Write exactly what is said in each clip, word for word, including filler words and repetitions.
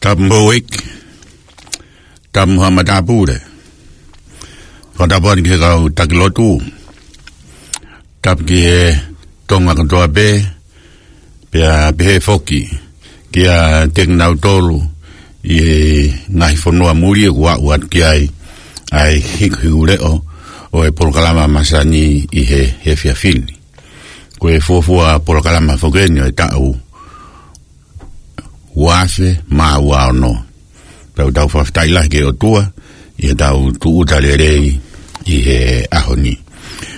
Tapu mo e houʻeiki, tapu mo haʻa matāpule. Fakatapu atu ki he kau taki lotu, tapu ki he Tonga kotoa pē, pea pehē foki kiate kinautolu ʻi he ngaahi fonua muli ʻoku aʻu atu ki ai ʻa e hikuhiku leʻo ʻo e polokalama masani ʻi he, he efiafi ni. Ko e fuofua polokalama foki eni ʻo e taʻu ua afe mā ua ono. Pea ʻoku tau fakafetaʻi lahi ki he ʻOtua ʻi heʻetau tūʻuta lelei ʻi he ʻaho ni.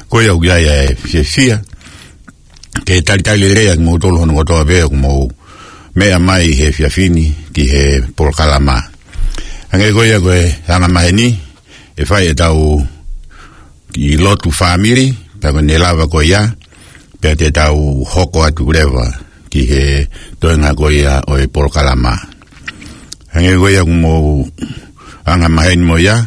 Ko ia ʻoku ʻi ai ʻa e fiefia ke talitali lelei ʻa kimoutolu hono kotoa pē ʻoku mou meʻa mai he efiafi ni ki he polokalama. Hangē ko ia ko e anga maheni, ʻe fai ʻetau kiʻi lotu fāmili, pea ko ʻene lava ko ia, pea te tau hoko atu leva ki he toenga ko ia ʻo e polokalama. Hangē ko ia ʻoku mou anga maheni mo ia,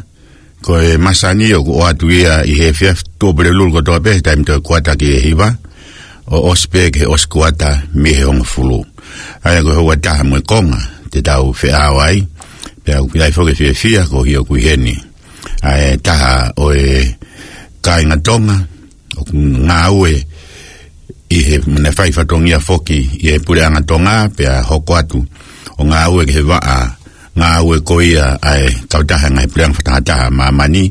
ko e masani ʻoku ʻoatu ia ʻi he efiafi Tuʻapulelulu kotoa pē, taimi toe kuata ki he hiva, ʻo ʻosi pē ki he ʻosi kuata mei he hongofulu. ʻA ia ko e houa ʻe taha mo e konga te tau feʻao ai, pea ʻoku ʻi ai foki e fiefia ko e ʻoku ʻi heni ʻa e taha ʻo e kāinga Tonga ʻoku ngāue ʻi he, naʻe fai fatongia foki ʻi he Puleʻanga Tonga, pea hoko atu ʻo ngāue ki he vaʻa ngāue ko ia ʻa e kautaha ngaahi puleʻanga fakatahataha ʻa māmani,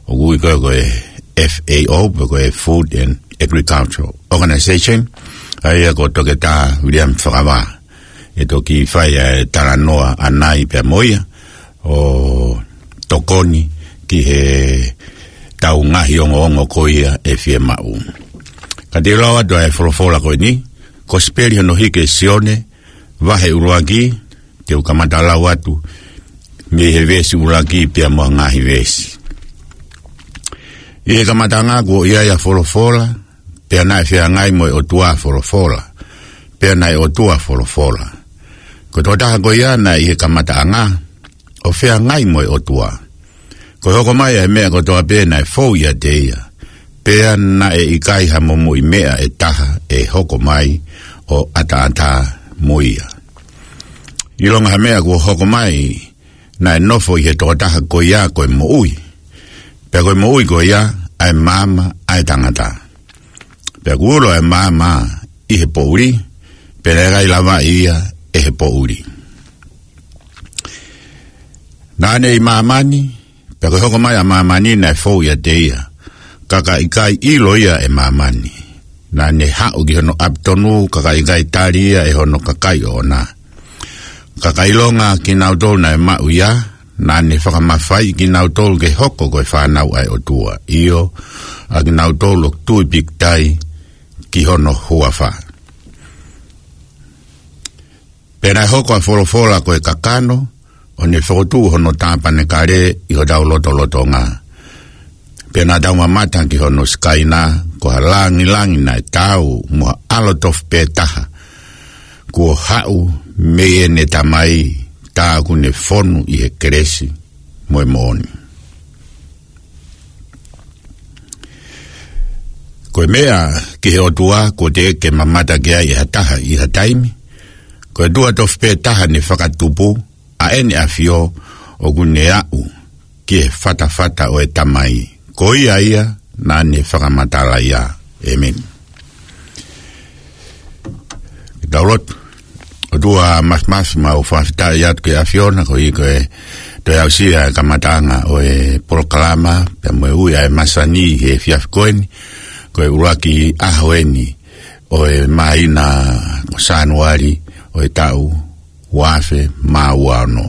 ʻoku ui ko e, ko e F A O, pe ko e Food and Agricultural Organization, ʻa ia ko Toketā Viliami Fakavā. ʻE toki fai ʻa e talanoa ʻanai pea mo ia ʻo tokoni ki heʻetau ngaahi ongoongo ko ia ʻe fiemaʻu. Ka te u lau atu ʻa e folofola ko eni, Kosipeli hono hiki ʻe Sione, vahe ʻuluaki, te u kamata lau atu mei he veesi ʻuluaki pea mo e ngaahi veesi. ʻI he kamataʻanga kuo ʻi ai ʻa Folofola, pea naʻe feangai mo e ʻOtua Folofola, pea naʻe ʻOtua Folofola. Ko e tokotaha ko ia naʻe ʻi he kamataʻanga, ʻo feangai mo e ʻOtua. Ko e hoko mai ʻa e meʻa kotoa pē naʻe fou ʻiate ia, pea naʻe ʻikai ha momoʻi meʻa ʻe taha ʻe hoko mai ʻo ʻataʻatā mo ia. ʻIlonga ha meʻa kuo hoko mai, naʻe nofo ʻi he tokotaha ko ia ko e moʻui. Pea ko e moʻui ko ia, ʻa e maama ʻa e tangata. Pea kuo ulo ʻa e maama ʻi he poʻuli, pea naʻe ʻikai lavaʻi ia ʻe he poʻuli. Naʻa ne ʻi māmani, pea ko e hoko mai ʻa māmani naʻe fou ʻiate ia, ka ka ʻikai ʻilo ia ʻe māmani. Naʻa ne haʻu ki hono ʻapi tonu, ka ka ʻikai tali ia ʻe hono kakai ʻoʻona. Ka ka ʻilonga kinautolu naʻe maʻu ia, naʻa ne fakamafaiʻi kinautolu ke hoko ko e fānau ʻa e ʻOtua, ʻio, ʻa kinautolu ʻoku tui pīkitai ki hono huafa. Pea naʻe hoko ʻa Folofola ko e kakano, ʻo ne fokotuʻu hono tāpanekale ʻi hotau lotolotonga. Pea naʻa tau mamata ki hono sikaina, ko ha langilangi naʻe taau mo ha ʻAlo tofu pē taha kuo haʻu mei heʻene Tamai, tā ʻoku ne fonu ʻi he kelesi mo e moʻoni. Ko e meʻa ki he ʻOtua kuo teʻeki ke mamata ki ai ʻe ha taha ʻi ha taimi. Ko e ʻOtua tofu pē taha ne fakatupu, ʻa ʻEne ʻAfio, ʻoku ne aʻu ki he fatafata ʻo e Tamai. Ko ia ia naʻa ne fakamatala ia. ʻĒmeni. Ke tau lotu. ʻOtua Māfimafi, mau fakafetaʻi atu ki he ʻAfiona, koeʻuhi ko e toe aʻusia e kamataʻanga ʻo e polokalama, pea mo e ui ʻa e masani he efiafi ko eni, ko e ʻuluaki ʻaho eni ʻo e māhina ko Sānuali ʻo e taʻu ua afe mā ua ono.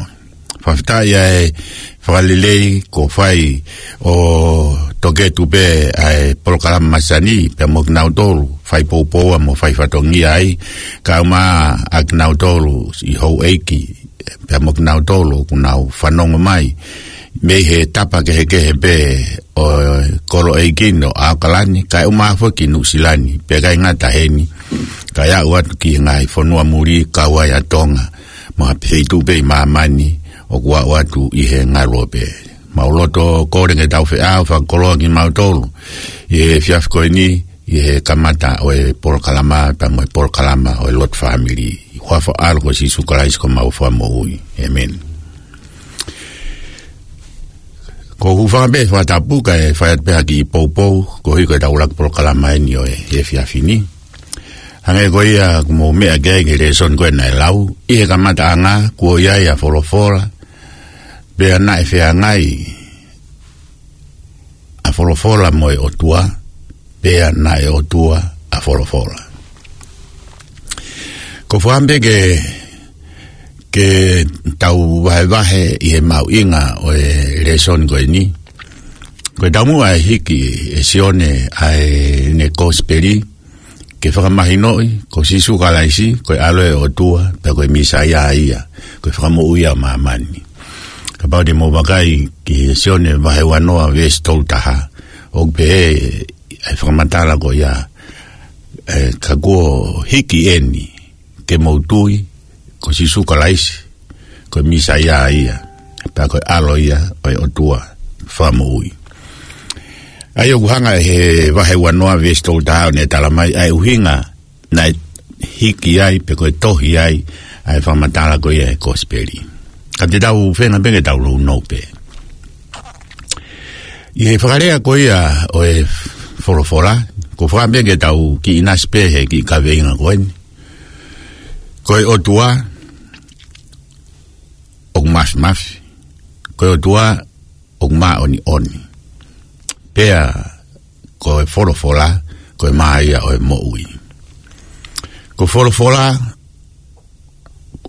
Fakafetaʻi ʻa e fakalelei kuo fai ʻo toketu pē ʻa e polokalama masani, pea mo kinautolu fai poupou mo fai fatongia ai, kae ʻumaʻā kinautolu ʻi houʻeiki, pea mo kinautolu ʻoku nau fanongo mai mei he tapa kehekehe pē ʻo e kolo ʻeiki ni ʻo ʻAokalani, kae ʻumaʻā foki Nuʻusila ni, pea ʻikai ngata heni, kae aʻu atu ki he ngaahi fonua muli, kau ai ʻa Tonga, mo ha feituʻu pē ʻi māmani ʻoku aʻu atu ʻi he ngaluope. Mau loto kole ke tau feʻao fakakoloa kimautolu ʻi he efiafi ko eni, ʻi he kamata ʻo e polokalama, pea mo e polokalama ʻo e lotu fāmili. huafa ʻo e ʻAlo ko Sīsū Kalaisi ko homau Fakamoʻui. ʻĒmeni. Ko u hūfanga pē he fakatapu kae fai atu pē ha kiʻi poupou koeʻuhi ko ʻetau ʻuluaki polokalama eni ʻo e efiafi ni. Hangē ko ia kuo mou meʻa ki ai ki he lēsoni ko ē naʻe lau, ʻi he kamataʻanga kuo ʻi ai ʻa Folofola, pea naʻe feangai ʻa Folofola mo e ʻOtua, pea naʻe ʻOtua ʻa Folofola. Ko u fakaʻamu pē ke, ke tau vahevahe ʻi he mahuʻinga ʻo e lēsoni ko eni. Ko e taumuʻa e hiki ʻe Sione ʻa ʻene kosipeli, ke fakamahinoʻi ko Sīsū Kalaisi ko e ʻAlo ʻo e ʻOtua, pea ko e Mīsaia ia, ko e Fakamoʻui ʻa māmani. Kapau te mou vakai ki he Sione vahe uanoa veesi tolu taha, ʻoku pehē ʻa e fakamatala ko ia, ē, ka kuo hiki eni ke mou tui ko Sīsū Kalaisi ko e Mīsaia ia, pea ko e ʻAlo ia ʻo e ʻOtua Fakamoʻui. ʻA ia ʻoku hanga ʻe he vahe uanoa veesi tolu taha ʻo ne talamai ʻa e ʻuhinga naʻe hiki ai pe ko e tohi ai ʻa e fakamatala ko ia ʻi he kosipeli. Ka te tau feinga pē ke tau nounou pē. ʻI he fakalea ko ia ʻo e Folofola, ko u fakaʻamu pē ke tau kiʻi ʻinasi pē he kiʻi kaveinga ko eni. Ko e ʻOtua ʻoku māfimafi. Ko e ʻOtua ʻoku māʻoniʻoni. Pea ko e Folofola ko e mā ia ʻo e moʻui. Ko Folofola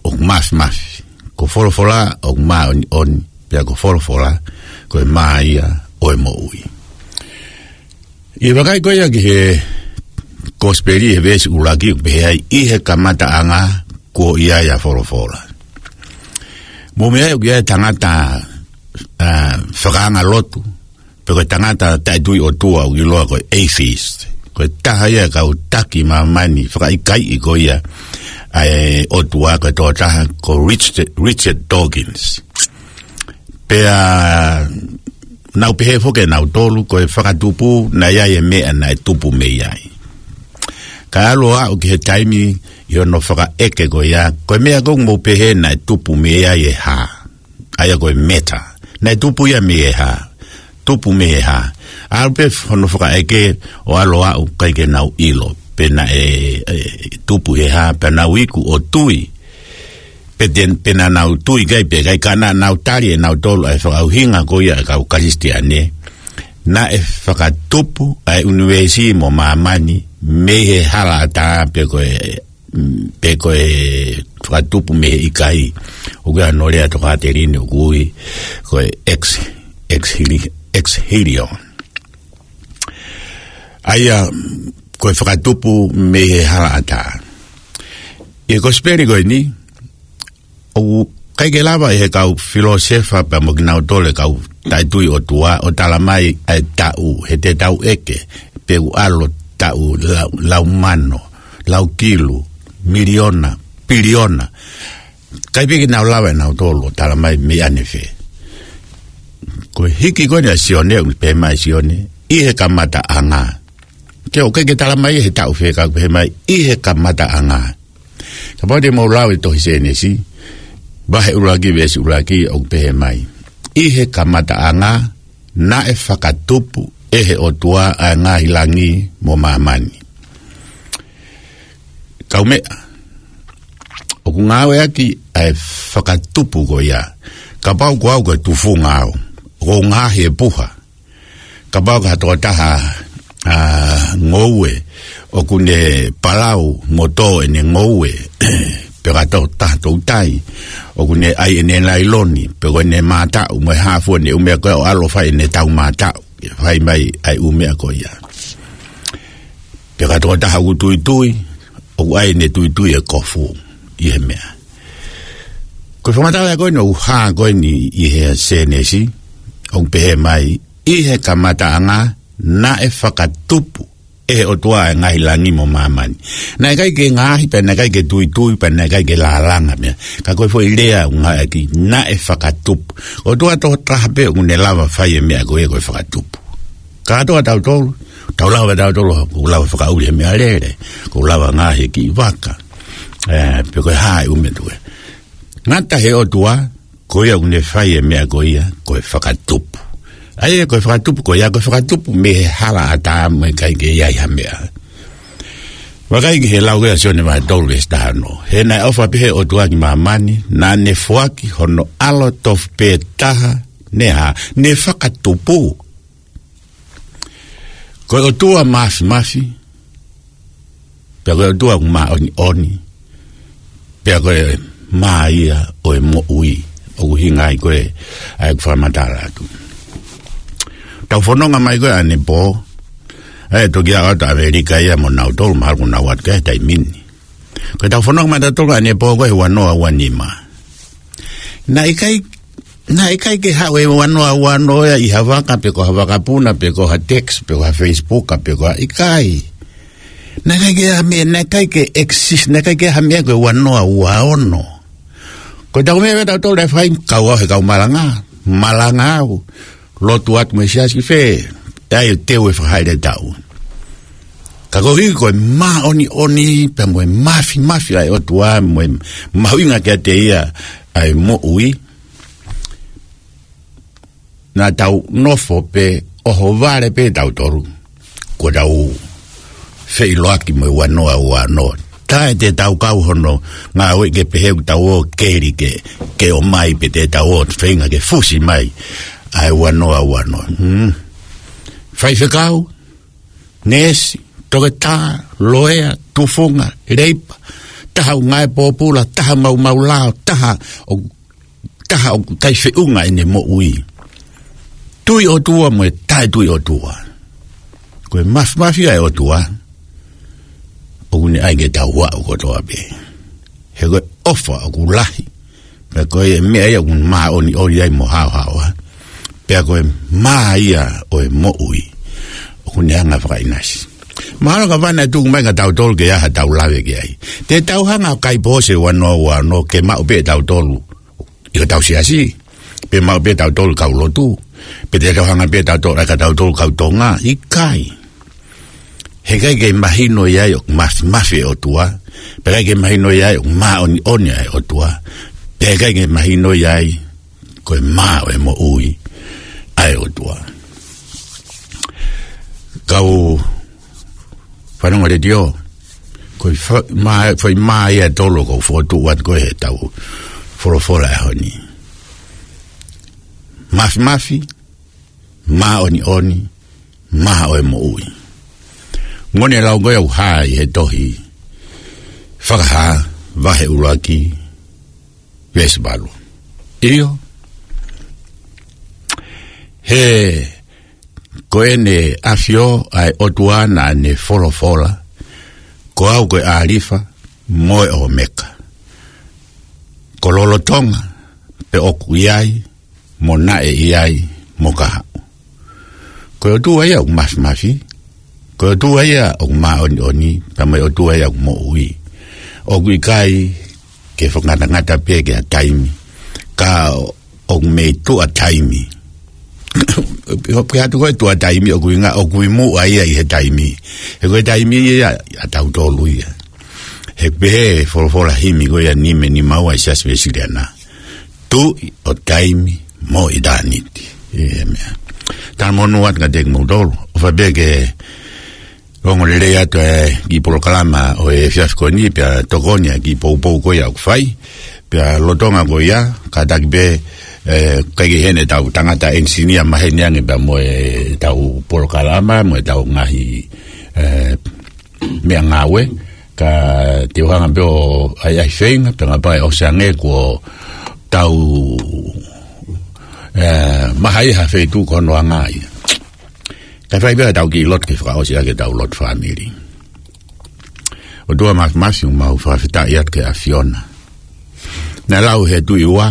ʻoku māfimafi. Ko Folofola ʻoku māʻoniʻoni. Pea ko Folofola ko e mā ia ʻo e moʻui. ʻI he vakai ko ia ki he kosipeli he veesi ʻuluaki ʻoku pehē ai, ʻi he kamataʻanga kuo ʻi ai ʻa Folofola. Mou meaʻi ʻoku ʻi ai e tangata, ā, fakaanga lotu, pe ko e tangata taʻetui ʻOtua ʻoku ʻiloa ko e atheist. Ko e taha ia e kau taki māmani fakaʻikaiʻi ko ia ʻa e ʻOtua, ko e tokotaha ko Richard, Richard Dawkins. Pea nau pehē foki ʻe nautolu ko e fakatupu naʻe ʻi ai e meʻa naʻe tupu mei ai. Ka ʻalu ʻo aʻu ki he taimi ʻi hono fakaʻeke ko ia, ko e meʻa ko ē ʻoku mou pehē naʻe tupu mei ai e hā, ʻa ia ko e matter, naʻe tupu ia mei he hā, tupu mei he hā. ʻAlu pē hono fakaʻeke ʻo ʻalu ʻo aʻu ʻikai ke nau ʻilo pe naʻe, ē, tupu he hā, pea nau iku ʻo tui. Pe te, pe naʻa nau tui ʻikai pe ʻikai, ka naʻa nau tali ʻe nautolu ʻa e fakaʻuhinga ko ia ʻa e kau Kalisitiane, naʻe fakatupu ʻa e ʻunivēsi mo māmani mei he halaʻatā pe ko e, pe ko e fakatupu mei he ʻikai. ʻOku ʻi ai hono lea tokāteline ʻoku ui ko e ex, ex hili-, ex nihilo. ʻA ia, ko e fakatupu mei he halaʻatā. ʻI he kosipeli ko eni, ʻoku ʻikai ke lava ʻe he kau filōsefa pea mo kinautolu e kau taʻetui ʻOtua ʻo talamai ʻa e taʻu, he te tau ʻeke pe ʻoku ʻalu taʻu lau, lau mano, lau kilu, miliona, piliona. ʻIkai pē ke nau lava ʻe nautolu ʻo talamai meʻa ne fē. Ko e hiki ko eni ʻa Sione, ʻoku pehē mai ʻe Sione, ʻi he kamataʻanga. Ke ʻoku ʻikai ke talamai he taʻu fē ka ʻoku pehē mai, ʻi he kamataʻanga. Kapau te mou lau e tohi Sēnesi, vahe ʻuluaki veesi ʻuluaki ʻoku pehē mai, ʻi he kamataʻanga naʻe fakatupu ʻe he ʻOtua ʻa e ngaahi langi mo māmani. Kaumeʻa, ʻoku ngāueʻaki ʻa e fakatupu ko ia. Kapau ko au ko e tufunga au, ʻoku ou ngaohi e puha. Kapau ko ha tokotaha, ā, ngoue, ʻoku ne palau mo tō ʻene ngoue, pe ko ha tokotaha toutai, ʻoku ne ʻai ʻene lailoni, pe ko ʻene mātaʻu mo e hā fua ʻene ʻū meʻa ko ē ʻo ʻalu ʻo fai ʻene tau mātaʻu, ke fai mai ʻa e ʻū meʻa ko ia. Pe ko ha tokotaha ʻoku tuitui, ʻoku ʻai ʻene tuitui e kofu ʻi he meʻa. Ko e fakamatala ko eni ʻoku hā ko eni ʻi he Sēnesi, ʻoku pehē mai, ʻi he kamataʻanga naʻe fakatupu ʻe he ʻOtua ʻa e ngaahi langi mo māmani. Naʻe ʻikai ke ngaohi, pea naʻe ʻikai ke tuitui, pea naʻe ʻikai ke lālanga meʻa. Ka ko e foʻi lea ʻoku ngāueʻaki, naʻe fakatupu. ʻOtua tokotaha pē ʻoku ne lava fai e meʻa ko ia ko e fakatupu. Kātoa tautolu, tau lava tautolu, ʻoku lava fakaʻuli he meʻalele, ʻoku lava ngaohi e kiʻi vaka. ē, pe ko e hā e ʻū meʻa tuku ē. Ngata he ʻOtua, ko ia ʻoku ne fai e meʻa ko ia, ko e fakatupu. ʻA ia, ko e fakatupu, ko ia, ko e fakatupu mei he hala ʻa ʻĀtama, ʻikai ke ʻi ai ha meʻa. Vakai ki he lau ʻa Sione vahe tolu veesi taha ono. He naʻe ʻofa pehē ʻOtua ki māmani, naʻa ne foaki hono ʻAlo tofu pē taha, ne hā, ne fakatupu. Ko e ʻOtua Māfimafi, pea ko e ʻOtua ʻoku māʻoniʻoni, pea ko e mā ia ʻo e moʻui, ʻoku ʻuhinga ai ko ē ʻa ʻeku fakamatala atu. Tau fononga mai ko ē ʻanepō, ʻa e toki aʻu atu ʻAmelika ia mo nautolu, mahalo kuo nau ō atu ki he taimi ni. Ko ʻetau fononga mai ʻatautolu ʻanepō ko ē he ua noa ua nima. Naʻe ʻikai, naʻe ʻikai ke haʻu e ua noa ua noa ia ʻi ha vaka pe ko ha vakapuna pe ko ha text pe ko ha Facebook pe ko ha ʻikai. Naʻe ʻikai ke ha meʻa, naʻe ʻikai ke exist, naʻe ʻikai ke ha meʻa ko e ua noa ua ono. Ko ʻetau meʻa ʻatautolu ʻe fai kau au he kau malanga, malanga au. Lotu atu mo e siasi ki fē, ʻa ia ʻe teu e fakahaʻele ʻetau. Ka koeʻuhi ko e māʻoniʻoni, pea mo e māfimafi ʻa e ʻOtua, mo e mahuʻinga kiate ia ʻa e moʻui. Naʻa tau nofo pē ʻohovale pē tautolu. Kuo tau feʻiloaki mo e ua noa ua noa. Taʻe te tau kau hono ngāue ke pehē ʻoku tau ō keli ke, ke ō mai pe te tau ō feinga ke fusi mai ʻa e ua noa ua noa. Hmm. Faifekau, neesi, toketā, loea, tufunga, leipa, taha ʻoku ngāue pōpula, taha maumau lao, taha ʻoku taha ʻoku ʻikai feʻunga ʻene moʻui. Tui ʻOtua mo e taʻe tui ʻOtua. Ko e māfimafi ʻa e ʻOtua, ʻoku ne ʻai ke tau aʻu kotoa pē. He ko e ʻofa ʻoku lahi. Pea ko e meʻa ia ʻoku māʻoniʻoni ai mo haohaoa. Pea ko e mā ia ʻo e moʻui, ʻoku ne hanga fakaʻinasi. Mahalo ka vana e tuku mai ka tautolu ke ʻi ai ha tau lave ki ai. Te tau hanga ʻo kai pō se ua noa ua noa ke maʻu pē tautolu ʻi hotau siasi, pe maʻu pē tautolu kau lotu, pe te tau hanga pē tautolu, ʻa ka tautolu kau Tonga, ʻikai. He ʻikai ke mahino ia ʻoku māfimafi e ʻOtua, pe ʻikai ke mahino ia ʻoku māʻoniʻoni ʻa e ʻOtua, pe ʻikai ke mahino ia ko e mā ʻo e moʻui ʻa e ʻOtua. Kau fanongo letiō, ko e fa-, mā, foʻi mā ia ʻe tolu ʻoku ou fokotuʻu atu ko ē heʻetau folofola ʻaho ni. Māfimafi, māʻoniʻoni, mā ʻo e moʻui. Ngone lau ko ē ʻoku hā ʻi he tohi Fakahā, vahe ʻuluaki, veesi valu. ʻIo. He ko ʻEne ʻAfio ʻa e ʻOtua naʻa ne folofola, ko au ko e ʻĀlifa mo e ʻOmeka. Ko lolotonga pē ʻoku ʻi ai, mo naʻe ʻi ai, mo ka haʻu. Ko e ʻOtua ia ʻoku māfimafi, ko e ʻOtua ia ʻoku māʻoniʻoni, pea mo e ʻOtua ia ʻoku moʻui. ʻOku ʻikai ke fakangatangata pē ki ha taimi, ka ʻoku mei tuʻa taimi. Pe atu ko e tuʻa taimi ʻoku ʻuhinga ʻoku ʻi muʻa ia ʻi he taimi. He ko e taimi ia ʻatautolu ia. He pehē folofola himi ko ia nime nima ua ʻi he Siasi Uēsiliana. Tuʻi ʻo taimi mo ʻitāniti. ʻĒmeni. Talamonū atu kiate kimoutolu. ʻOfa pē ke ongo lelei atu e kiʻi polokalama ʻo e efiafi ko eni pea tokoni ʻa e kiʻi poupou ko ia ʻoku fai. Pea lolotonga ko ia, kātaki pē, ē, ʻikai ke ʻi heni ʻetau tangata enisinia maheni ange pea mo ʻetau polokalama, mo ʻetau ngaahi, ē, meʻangāue, ka te u hanga pē ʻo ʻai ʻai feinga, pea kapau ʻe ʻosi ange kuo tau, ē, maha ʻi ha feituʻu ko hono anga ia. Kae fai pē ʻetau kiʻi lotu ke fakaʻosi ʻaki ʻetau lotu fāmili. ʻOtua Māfimafi, ʻoku mau fakafetaʻi atu ki he ʻAfiona. Naʻe lau he tuʻi ua,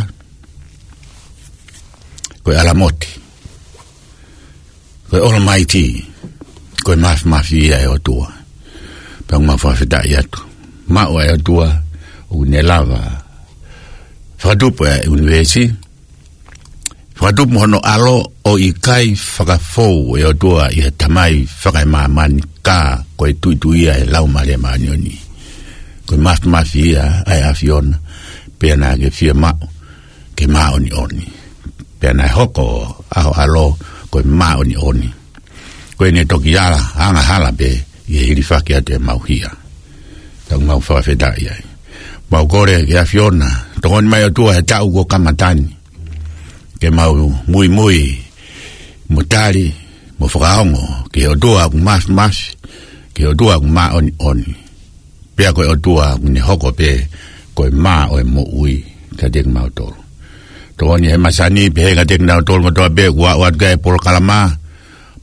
ko e ʻAlamoti, ko e Almighty, ko e māfimafi ia ʻa e ʻOtua. Pea ʻoku mau fakafetaʻi atu. Maʻu ʻa e ʻOtua, ʻoku ne lava fakatupu ʻa e ʻunivēsi, fakatupu mo hono ʻAlo, ʻo ʻikai fakafou ʻe he ʻOtua ʻi he Tamai fakaemāmani, ka ko e tuʻituʻia ʻa e Laumālie Māʻoniʻoni. Ko e mafimafi ia ʻa e ʻAfiona, pea naʻa ke fiemaʻu ke māʻoniʻoni. Pea naʻe hoko ʻa ho ʻAlo ko e māʻoniʻoni. Ko ʻene toki ala, angahala pē ʻi he hilifaki atu ʻemau hia. Tau mau fakafetaʻi ai. Mau kole ki he ʻAfiona, tokoni mai ʻOtua he taʻu kuo kamata ni, ke mau muimui mo tali mo fakaongo ki he ʻOtua ʻoku mafimafi, ki he ʻOtua ʻoku māʻoniʻoni. Pea ko e ʻOtua ʻoku ne hoko pē ko e mā ʻo e moʻui kiate kimautolu. Tokoni he masani pē kiate kinautolu kotoa pē kuo aʻu atu ki he polokalama,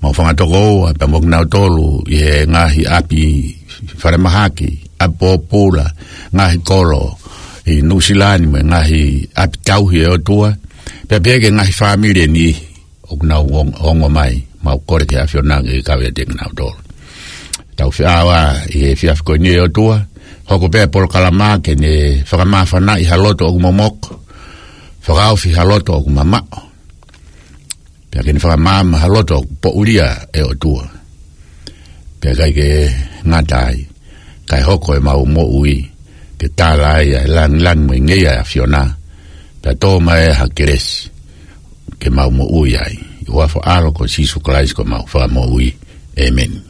mau fanga tokoua pea mo kinautolu ʻi he ngaahi ʻapi falemahaki, ʻapi pōpula, ngaahi kolo ʻi Nuʻusila ni mo e ngaahi ʻapi tauhi, ʻe ʻOtua, pea pehē ki he ngaahi fāmili ʻe niʻihi ʻoku nau ong-, ongo mai, mau kole ki he ʻAfiona ke kau ʻiate kinautolu. Tau feʻao ʻi he efiafi ko eni, ʻe ʻOtua, hoko pē polokalama ke ne fakamāfanaʻi ha loto ʻoku momoko, fakaofi ha loto ʻoku mamaʻo, pea ke ne fakamaama ha loto ʻoku poʻulia, ʻe ʻOtua. Pea ʻikai ke ngata ai, kae hoko ʻemau moʻui ke tala ai ʻa e langilangi mo e ngeia ʻo e ʻAfiona, pea tō mai ha kelesi ke mau moʻui ai. ʻI he huafa ʻo ho ʻAlo ko Sīsū Kalaisi ko homau Fakamoʻui. ʻĒmeni.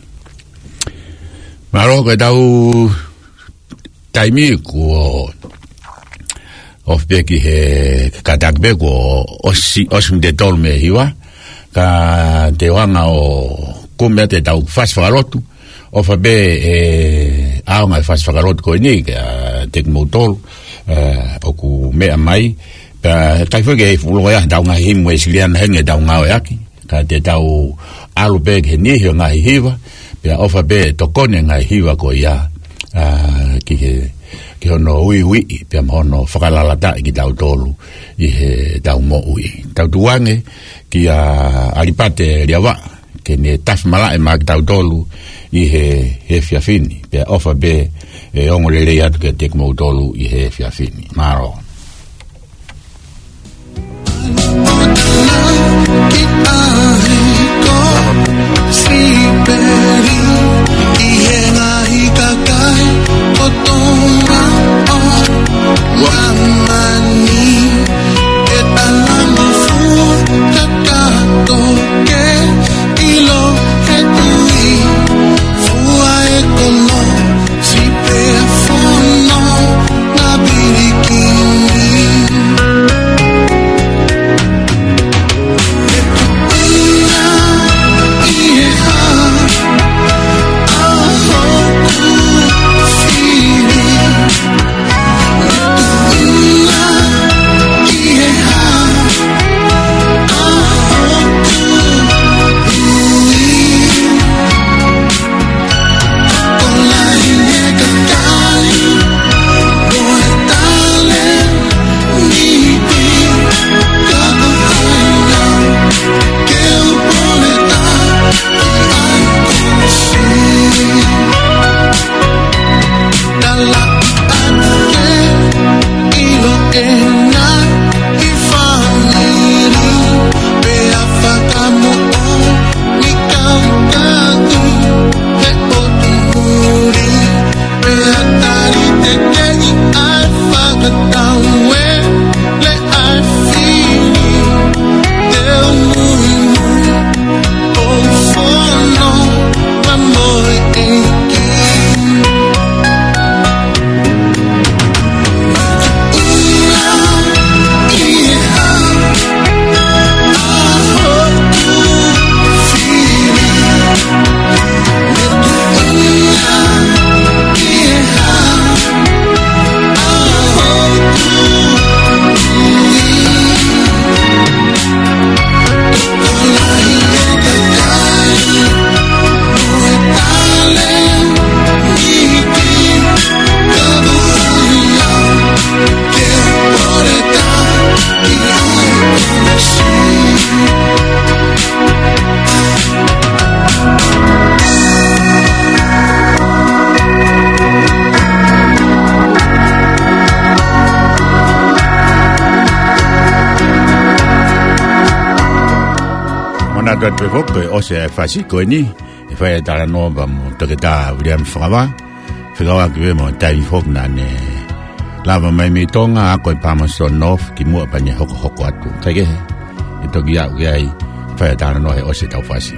Mālō, ko ʻetau taimi kuo ofi pē ki he, kātaki pē kuo ʻosi, ʻosi miniti ʻe tolu mei he hiva, ka te u hanga ʻo kumi atu ʻetau fasi fakalotu, ʻofa pē ʻe ʻaonga e fasi fakalotu ko eni kiate kimoutolu, ē, ʻoku meʻa mai, pea ʻikai foki ke fuʻu loko ia ʻetau ngaahi himi Uēsiliana heni ʻetau ngāueʻaki, ka te tau ʻalu pē ki he niʻihi ʻo e ngaahi hiva, pea ʻofa pē ʻe tokoni e ngaahi hiva ko ia, ā, ki he, ki hono uiuiʻi, pea mo hono fakalalataʻi kitautolu ʻi heʻetau moʻui. Tau tuku ange kia ʻAlipate Liavaʻa, ke ne tafi malaʻe maʻa kitautolu ʻi he, he efiafi ni, pea ʻofa pē ʻe ongo lelei atu kiate kimoutolu ʻi he efiafi ni. Mālō. Manatu atu pē foki ko e ʻosi e fasi ko eni, ʻe fai e talanoa pea mo Toketā Viliami Fakavā. Fekauʻaki pē mo e taimi foki naʻa ne lava mai mei Tonga, ako ʻi Palmerston North, kimuʻa pea ne hokohoko atu. Kaikehe, ʻe toki aʻu ki ai, fai ʻa e talanoa he ʻosi ʻetau fasi.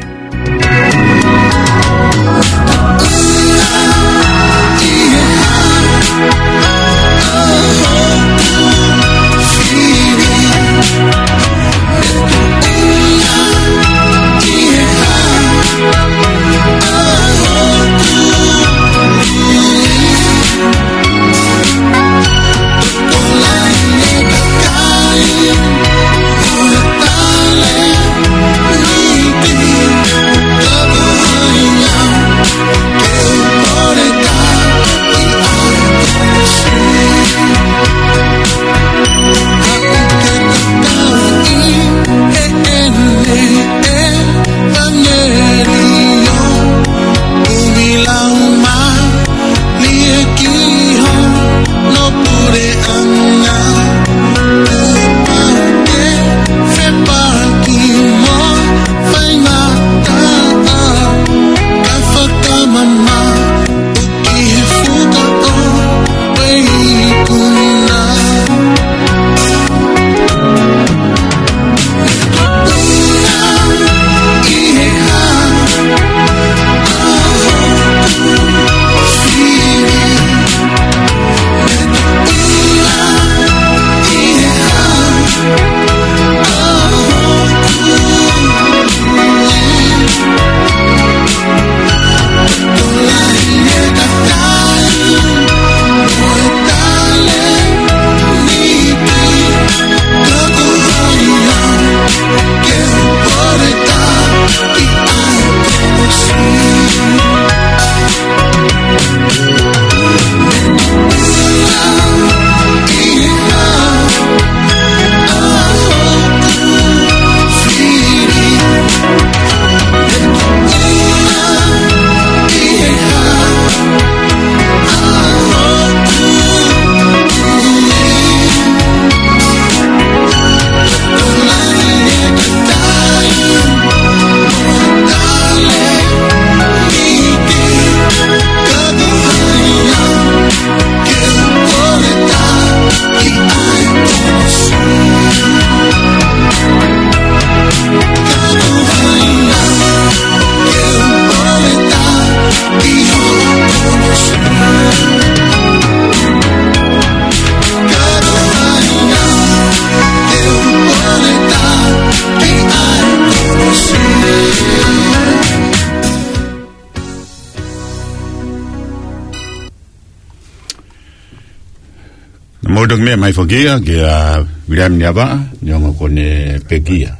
Naʻa mou toki meʻa mai foki ia kia Viliami Niavaʻa, neongo kuo ne pekia.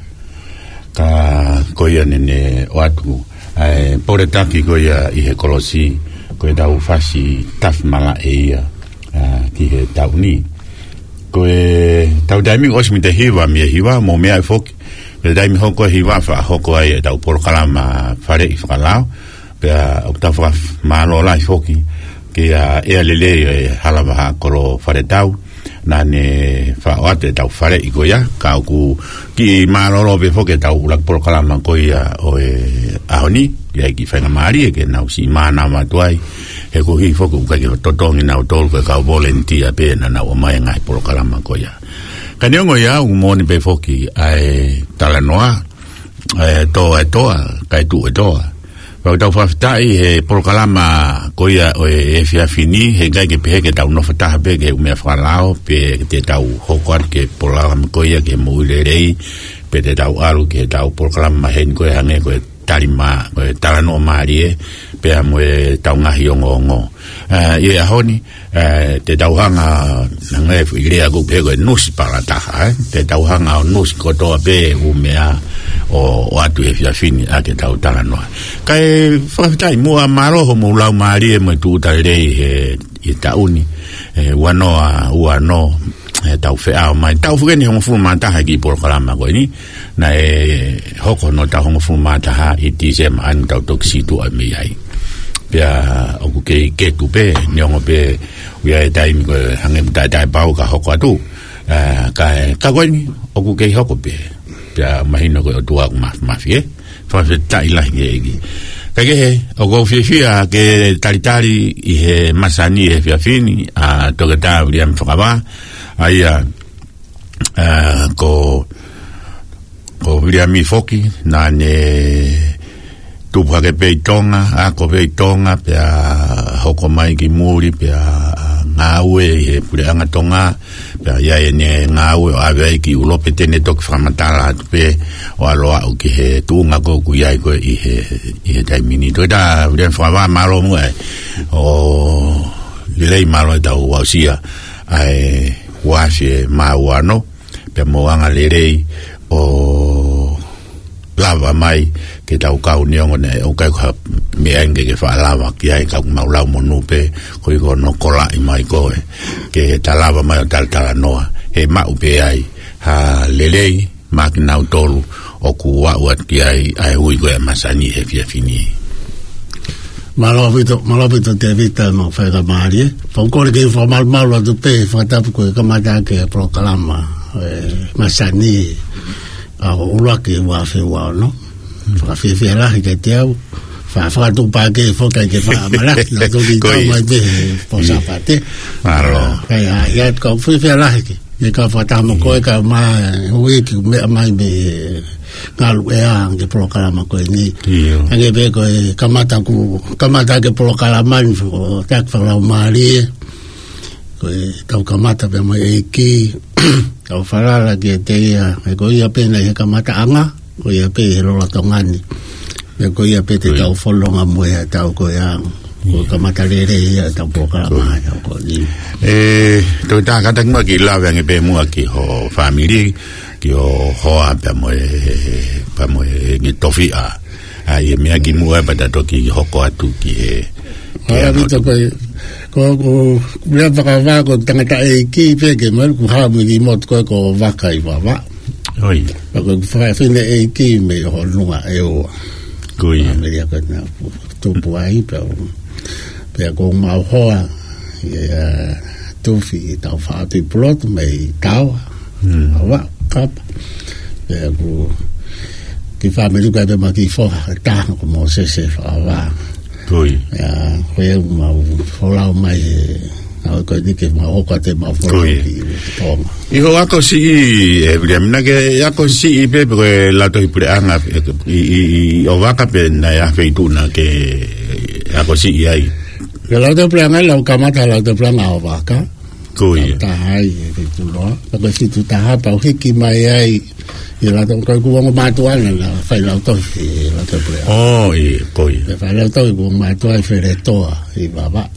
Ka ko ia naʻa ne ʻoatu ʻa e pole taki ko ia ʻi he kolosi, ko ʻetau fasi tafi malaʻe ia, ā, ki he taʻu ni. Ko ʻetau taimi ʻosi mei he hiva, mei he hiva, mou meaʻi foki. Ko e taimi hoko hiva faʻa hoko ai ʻetau polokalama faleʻi fakalao. Pea ʻoku tau fakamālō lahi foki kia ʻEa Lelei ʻo e Hala Vahaʻa Kolo Faletau, naʻa ne faʻo atu ʻetau faleʻi ko ia, ka ʻoku kiʻi mālōlō pē foki ʻetau ʻuluaki polokalama ko ia ʻo e ʻaho ni, ʻi ai e kiʻi faingamālie ke nau siʻi mānava atu ai, he ko e hā foki ʻoku ʻikai ke totongi nautolu ko e kau volunteer pē naʻa nau ō mai he ngaahi polokalama ko ia. Ka neongo ia, ʻoku moʻoni pē foki ʻa e talanoa, ʻa e toa ʻe toa, kae tuʻu ʻe toa. Pea ʻoku tau fakafetaʻi he polokalama ko ia ʻo e efiafi ni, he ʻikai ke pehē ke tau nofo taha pē ki he ʻū meʻa fakalao, pe te tau hoko atu ki he polokalama ko ia ki he moʻui lelei, pe te tau ʻalu ki heʻetau polokalama maheni ko ia hangē ko e tali mā, ko e talanoa mālie, pea mo ʻetau ngaahi ongoongo. Ā, ʻi he ʻaho ni, ā, te tau hanga, hangē foʻi lea ʻoku pehē ko e nusi pala taha, ē? Te tau hanga ʻo nusi kotoa pē ʻū meʻa ʻo, ʻoatu he efiafi ni ʻaki ʻetau talanoa. Kae fakafetaʻi muʻa, mālō hoʻomou laumālie mo e tūʻuta lelei he, he taʻu ni, ē, ua noa ua ono, ē, tau feʻao mai. Taʻu foki eni hongofulu mā taha e kiʻi polokalama ko eni. Naʻe hoko hono taʻu hongofulu mā taha ʻi Tīsema, ʻa eni tau toki situʻa mei ai. Pea ʻoku kei ketu pē, neongo pē ʻoku ʻi ai e taimi ko e hangē ʻoku taʻetaʻepau ka hoko atu. Ā, ka, ka ko eni, ʻoku kei hoko pē. Pea mahino ko e ʻOtua ʻoku maf-, mafi, ē? Fakafetaʻi lahi ki he ʻEiki. Pea kehe, ʻoku ou fiefia ke talitali ʻi he masani he efiafi ni, ʻa Toketā Viliami Fakavā, ʻa ia, ʻa, ko, ko Viliami foki, naʻa ne tupu hake pē ʻi Tonga, ako pē ʻi Tonga, pea hoko mai ki muli, pea ngāue ʻi he puleʻanga Tonga, pea ʻi ai ʻene ngāue ʻo ʻave ai ki ʻUlope, te ne toki fakamatala atu pē ʻo ʻalu ʻo aʻu ki he tuʻunga ko ē ʻoku ʻi ai ko ē ʻi he, ʻi he taimi ni. Toketā Viliami Fakavā, mālō muʻa ʻa e lelei, mālō ʻetau aʻusia ʻa e uaafe mā ua ono, pea mo e angalelei ʻo lava mai ke tau kau neongo naʻe ʻikai ko ha meʻa ia ke ke faʻa lava ki ai, ka ʻoku mau lau monū pē koeʻuhi ko hono kolaʻi mai ko ē ke ta lava mai ʻo talatalanoa, he maʻu pē ai ha lelei maʻa kinautolu ʻoku aʻu atu ki ai ʻa e ui ko ē ʻa e masani he efiafi ni. Mālō ʻaupito, mālō ʻaupito Tēvita, mo e faingamālie. Pea ʻoku ou kole ke u fakamalumalu atu pē he fakatapu ko e kamata ʻaki e polokalama, e, masani, ʻa ʻo ʻuluaki ʻo e uaafe ua ono. Fakafiefia lahi kiate au. Fa-, fakatuʻupakē foki ke faʻa malaki, naʻa toki Ko ia. tau mai pē he pō Ia. Sāpate. Mālō. ʻA, ʻa ia, ʻoku ou fiefia lahi ke, ke kau fakataha mo koe, ka ma, hui ki meʻa mai mei he ngaluʻea ki he polokalama ko eni. ʻIo. Hangē pē ko e kamata ʻoku, kamata ʻaki e polokalama ni, ʻoku taki fakalaumālie. Ko e tau kamata pē mo e ʻEiki, tau falala kiate ia, he ko ia pē naʻe ʻi he kamataʻanga, ko ia pē ʻi he lolotonga ni. He ko ia pē te Ko ia. tau fononga mo ia, tau ko ia, ko e Ia. kamata lelei ia ʻetau polokalama Ko ia. ia ko eni. E, Toketā, kātaki muʻa ke lave ange pē muʻa ki ho fāmili, ki ho hoa pea mo e, pea mo e ngaahi tofiʻa. ʻA ia, meʻa ki muʻa pea ta toki hoko atu ki he, ki he Mālō ʻaupito. Ko e, ko, ko, meʻa Fakavā ko e tangataʻeiki pē ke malu ku hau mili motu ko e ko Vaka ʻi Vavaʻu. ʻOi. Pea ko e fafine ʻeiki mei Honua ʻEua. Ko ia. Mei a ko na tupu ai pea, pea ko mau hoa, ia, Tufi ʻi Taufaʻātui Pulotu mei Taoa. Hmm. Vavaʻu, Kapa. Pea ko e kiʻi fāmili ko ē pē mo e kiʻi foha, taha ko Mōsese Fakavā. Ko ia. Ia, ko ia mau folau mai he, ʻa ko eni ke mau hoko atu ʻemau folau Ko ia. ki Tonga. ʻI hoʻo ako siʻi, e, Viliami, naʻa ke ako siʻi pē, pē ko e Lautohi Puleʻanga, e, ʻi, ʻi, ʻi ʻOvaka pe naʻe ʻi ai ha feituʻu naʻa ke ako siʻi ai? Ko e Lautohi Puleʻanga, lau kamata Lautohi Puleʻanga ʻOvaka. Ko ia. Taha ai, e fitu noa. Pea ko e fitu taha, pea u hiki mai ai, ʻi Lautohi, ko ʻeku ongo mātuʻa naʻa na fai lautohi, ʻi Lautohi Puleʻanga. ʻO, ʻio, ko ia. Pea fai lautohi ʻeku ongo mātuʻa ʻi Feletoa, ʻi Vavaʻu.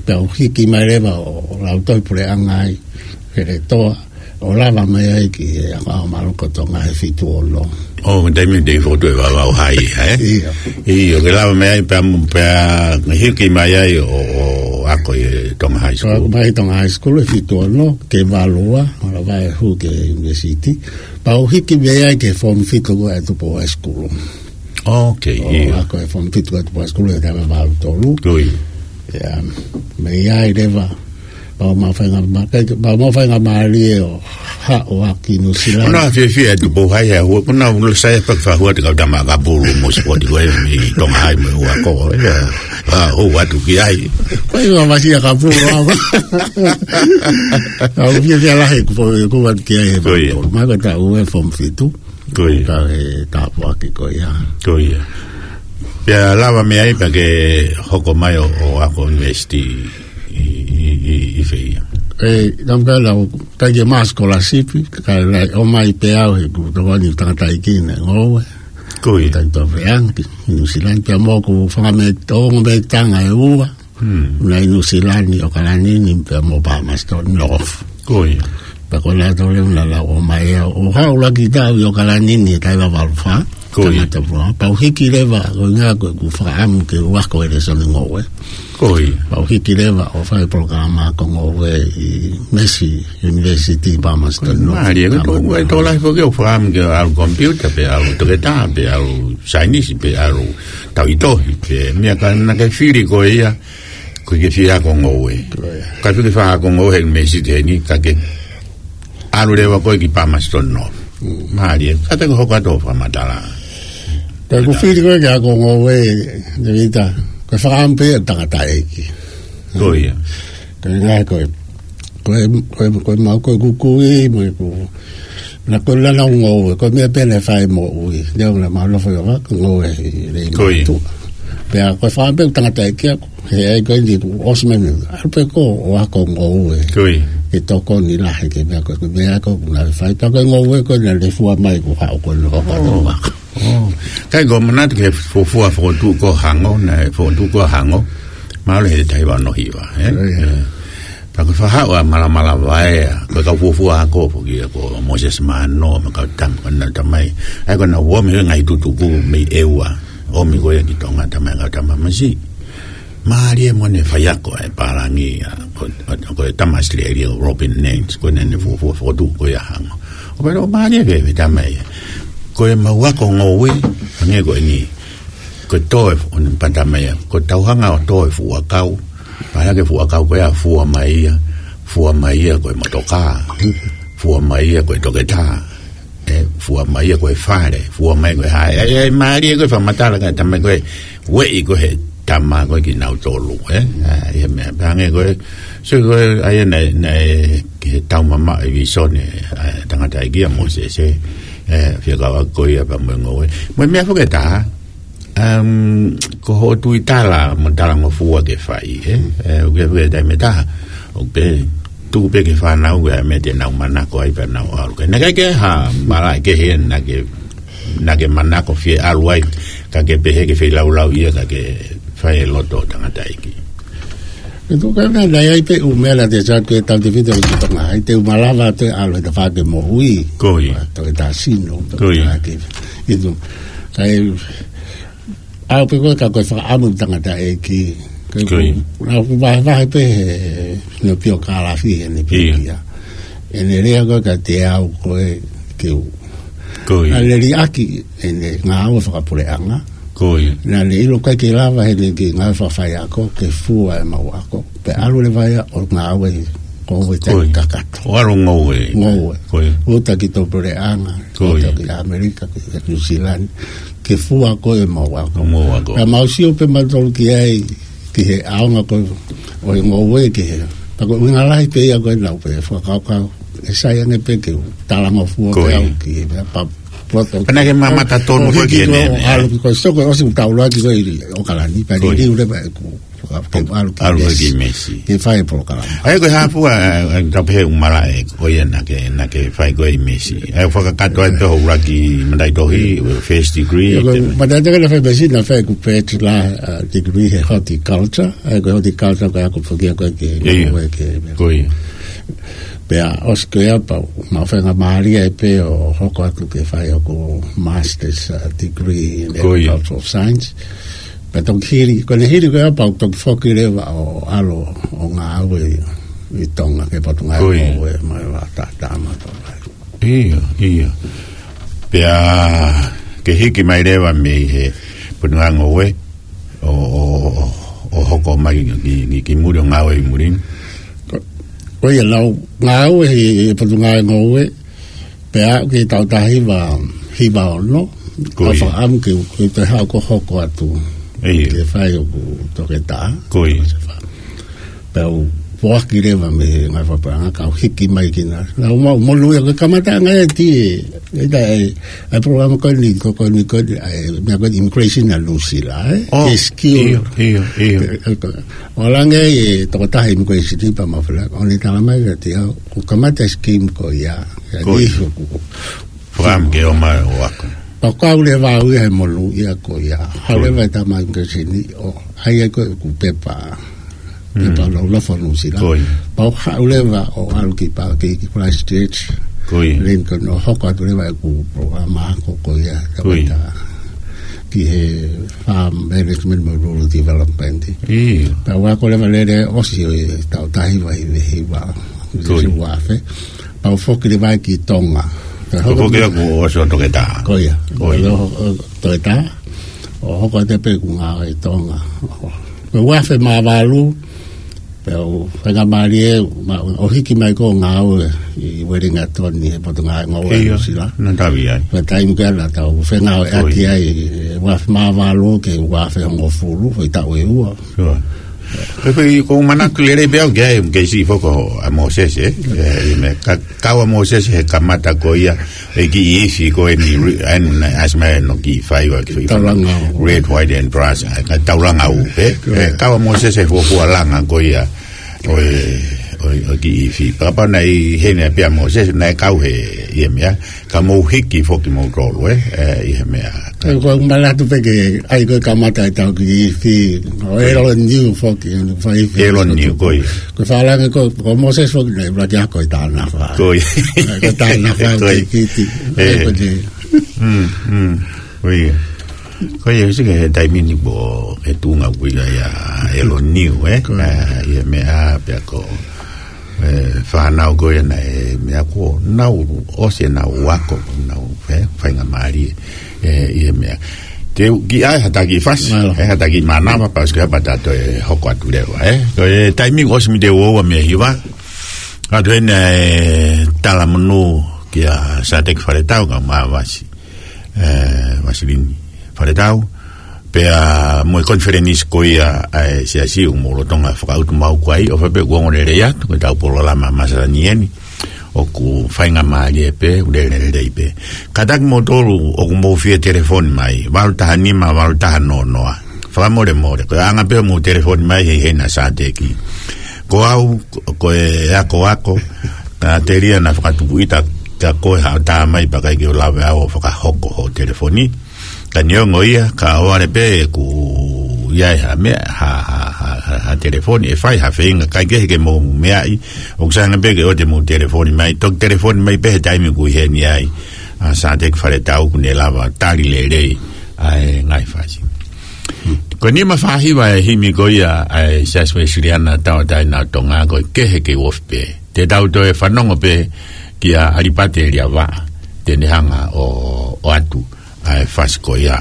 Pea u hiki mai leva ʻo Lautohi Puleʻanga ai, Feletoa, ʻo lava mai ai ki he ako ʻa Maloko Tonga he fitu ono. ʻO, taimi te i fotu e Vavaʻu Hai, ē? ʻIo. ʻIo, ke lava mai ai pea mo, pea hiki mai ai ʻo, ʻo ako ʻi Tonga High School. Ako mai Tonga High School he fitu ono, ke valu ua, ʻo lava e hū ki he university. Pea u hiki mai ai ki he form fitu ko ē ʻa Tupou High School. Ok, ʻO ʻio. ako e form fitu ko ē ʻa Tupou High School he taimi valu tolu. Ko ia. Ia, mei ai leva, pea u maʻu faingamālie, pea u maʻu faingamālie ʻo haʻu ʻo aʻu ki Nuʻu Sila ni. ʻOku ou fiefia ʻa Tupou Hai he ʻoku ou, ʻoku ou sai pē ke fakahua atu e kau tama Kapulu mo e sipoti ko ē mei Tonga Hai mo e ua ko ē. Ia, ʻa, ʻo ʻoatu ki ai. Ko e ua masi ʻa Kapulu, ʻa. ʻOku ou fiefia lahi ʻeku fo-, ʻeku ʻoatu ki ai he Ko ia. valu tolu. Mai ko e taʻu ʻe form fitu. Ko ia. Ka he tāpuaki ko ia. Ko ia. Pea lava mei ai pea ke hoko mai ʻo, ʻo ako university ʻi, ʻi, ʻi, ʻi fē ia? E, naʻa ku lau, ka ke maʻu scholarship, ka ʻomai pē au he ʻoku ou tokoni tangataʻeiki naʻe ngoue. Ko ia. Tangataʻeiki feangi, Nuʻu Sila ni pea mo ʻeku fanga mē-, ongo mētanga ʻe ua. Hmm. Naʻe ʻi Nuʻu Sila ni, ʻAokalani ni pea mo Palmerston North. Ko ia. Pea ko nautolu leva naʻa nau ō mai ʻo haʻu ʻo laki ʻi taʻu ʻi ʻAokalani ni he taʻu ʻe valu fā. Ko ia. Tangata pua. Pea u hiki leva, ko e ʻuhinga ko ʻeku fakaʻamu ke u ako e lēsoni ngoue. Ko ia. Pea u hiki leva ʻo fai polokalama ako ngoue ʻi Massey University, Palmerston North. Mālie, ko e tō, ko e tō lahi foki ʻeku fakaʻamu ke ʻalu computer pe ʻalu toketā pe ʻalu saienisi pe ʻalu tauhi tohi pe meʻa ka naʻa ke fili ko ia. Ko e ke fie ako ngoue. Ko ia. Ka fie ke fai ako ngoue he university heni, ka ke ʻalu leva koe ki Palmerston North. Mm. Mālie, kātaki hoko atu hoʻo fakamatala. Ko e kufili ko ē ke ako ngoue, Tēvita, ko e fakaʻamu pē ia ʻo e tangataʻeiki. Ko ia. Ko e ngaahi ko ē, ko e, ko e, ko e mau ko ē kukui, mo e ku-, na ko e lana ngoue, ko e meʻa pē naʻe fai moʻui. Leo na mau nofo ʻi ʻOaka, ngoue ʻi Leimātuʻa. Pea ko e fakaʻamu pē ʻo e tangataʻeiki ia, he ʻai ko eni kuo ʻosi mai ni, ʻalu pē koe ʻo ako ngoue. Ke tokoni lahi ki he meʻa ko ē, ko e meʻa ko ē naʻe fai. Pea ko e ngoue ko ē naʻe fua mai ko ē ʻo haʻu ko ē ʻo ako. Kai ko e manatu ki he fuofua fokotuʻu ko ē ʻa Hango, naʻe fokotuʻu ko ē ʻa Hango, mahalo he taha hiva ono hiva, ē? Pea ko e fakahaʻu ʻa Malamalava ē, ko e kau fuofua ako foki ia ko Moses Mano, mo e kau tam-, ko ʻena tamai. ʻAi ko ʻena ʻomi he ngaahi tutuku mei ʻEua, ʻomi ko ia ki Tonga, tamai ngaahi tama masiʻi. Mālie mo ʻene faiako ʻa e pālangi, ʻa, ko, ko, ko e tama ʻAositelēlia, Robin Nance, ko ʻene fuofua fokotuʻu ko ia ʻa Hango. ʻO pehē ʻo mālie pē, pē tamai. Ko e mau ako ngoue, hangē ko eni. Ko e tō e fu-, ʻo ne pata mai ia. Ko e tau hanga ʻo tō e fuʻu ʻakau. Pea hake fuʻu ʻakau ko ia fua mai ia. Fua mai ia ko e motokā. Fua mai ia ko e toketā. ʻE, fua mai ia ko e fale, fua mai ko e hā. ʻE, ʻe, mālie ko e fakamatala ka tamai ko e ueʻi ko ē he tama ko ē kinautolu, ē. ʻA, ia meʻa, pea hangē ko e, so ko e, ʻa ia naʻe, naʻe, ki he taumamaʻo e visone, ʻa e tangataʻeiki ʻa Mōsese, ē, fie kau ako ia pea mo e ngoue. Mo e meʻa foki ʻe taha, Um, ko hoʻo tuitala mo talangofua ke fai, ē? ʻE, ʻoku ke, ʻoku ke taimi ʻe taha. ʻOku pē, tuku pē ki he fānau, ʻa e meʻa te nau manako ai pea nau ʻalu. Ka naʻe ʻikai ke ha malaʻe kehe naʻa ke, naʻa ke manako fie ʻalu ai, ka ke pehē ke feilaulau ia, ka ke fai e loto ʻo e tangataʻeiki. ʻE tuku ka naʻe ʻi ai pē ʻū meʻa naʻa te sat ke tau te fita ki Tonga, ʻi ai te u malava te ʻalu he tafaʻaki moʻui. Ko ia. Toketā sino, ko ia. Toketā ke, ʻi tu. Ka e, ʻalu pē ko ē ka ko e fakaʻamu ʻo e tangataʻeiki. Ko ia. Naʻa ku vahevahe pē he, no pio kalafi he ne pio ia. ʻEne lea ko ē ka te au ko ē ke u. Ko ia. Naʻa ne liʻaki ʻene ngāue fakapuleʻanga. Ko ia. Naʻa ne ʻilo ʻikai ke lava heʻene kiʻi ngāue fakafaiako ke fua e mau ako. Pea ʻalu leva ia ʻo ngāue ko e te kakato. ʻO ʻalu ngoue. Ngoue. Ko ia. Uta ki tō puleʻanga, ko ia, uta ki ʻAmelika, ki Nuʻusila ni, ke fua ko ē mau ako. Mau ako. Pea mau sio pē mautolu ki ai, ki he ʻaonga ko ē ʻo e ngoue ki he. Pea ko e ʻuhinga lahi pē ia ko ē naʻa ku pehē fakakaukau. ʻE sai ange pē ke u talangofua pē au ki he meʻa pea poto. Pea naʻa ke mamata tonu ko ē ki he meʻa. ʻAlu ki ko e soko ʻosi ʻoku tau ʻalu ki ko ē ʻi ʻOkalani, pea liliu leva ʻeku ke ʻalu ki ʻalu ki Mesi. Ke fai e polokalama. ʻA ia ko e hā fua, ʻa, ʻa, tau pehē ʻū malaʻe, ko ia naʻa ke, naʻa ke fai ko ē ʻi Mesi. ʻA ia fakakakato ai pē hoʻo ʻuluaki mataʻitohi, first degree. Ia, ko e mataʻitohi naʻe fai Mesi, naʻe fai ʻeku bachelor, uh, degree he horticulture. ʻA ia ko e horticulture ko e ako foki ia ko ē ke, ko ia, ko ia. Pea ʻosi ko ia pea u, mau faingamālie ai pē ʻo hoko atu ke fai ʻeku master's, uh, degree in agricultural science. Pea toki hili, ko ʻene hili ko ia pea u toki foki leva ʻo ʻalu ʻo ngāue ʻi Tonga ki he Potungāue Ngoue mo e Vaʻa Taʻataʻa mo Tonga. ʻIo, ʻio. Pea ke hiki mai leva mei he Potungāue Ngoue ʻo, ʻo, ʻo, ʻo hoko mai ki, ki, ki, ki muli ʻo ngāue ʻi muli. Ko, ko ia naʻa ku ngāue ʻi, ʻi Potungāue Ngoue, pea aʻu ki he taʻu taha hiva, hiva ono, ko ia, ʻa e fakaʻamu ke, ke te haʻu ʻo hoko atu. ʻIo. Ke fai ʻeku toketā. Ko ia. Pea u foaki leva mei he ngaahi fakapaʻanga, kau hiki mai ki na. Naʻa ku maʻu monū ia ko e kamataʻanga e ti, e ta e, ʻa e polokalama ko eni, ko, ko eni, ko eni, ʻa e, meʻa ko eni immigration ʻa Nuʻusila, ē? ʻIo, ʻio, ʻio. ʻO lange e tokotaha immigration pea mau fela, ʻo ne tala mai kiate au, kuo kamata e scheme ko ia, ko ia. Fakaʻamu ke ō mai ʻo ako. Pea u kau leva au ia he monū ia ko ia. Haʻu leva e tama immigration ʻo ʻai ai ko ē ʻeku pepa. Pepa ʻo nofo Nuʻusila. Ko ia. Pea u haʻu leva ʻo ʻalu ki pa, ki, ki Christchurch. Ko ia. Lincoln ʻo hoko atu leva ʻeku polokalama ako ko ia. Ko ia. Ki he farm management mo rural development. ʻIo. Pea u ako leva lele ʻosi ʻo e taʻu taha hiva hiva hiva. Ko ia. Pea u foki leva ki Tonga. Ko e foki ʻaku ʻosi ʻo toketā. Ko ia. Ko ia. ʻO, ʻo, toketā. ʻO hoko atu pē ʻeku ngāue ʻi Tonga. Ko e ua afe mā valu, pea u faingamālie, ma, ʻo hiki mai ko ē ʻo ngāue ʻi Uelingatoni he Potungāue Ngoue ʻa Nuʻu Sila. Naʻa tau ʻi ai. Pea taimi ko ia naʻa tau fengāueʻaki ai, ʻi he uafe mā valu ki he uafe hongofulu, foʻi taʻu ʻe ua. Ko e, ko e, ʻoku ou manatu lelei pē au ki ai, ke siʻi foki ʻa Mōsese, ē? ʻE, ʻi he meʻa, ka, kau ʻa Mōsese he kamata ko ia, ʻe kiʻi ifi ko eni, ri-, ʻa eni naʻe ʻasi mai ʻo kiʻi fai ʻa e kiʻi fai. Taulanga ʻū. Red, white and brass, ʻa e, ka taulanga ʻū, ē? Ko e. Ē, kau ʻa Mōsese he fuofua langa ko ia, ʻo e, ʻo e, ʻo e kiʻi ifi. Kapau naʻe ʻi heni pē ʻa Mōsese, naʻe kau he, ʻi he meʻa, ka mou hiki foki moutolu, ē, ē, ʻi he meʻa. Ko e, ko e manatu pē ke, ʻai ko e kamata ʻetau kiʻi ifi, ʻo e L N U foki, ʻene fai ifi. L N U, ko ia. Ko e fakalanga ko, ko Mōsese foki naʻe ʻuluaki ako ʻi Tānafā. Ko ia. Ko Tānafā, ko ia. Ki Fiti. Ē. Ko e. Mm, mm. Ko ia. Ko ia, sike he taimi ni ko e tuʻunga ko ia ʻa e L N U, ē? Ko ia. Ē, ʻi he meʻa pea ko e fānau ko ia naʻe meʻa ko ē nau ʻosi ʻenau ako, nau, ē, faingamālie, ē, ʻi he meʻa. Te u kiʻi ʻai ha taki fasi, mālō. Ē, ha taki mānava, pasi ke hapa tato e hoko atu leva, ē? Ko e taimi ʻosi mei he ua ua mei he hiva, ʻoatu eni e talamonū kia Sateki Faletau kae ʻumaʻā Vasi, ē, Vasilini Faletau, pea mo e konifelenisi ko ia ʻa e Siasi ʻoku mou lolotonga fakautu maʻu ko ia, ʻofa pē kuo ongo lelei atu, ko ʻetau polokalama masani eni, ʻoku faingamālie pē, ʻoku lelei pē. Kātaki moutolu ʻoku mou fie telefoni mai, valu taha nima, valu taha noa noa. Fakamolemole, ko e anga pē hoʻomou telefoni mai he ʻi heni ʻa Sateki. Ko au, ko, ko e akoako, ka telia naʻa fakatupu ʻita kia koe ha tā mai pea ʻikai ke u lava au ʻo fakahoko hoʻo telefoni. Ka neongo ia, ka ʻoua leva pē ʻoku ʻi ai ha meʻa, ha, ha, ha, ha, ha telefoni, ʻe fai ha feinga, kae kehe ke mou meaʻi, ʻoku sai ange pē ke ʻoua te mou telefoni mai, toki telefoni mai pē he taimi ʻoku ʻi heni ai ʻa Sateki Faletau ʻoku ne lava tali lelei ʻa e ngaahi fasi. Ko e nima fā hiva e himi ko ia ʻa e Siasi Uēsiliana Tauʻatāina ʻo Tonga, Ko e Kehe Kei Ofi Pē. Te tau toe fanongo pē kia ʻAlipate Liavā, te ne hanga ʻo, ʻoatu ʻa e fasi ko ia.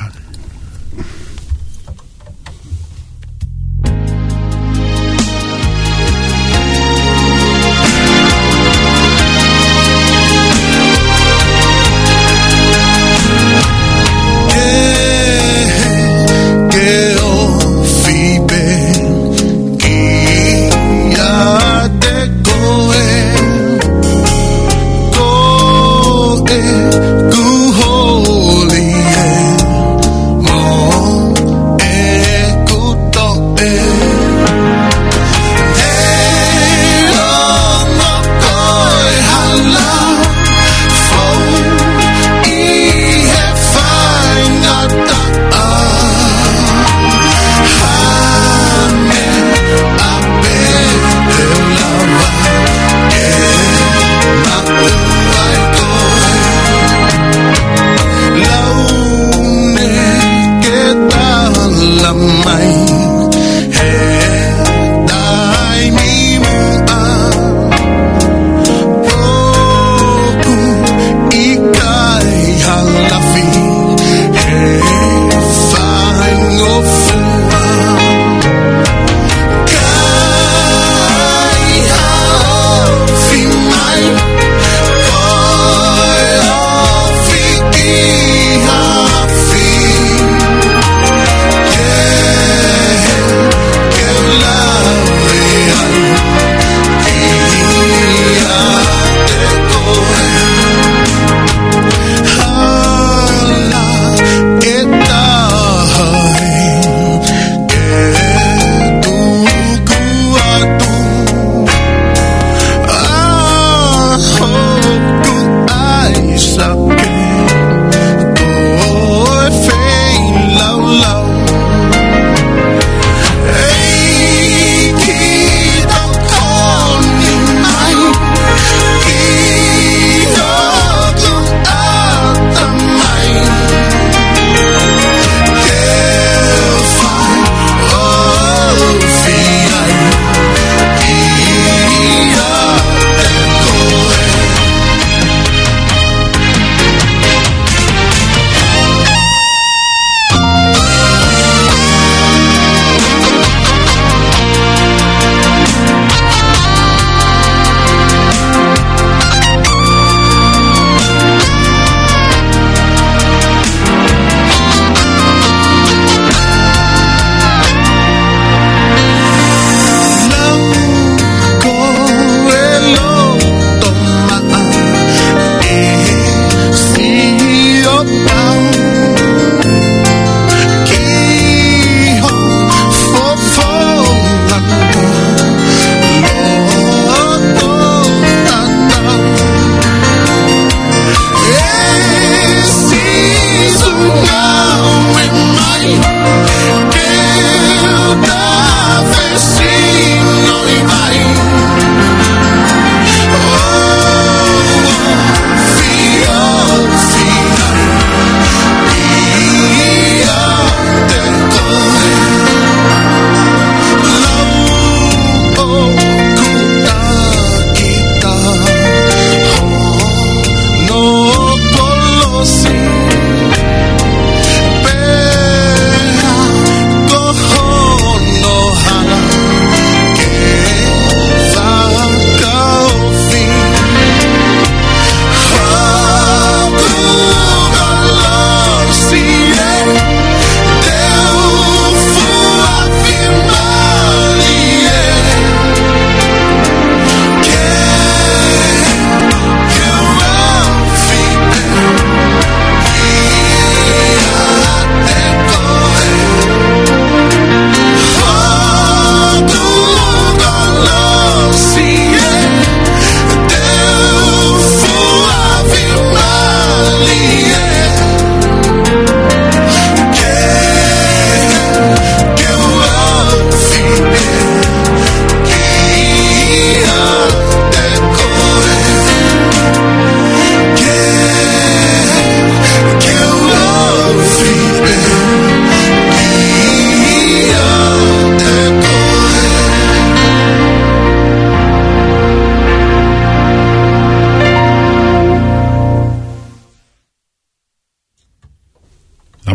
Kehe kei ofi pē kiate koe, ko ʻeku holi ē.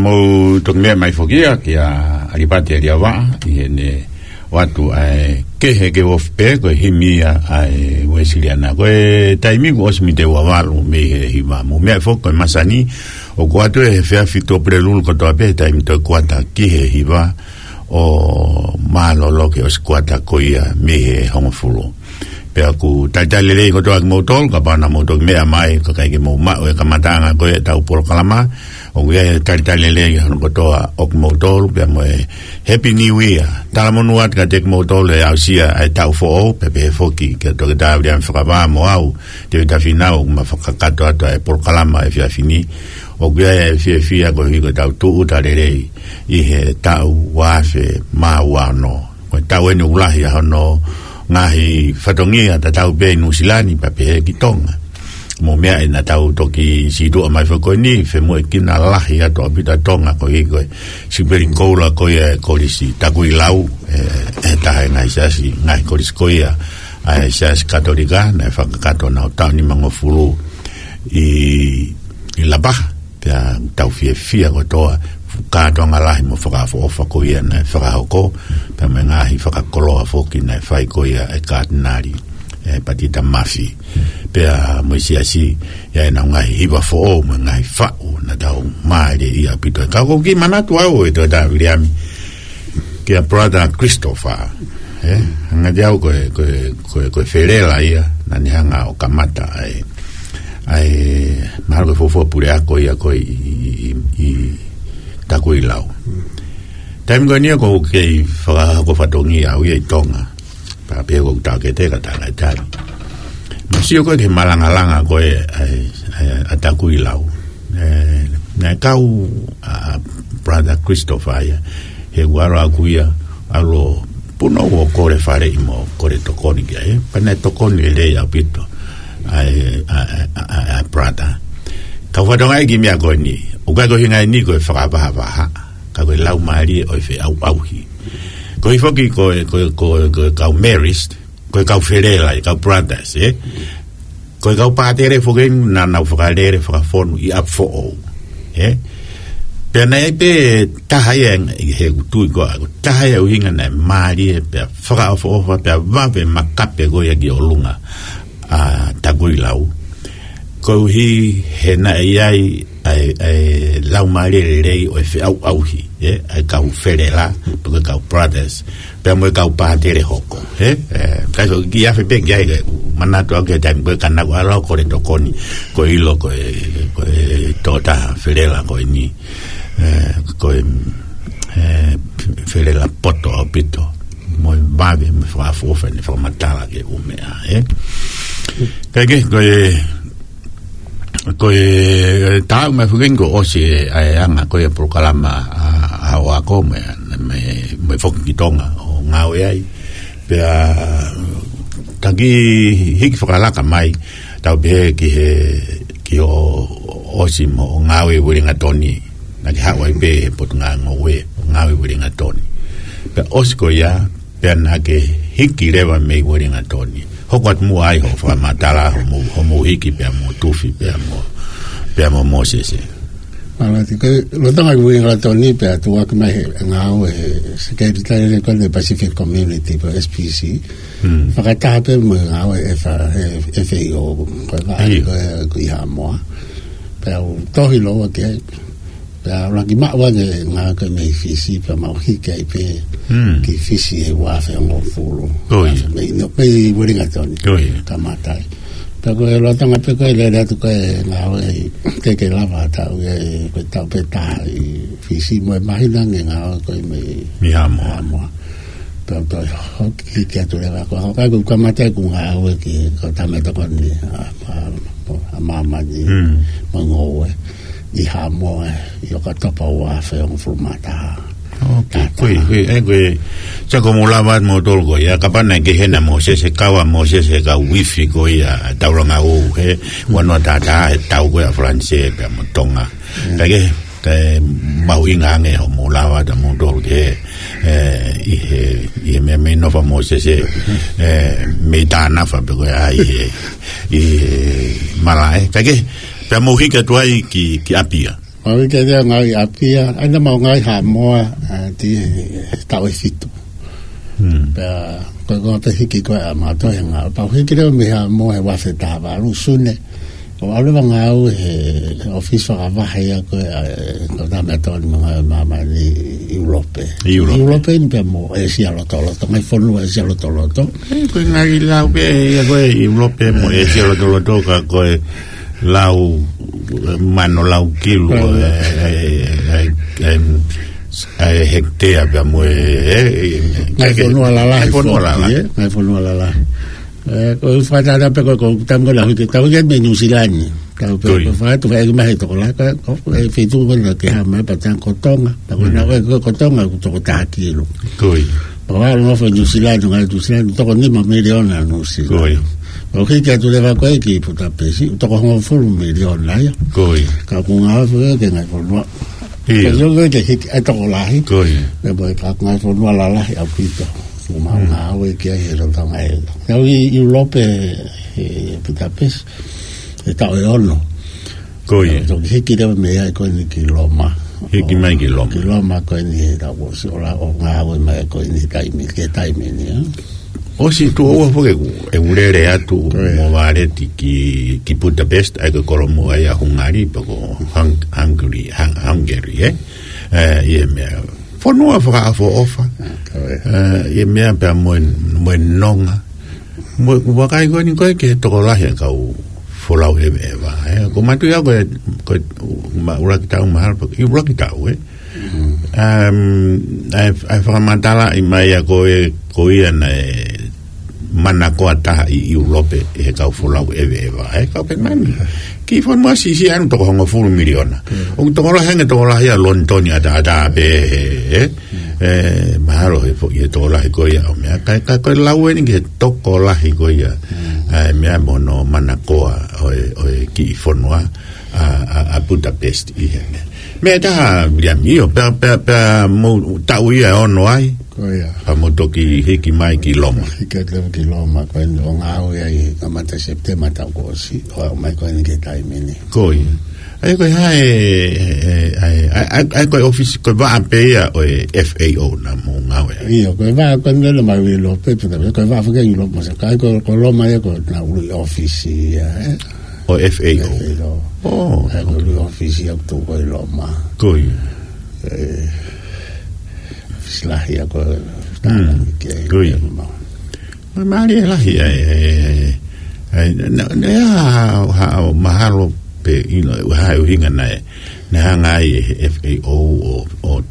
Mou toki meʻa mai foki ia kia ʻAlipate ʻAliavaʻa, ʻi heʻene ʻoatu ʻa e Kehe ke Ofi Pē, ko e himi ia ʻa e Uēsiliana. Ko e taimi kuo ʻosi mite ua valu mei he hiva. Mou meʻa foki ko e masani, ʻoku ʻoatu he efiafi Tuʻapulelulu kotoa pē, taimi toe kuata ki he hiva, ʻo mālōlō ki he ʻosi kuata ko ia mei he hongofulu. Pea ʻoku talitali lelei kotoa kimoutolu, kapau naʻa mou toki meʻa mai, ka ʻikai ke mou maʻu e kamataʻanga ko ē ʻetau polokalama, ʻoku ʻi ai e talitali lelei hono kotoa ʻo kimoutolu, pea mo e Happy New Year. Talamonū atu kiate kimoutolu ʻe aʻusia ʻa e taʻu foʻou, pea pehē foki kia Toketā Viliami Fakavā mo au, Tēvita Fīnau, ʻoku ma fakakakato atu ʻa e polokalama he efiafi ni. ʻOku ʻi ai e fiefia koeʻuhi ko ʻetau tūʻuta lelei ʻi he taʻu ua afe mā ua ono. Ko e taʻu eni ʻoku lahi ʻa hono ngaahi fatongia tatau pē ʻi Nuʻusila ni pea pehē ki Tonga. Mou meaʻi naʻa tau toki sītuʻa mai foki ko eni, femoʻuekina lahi atu ʻaupito ʻa Tonga koeʻuhi ko e Siupeli Koula ko ia e Kolisi Takuilau, ʻe, ʻe taha e ngaahi siasi, ngaahi kolisi ko ia ʻa e Siasi Katolika, naʻe fakakakato ʻi he taʻu nimangofulu ʻi, ʻi Lapaha. Pea tau fiefia kotoa, kātoanga lahi mo fakaʻofoʻofa ko ia naʻe fakahoko, pea mo e ngaahi fakakoloa foki naʻe fai ko ia ʻe Katinali, ʻe Patita Mafi. Pea mo e siasi, ʻi ai ʻenau ngaahi hiva foʻou, mo e ngaahi faʻu, naʻa tau mālie ia ʻaupito. Ka ʻoku ou kiʻi manatu au ʻe Toketā Viliami, kia Brother Christopher, ē? Hangē au ko e, ko e, ko e, ko e felela ia, naʻa ne hanga ʻo kamata ai, ʻa e, mahalo ko e fuofua puleako ia ko ē ʻi, ʻi, ʻi, ʻi Takuilau. Taimi ko eni ia ʻoku ou kei fakahoko fatongia au ia ʻi Tonga. Pea pehē ʻoku ou taʻokete ka taʻe ngaahi taimi. Mou sio ko ē ki he malangalanga ko ē ʻa e, ʻa e, ʻa Takuilau. ʻE, naʻe kau ʻa Brother Christopher ia, he ʻoku ʻalu ʻaku ia, ʻalu ʻo punou ʻo kole faleʻi mo kole tokoni ki ai, pea naʻe tokoni lelei ʻaupito ʻa e, ʻa, ʻa, ʻa, ʻa, ʻa Brother. Ka ʻoku ou fakatokangaʻi e kiʻi meʻa ko eni, ʻoku ʻikai ko e ʻuhinga eni ko e fakavahavaha, ka ko e laumālie ʻo e feʻauʻauhi. Koeʻuhi foki ko e, ko e, ko e, ko e kau Marist, ko e kau felela, e kau Brothers, ē? Ko e kau pātele foki eni naʻa nau fakalele fakafonu ʻi ʻapi foʻou, ē? Pea naʻe ʻi ai pē taha ia ʻi heʻeku tui ko ē, ko e taha ia e ʻuhinga naʻe mālie, pea fakaʻofoʻofa, pea vave makape ko ia ki ʻolunga ʻa Takuilau. Koeʻuhi he naʻe ʻi ai ʻa e, ʻa e laumālie lelei ʻo e feʻauʻauhi, ē, ʻa e kau felela, pe ko e kau Brothers, pea mo e kau pātele hoko, ē? ʻE, ka ko e kiʻi afe pē ki ai, ke manatu au ki he taimi ko ē ka naʻa ku ʻalu ʻo kole tokoni, ko e ʻilo ko e, ko e tokotaha felela ko eni, ē, ko e, ē, felela poto ʻaupito, mo e vave, mo e fakaʻofoʻofa ʻene fakamatala ki he ʻū meʻa, ē? Kae kehe, ko e, ko e taʻu mai foki eni kuo ʻosi e, ʻa e anga ko ē e polokalama ʻa, ʻa hoʻo ako mo e, mo e, mo e foki ki Tonga ʻo ngāue ai. Pea taki hiki fakalaka mai, tau pehē ki he, ki hoʻo ʻosi mo hoʻo ngāue ʻi Uelingatoni. Naʻa ke haʻu ai pē he Potungāue, ngāue ʻi Uelingatoni. Pea ʻosi ko ia, pea naʻa ke hiki leva mei Uelingatoni. Hoko atu muʻa ai hoʻo fakamatala, hoʻomou, hoʻomou hiki pea mo Tufi, pea mo, pea mo Mōsese. Mālō ʻaupito, ko e lolotonga ʻi Uelingatoni pea tuʻu hake mai he ngāue he Sekelitali ko ē Pacific Community, pe S P C. Hmm. Fakataha pē mo e ngāue ʻa e F-, ʻa e F A O, ko e ngāue ʻIo. ko ē ʻi Haʻamoa. Pea u tohi lōua ki ai, pea u laki maʻu ange ngāue ko ē mei Fisi, pea mau hiki ai pē Hmm. ki Fisi he ua afe hongofulu. ʻIo. Mei, no, mei Uelingatoni. ʻIo. Kamata ai. Pea ko e lolotonga pē ko ē lele atu ko ē ngāue ʻi, teʻeki lava ha taʻu ia, ko e taʻu pē taha ʻi Fisi mo e māhina ange ngāue ko ē mei Mei Haʻamoa. Haʻamoa. Pea u toe hiki atu leva ko ē, ka u kamata ʻeku ngāue ki he kau tamaiki tokoni ʻa, ʻa, ʻa māmani, Hmm. mo e ngoue ʻi Haʻamoa ʻi ʻOkatopa ua afe hongofulu mā taha. ʻOkei, ko e, ko e, ʻe, ko e, sai, ko e mou lava atu moutolu ko ia, kapau naʻe kehe ʻa Mōsese, kau ʻa Mōsese he kau uifi ko ia, taulanga ʻoku, he, ua noa taha taha, he tau ko ia ʻa Falanisē pea mo Tonga. Mm. Kae kehe, kae mahuʻinga ange hoʻomou lava atu moutolu ki he, ʻe, ʻi he, ʻi he meʻa mei nofo ʻa Mōsese, ʻe, mei Tānafa pe ko e hā ʻi he, ʻi he malaʻe. Kae kehe, pea mou hiki atu ai ki, ki ʻApia. Mau hiki leva ngāue ʻi ʻApia, ʻa ia naʻa mau ngāue ʻi Haʻamoa, ʻa, ʻi he taʻu ʻe fitu. Hmm. Pea, ko e konga pē hiki ko ē ʻa mautolu he ngāue. Pea u hiki leva mei Haʻamoa he ua afe taha valu Sune. ʻO aʻu leva ngāue he ʻōfisi fakavahe ia ko ē, ʻa, ʻe, ko e taha mei he Tokoni Māmani ʻi ʻIulope. ʻIulope. ʻIulope ni pea mo ʻĒsia lotoloto, ngaahi fonua ʻĒsia lotoloto. ʻE, ko e ngaahi lau pē ia ko ē ʻIulope mo ʻĒsia lotoloto ka ko e lau, eh, mano lau kilu, eh, eh, eh, eh, eh, hekitea pea mo e, eh, eh, ngaahi fonua lalahi ngaahi fonua foki, lalahi. Eh, ngaahi fonua lalahi. Eh, ko e fakatātā pē ko e, ko e taimi ko ē naʻa ku hiki, naʻa ku hiki mei Nuʻu Sila ni. Tau pē, ko ia. Ko e fakatātā pē ʻoku ʻi Tonga, ka, ko e feituʻu ko ē naʻa ke hā mai pea tau ko Tonga, pea ko ena, mm, ko e, ko Tonga ʻoku toko taha kilu. Ko ia. Pea ʻalu ʻo nofo ʻi Nuʻu Sila, ngaahi Nuʻu Sila, toko nima miliona Nuʻu Sila. Ko ia. Pea u hiki atu leva ko ē ki Putapesi, toko hongofulu miliona ia. Ko ia. Ka ʻoku ngāue foki ki he ngaahi fonua. ʻIo. Ka ʻoku ʻikai ke hiki ʻa e tokolahi. Ko ia. Pea mo e ka ngaahi fonua lalahi ʻaupito. ʻOku mau, mm, ngāue ki ai he lolotonga ē. Naʻa ku ʻi ʻIulope he, he Putapesi, he taʻu ʻe ono. Ko ia. Naʻa ku toki hiki leva mei ai ko eni ki Loma. Hiki mai ki Loma. Ki Loma ko eni he taʻu kuo ʻosi, ʻo ʻalu ʻo ngāue mai ko eni he taimi, ki he taimi ni, ē. ʻOsi tuʻo ua foki ʻeku, ʻeku lele atu, ko ia, mo Valeti ki, ki Budapest, ʻa ia ko e kolomuʻa ia ʻo Hungary, pe ko Hung-, Hungary, Hung-, Hungary, ē? Eh, ʻi he meʻa fonua fakaʻofoʻofa. Ko ia. Eh, ʻi he meʻa pea mo e, mo e nonga. Mo e vakai ko eni ko ē ki he tokolahi ʻa e kau folau ʻeveʻeva, ē. Ko e mātuʻa ia ko e, ko e, ma-, ʻuluaki taʻu mahalo, ʻuluaki taʻu, ē. Mm. Um, ʻa e, ʻa e fakamatalaʻi mai ia ko e, ko ia naʻe manakoa taha ʻi ʻIulope ʻe he kau folau ʻeveʻeva, ē, kau pē mani. Kiʻi fonua siʻisiʻi ʻalu toko hongofulu miliona. Mm. ʻOku tokolahi ange tokolahi ʻa Lonitoni ʻataʻatā pē, ē. Mm. Ē, mahalo he foʻi he tokolahi ko ia ʻo e meʻa. Ka, ka ko e lau eni ki he tokolahi ko ia. Mm. ʻA e meʻa mo hono manakoa ʻo e, ʻo e kiʻi fonua ʻa, ʻa, ʻa Budapest ʻi he meʻa. Meʻa ʻe taha, Viliami, ʻio, pea, pea, pea mo taʻu ia ʻe ono ai. Ko ia. Pea mo toki hiki mai ki Loma. Hiki atu leva ki Loma, ko eni ʻo ngāue ai, kamata September taʻu kuo ʻosi, ʻo aʻu mai ko eni ki he taimi ni. Ko ia. ʻA ia ko e hā e, e, ʻa e, ʻa e, ʻa e, ʻa e ko e ʻōfisi, ko e vaʻa pē ia ʻo e F A O naʻa mou ngāue ai. ʻIo, ko e vaʻa ko eni naʻa mau ʻi ʻIulope, pea ko e vaʻa foki ʻi Loma, so ka ko, ko Loma ia ko ʻena ʻuluʻi ʻōfisi ia, ē. ʻO e F A O. F A O. ʻO. ʻA e ko e ʻuluʻi ʻōfisi ia ʻoku tuʻu ko ē ʻi Loma. Ko ia. Ē, ʻōfisi lahi ia ko ē, mm, tālanga ki ai, ko ia. Ē, ma- Mālie lahi ai, ai, ai, ai, na, na, ia, ha, ha, mahalo pē, ʻi he, ha, ʻuhinga naʻe, naʻe hanga ai ʻe he F A O ʻo, ʻo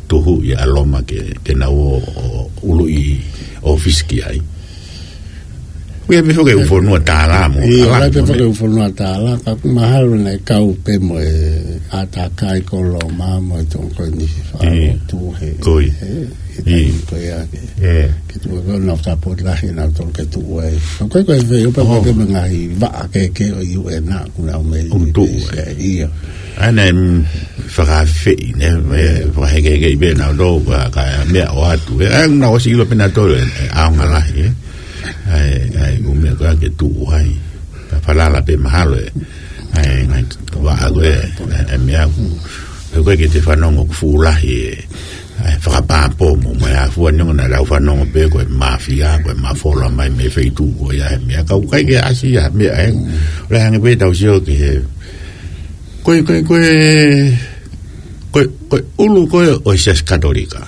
tuhu ʻi ʻa Loma ke, ke nau ō, ʻo ʻuluʻi ʻōfisi ki ai. Ko ia pē foki ʻū fonua tālā mo, ʻio, tālā ʻai pē mo foki ne. ʻŪ fonua tālā, ka mahalo naʻe kau pē mo e ʻātakai ko Loma mo e toko ko eni fa, ʻio, ʻo tuʻu he, ko ia, he, he, ʻio, taimi ko ia ke, ʻio, ke tuʻu ko ē ʻenau sapoti lahi ʻenautolu ke tuʻu ai. Ka ko e, ko e F A O pē, ʻio, ko e pē mo e ngaahi vaʻa kehekehe ʻo e U N ʻoku nau mei, ʻoku tuʻu ai. ʻIo. ʻA ia naʻe, mm, fakaafeʻi, ne, e, ʻio, fakahekeheke pē ʻenautolu, ka, ka meʻa ʻoatu, ē, ʻa ia naʻa ku ʻosi ʻilo pē ʻenautolu, ē, ʻe ʻaonga lahi, ē. ʻA e, ʻa e, ʻū meʻa ko ē ke tuʻu ai. Ka falala pē mahalo ē. ʻA e, ngaahi vaʻa ko ē, ʻa e, ʻa e meʻa ʻoku, pe ko ē ke te fanongo ʻoku fuʻu lahi ē. ʻA e, fakapāpō mo, mo e afua ni ʻoku nau lau fanongo pē ko e māfia, ko e mafola mai mei he feituʻu ko ia he meʻa. Ka ʻoku ʻikai ke ʻasi ia, meʻa ē. ʻOku lahi ange pē ʻetau sio ki he, ko e, ko e, ko e, ko e, ko e ʻulu ko ē ʻo e Siasi Katolika.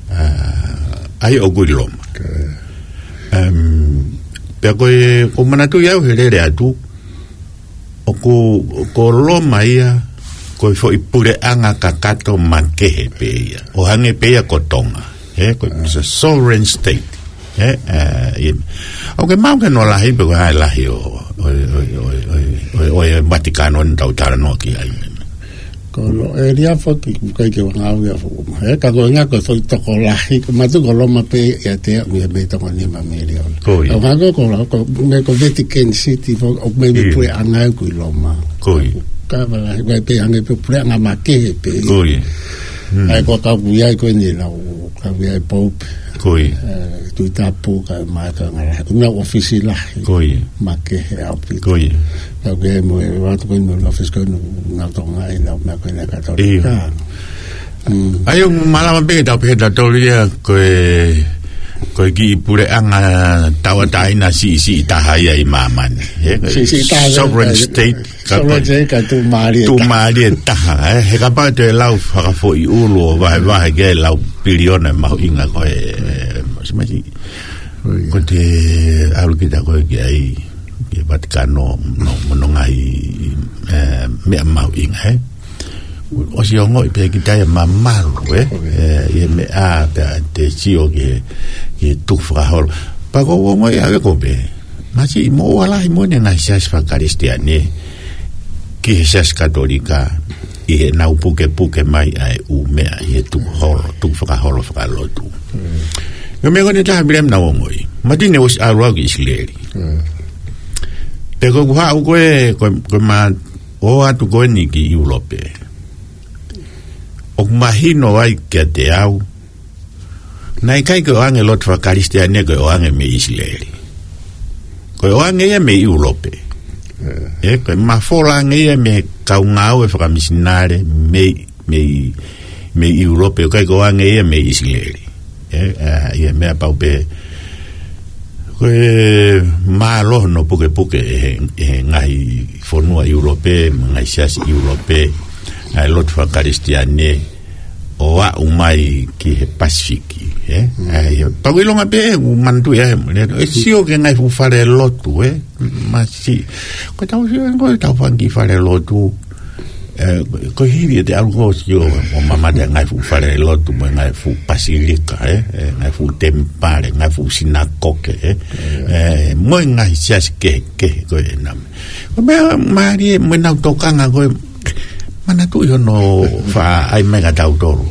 ʻA, ʻa ia ʻoku ʻi Loma. Ko ia. Em, pea ko e, ʻoku ou manatuʻi au he lele atu, ʻoku, ko Loma ia, ko e foʻi puleʻanga kakato makehe pē ia. ʻO hangē pē ia ko Tonga. Ē, ko e, it's a sovereign state. Ē, ē, ʻio. ʻOku ke maʻu ke nau lahi pē ko e hā e lahi ʻo, ʻo, ʻo e Vatikano naʻa tau talanoa ki ai. Ko Lo-, ʻĒlia foki, ʻoku ʻikai ke u ngāue ʻi ai foki. Ē, ka ko e ʻuhinga ko e foʻi tokolahi, ko mātuʻa ko Loma pē ia te ia mei, mei toko nima miliona. Ko ia. Ka ko e ʻuhinga ko, ko, ko, mei ko Vatican City foki, ʻoku mei, mei, ʻio, puleʻanga ʻoku ʻi Loma. Ko ia. Ka vala, ʻoku ʻikai pē hangē pē puleʻanga makehe pē. Ko ia. Hmm. ʻA ia ko e kau ʻoku ʻi ai ko eni ʻenau, kau ʻi ai Pope. Ko ia. Eh, Tuʻi Tapu kae ʻumaʻā e kau ngāue lahi. Ko ʻenau ʻōfisi lahi. Ko ia. Makehe ʻaupito. Ko ia. Kau ʻi ai mo e, ʻoatu ko eni mo e ʻōfisi ko eni ʻenau Tonga ʻi he ʻenau meʻa ko eni ʻa e Katolika. Ia. Hmm. ʻA ia ʻoku malava pē ke tau pehē ʻe tautolu ia ko e, ko e kiʻi puleʻanga tauʻatāina siʻisiʻi taha ia ʻi māmani. Ē, ko e Siʻisiʻi taha, sovereign ē, state. Ka ko e Sovereign state ka tuʻumālie taha. Tuʻumālie taha, ē. He kapau te lau fakafoʻi ʻulu ʻo vahevahe ki ai e lau piliona e mahuʻinga ko ē, ē, masi, masi. Ko ia. Ko ʻete ʻalu kita ko ē ki ai, ki Vatikano, mo, mo hono ngaahi, ē, meʻa mahuʻinga, ē. ʻOsi ongoʻi pē kita ia mamalu, ē. Ko ia. Ē, ʻi he meʻa pē te sio ki he, ki he tukufakaholo. Pea ʻoku ou ongoʻi ʻe au ko ē pē. Masiʻi moʻua lahi moʻoni e ngaahi siasi fakakalisitiane ki he Siasi Katolika ʻi heʻenau pukepuke mai ʻa e ʻū meʻa ʻi he tukufakaholo, tukufakaholo fakalotu. Mm. Ko e meʻa ko eni ʻe taha Viliami naʻa ku ongoʻi. Mātiu naʻe ʻosi ʻalu au ki ʻIsileli. Mm. Pea ko ʻeku haʻu ko ē, ko, ko ʻema ō atu ko eni ki ʻIulope, ʻoku mahino ai kiate au naʻe ʻikai ko e ʻoange e lotu fakakalisitiane ko e ʻoange mei ʻIsileli. Ko e ʻoange ia mei ʻIulope. Ē. Ē, ko e mafola ange ia mei he kau ngāue fakamisinale mei, mei, mei ʻIulope, ʻikai ko e ʻoange ia mei ʻIsileli. Ē, ā, ʻi he meʻa pau pē, ko e mālohi hono pukepuke ʻe he, ʻe he ngaahi fonua ʻIulope, ngaahi siasi ʻIulope, ʻa e lotu fakakalisitiane, ʻo aʻu mai ki he Pasifiki, ē? Mm. ʻA ia, pea ʻoku ʻilonga pē, ʻoku manatuʻi ʻe au, ē, ʻe sio ki he ngaahi fuʻu falelotu, ē? Masiʻi. Ko ʻetau sio, ko ʻetau fanga kiʻi falelotu, ē, ko e hili ʻete ʻalu ko ē ʻo sio, ʻo mamata e ngaahi fuʻu falelotu, mo e ngaahi fuʻu pasilika, ē? Ē, ngaahi fuʻu temipale, ngaahi fuʻu sinakoke, ē? Mm. Ē, mo e ngaahi siasi kehekehe ko ē ʻenau meʻa. Ko e meʻa mālie, mo ʻenau tokanga ko ē, manatuʻi hono faʻa ʻai mai kia tautolu.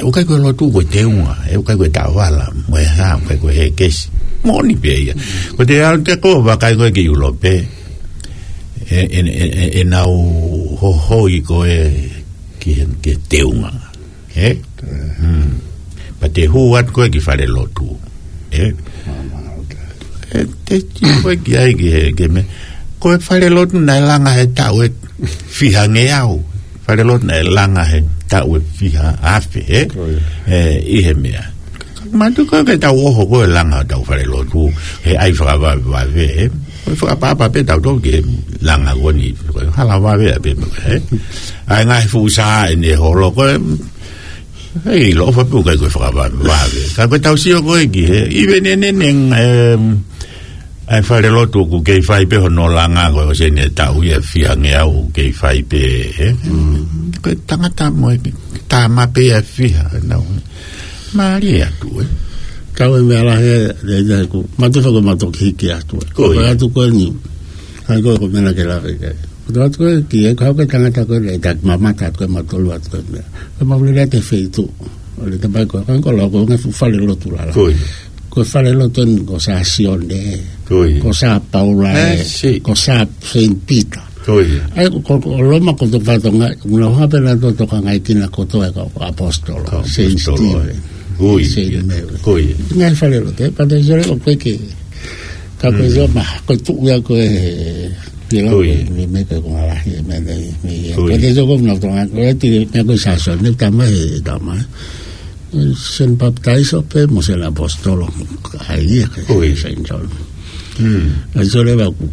ʻOku ʻikai ko e lotu ko e teunga, ē, ʻoku ʻikai ko e taʻovala, mo e hā, ʻoku ʻikai ko e hēkesi. Moʻoni pē ia. Ko ʻete ʻalu atu ko ē ʻo vakai ko ē ki ʻIulope, ē, ē, ē, ē, ʻenau hohoi ko ē ki he, ki he teunga. Ē? Mm. Pea te hū atu ko ē ki falelotu. Ē? Māmā, ʻoku. Ē, te tio ko ē ki ai ki he, ki he meʻa. Ko e falelotu naʻe langa he taʻu ʻe fiha ngeau. Falelotu naʻe langa he taʻu ʻe fiha afe, ē? Ko ia. Ē, ʻi he meʻa. Mātuʻaki ko ē ke tau ʻoho ko ē langa hotau falelotu, he ʻai fakavavevave, ē? Ko e fakaʻapaʻapa pē tautolu ki he langa ko eni, ko e hala vave ʻa pē, ē? ʻA e ngaahi fuʻu sā ʻene holo ko ē, ʻe ʻiloʻi ʻofa pē ʻoku ʻikai ko e fakavavevave. Ka ko ʻetau sio ko ē ki he, ʻi he neʻineʻi, em, ʻa e falelotu ʻoku kei fai pē hono langa ko ē ʻosi ʻene taʻu ia ʻe fiha ngeau ʻoku kei fai pē, ē? Mm. Ko e tangata mo e tama pē ia ʻe fiha, nau. Mālie atu, ē? Kau e meʻa lahi, ē, ē, ē, ko, mātuʻaki ko mātuʻaki hiki atu, ē. Ko ia. Ko atu ko eni. ʻA ia ko, ko e meʻa ke lave ki ai. Ko atu ko ē, ki he, ko e tangata ko ē, ʻe taki mamata atu ko ē, mātolu atu ko ē meʻa. Ko e maulele atu e feituʻu. ʻO le tapai ko, ko e ko lau ko e ngaahi fuʻu falelotu lala. Ko ia. Ko e falelotu eni ko Sā Sione. Ko ia. Ko Sā Paula, ē, ē, si. Ko Sā Saint Peter. Ko ia. ʻA ia ko, ko, ko Loma ko e fatongia, ʻoku nau hanga pē ʻo tokangaʻi kinautolu ko e kau ʻaposetolo. Kau Saint ʻaposetolo, Stephen. Ko ia. Saint Mary. Ko ia. Ngaahi falelotu, ē, pea te sio ko ē ke. Ka ko e Mm. sio ma, ko e tuʻu ia ko ē, pila Ko ko ia. e, me, me ko e ko ngalahi, me, me, me, ia. Ko ia. Pea te sio ko e nau tonga, ko e ti, me ko e Sā Sione, ne tama he, tama. Sen Papitaiso pē, mo Sen ʻAposetolo, ʻa ia ke Ko ia. Saint John. Mm. ʻA ia sole ʻoku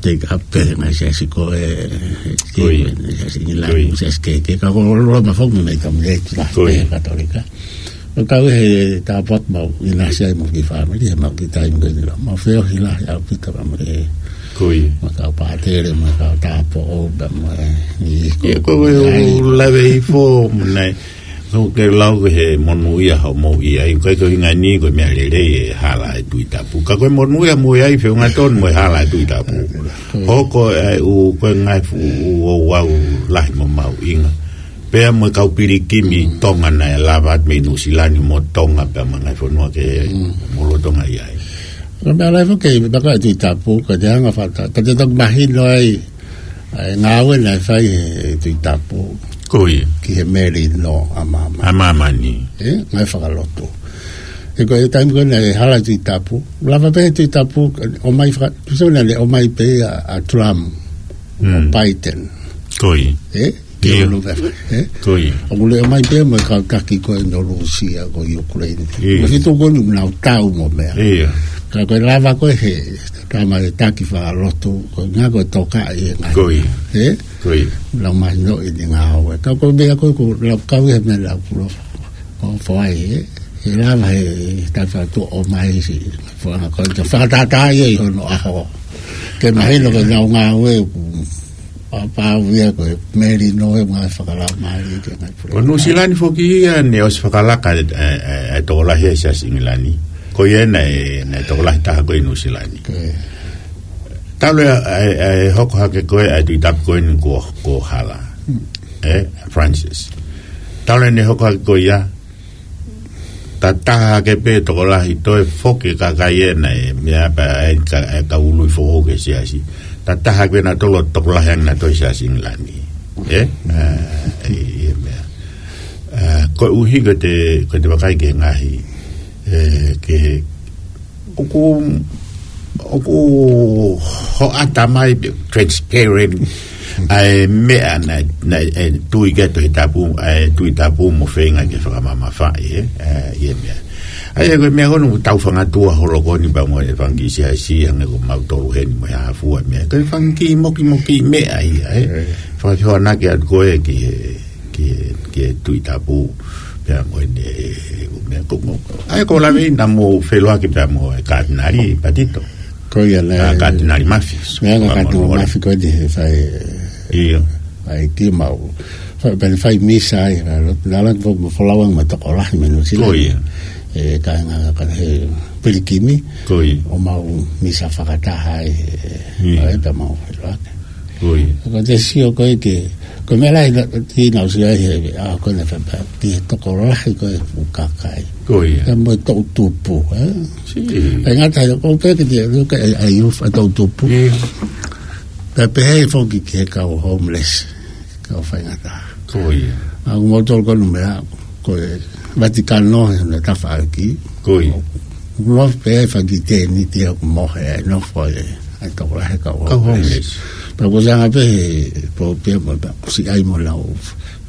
take up pē, ngaahi siasi ko ē, Ko ia. ngaahi siasi ʻIngilani, Ko ia. ngaahi siasi kehekehe, ka ko Loma foki mei tamu e tula Ko ia. pē Katolika. ʻO kau he tāpuaki mau, ʻinasi ai mo e kiʻi fāmili, he mau kiʻi taimi ko eni la. Mau feohi lahi ʻaupito pea mo e Ko ia. mo e kau pātele, mo e kau tāupoʻou, pea mo e, ʻi Ia ko ko e ai. ʻo lave hifo, mo nai. Ko ke lau ko e monūʻia hoʻomou ʻi ai, ʻikai ko e ʻuhinga ni ko e meʻa lelei e hala e Tuʻi Tapu. Ka ko e monūʻia mou ʻi ai, feʻunga tonu mo e hala e Tuʻi Tapu. Ko ia. Hoko e ʻū, ko e ngaahi fuʻu ʻū ouau lahi mo mahuʻinga. Pea mo e kau pilikimi Mm. Tonga naʻe lava atu mei Nuʻusila ni mo Tonga pea mo e ngaahi fonua kehe Mm. mo lolotonga ʻi ai. Ko e meʻa lahi foki, me paka e Tuʻi Tapu, ka te hanga fata, ka te toki mahino ai, ʻa e ngāue naʻe fai he Tuʻi Tapu. Ko ia. Ki he melino ʻa māmani. ʻA māmani. Ē, ngaahi fakalotu. He ko e taimi ko ē naʻe hala Tuʻi Tapu. Lava pē he Tuʻi Tapu, ʻomai faka-, tuʻi naʻe ʻomai pē ʻa, ʻa Trump. Mm. ʻO Biden. Ko ia. Ē? Ke Ia. ʻOlu pē, ē? Ko ia. ʻOku ʻomai pē mo e kau taki ko ē ʻo Lūsia ko ē ʻi ʻIukuleini. Ia. Mo e fitu ko ē ʻoku nau tau mo meʻa. Ia. Ka ko e lava ko ē he, tama e taki fakalotu, ko e ngaahi ko e tokaʻi e ngaahi. Ko ia. Ē? Ko ia. Nau mahinoʻi ʻene ngāue. Ka ko e meʻa ko ē ʻoku lau kau he meʻa lau kulo. ʻO foʻi ē. He lava he tafa tu ʻomai si. Foʻanga ko e fakatātā ia ʻi hono ʻaho. Ke mahino ko ʻenau ngāue ʻoku pāpau ia ko e melino e ngaahi fakalaumālie ke ngaahi pule. Ko Nuʻusila ni foki ia naʻe ʻosi fakalaka e, e, e, e tokolahi ʻa Siaosi ʻIngilani. Ko ia naʻe, naʻe tokolahi taha ko ē ʻi Nuʻusila ni. Ko ia. Talu e, e, e hoko hake ko ē ʻa e Tuʻi Tapu ko eni kuo, kuo hala. Hmm. Ē, Francis. Talu ʻene hoko hake ko ia, ta taha hake pē tokolahi toe foki e kakai ena ē, meʻa pē ʻa e ka-, e kau ului foʻou ki he siasi. Ta taha hake pē nautolu ʻo tokolahi ange nautolu ʻi Siaosi ʻIngilani. Ē? Ā, ʻi, ʻi he meʻa. Ā, koeʻuhi ko ʻete, ko ʻete vakai ki he ngaahi, ē, ki he ʻoku, ʻoku hoʻata mai pē transparent ʻa e meʻa naʻe, naʻe, ʻe tui ki ai e Tuʻi Tapu, ʻa e Tuʻi Tapu mo feinga ke fakamamafaʻi, ē, ē, ʻi he meʻa. ʻA ia ko e meʻa ko eni ʻoku tau fangatua holo ko eni pea mo e fanga kiʻi siasi, hangē ko mautolu heni mo e hā fua meʻa. Ko e fanga kiʻi mokimoki meʻa ia, ē. Ē. Fakafehoanaki atu ko ē ki he ki, ki he Tuʻi Tapu, pea mo ʻene, meʻa ko, ko, ʻa ia ko e lave naʻa mou feʻiloaki pea mo e Katinali Patito. Ko ia naʻe. Ā, Katinali Mafi. Meʻa ko Katinali Mafi ko eni he fai, ʻIo. fai ki mau. Fai, pea fai misa ai, naʻa, naʻa langa foki mo Folau ange mo e tokolahi mei Nuʻusila. Ko ia. Ē, kāinga ka he pilikimi. Ko ia. ʻO mau misa fakataha ai, ʻIo. ʻa ia pea mau feʻiloaki. Ko ia. Ko ʻete sio ko ē ki he, ko e meʻa lahi naʻa, ki naʻa ku sio ai he, ʻa, ko ʻene fai pē, ki he tokolahi ko ē ʻo e kakai. Ko ia. Pea mo e toʻutupu, ē? Sī. ʻIkai ngata ai, ko e pehē ki he, ko e, ʻa e youth ʻa e toʻutupu. ʻIo. Pea pehē foki ki he kau homeless, kau faingataʻa. Ko ia. ʻA, ʻoku mau tolu ko ē ʻi he meʻa, ko e Vatikano, he na tafaʻaki. Ko ia. ʻOku mau pehē faki tēniti ʻoku mohe ai, nofo ai, ʻa e tokolahi kau Kau homeless. homeless. Pea ko e anga pē he, pō pē mo, pea kusi ai mo lau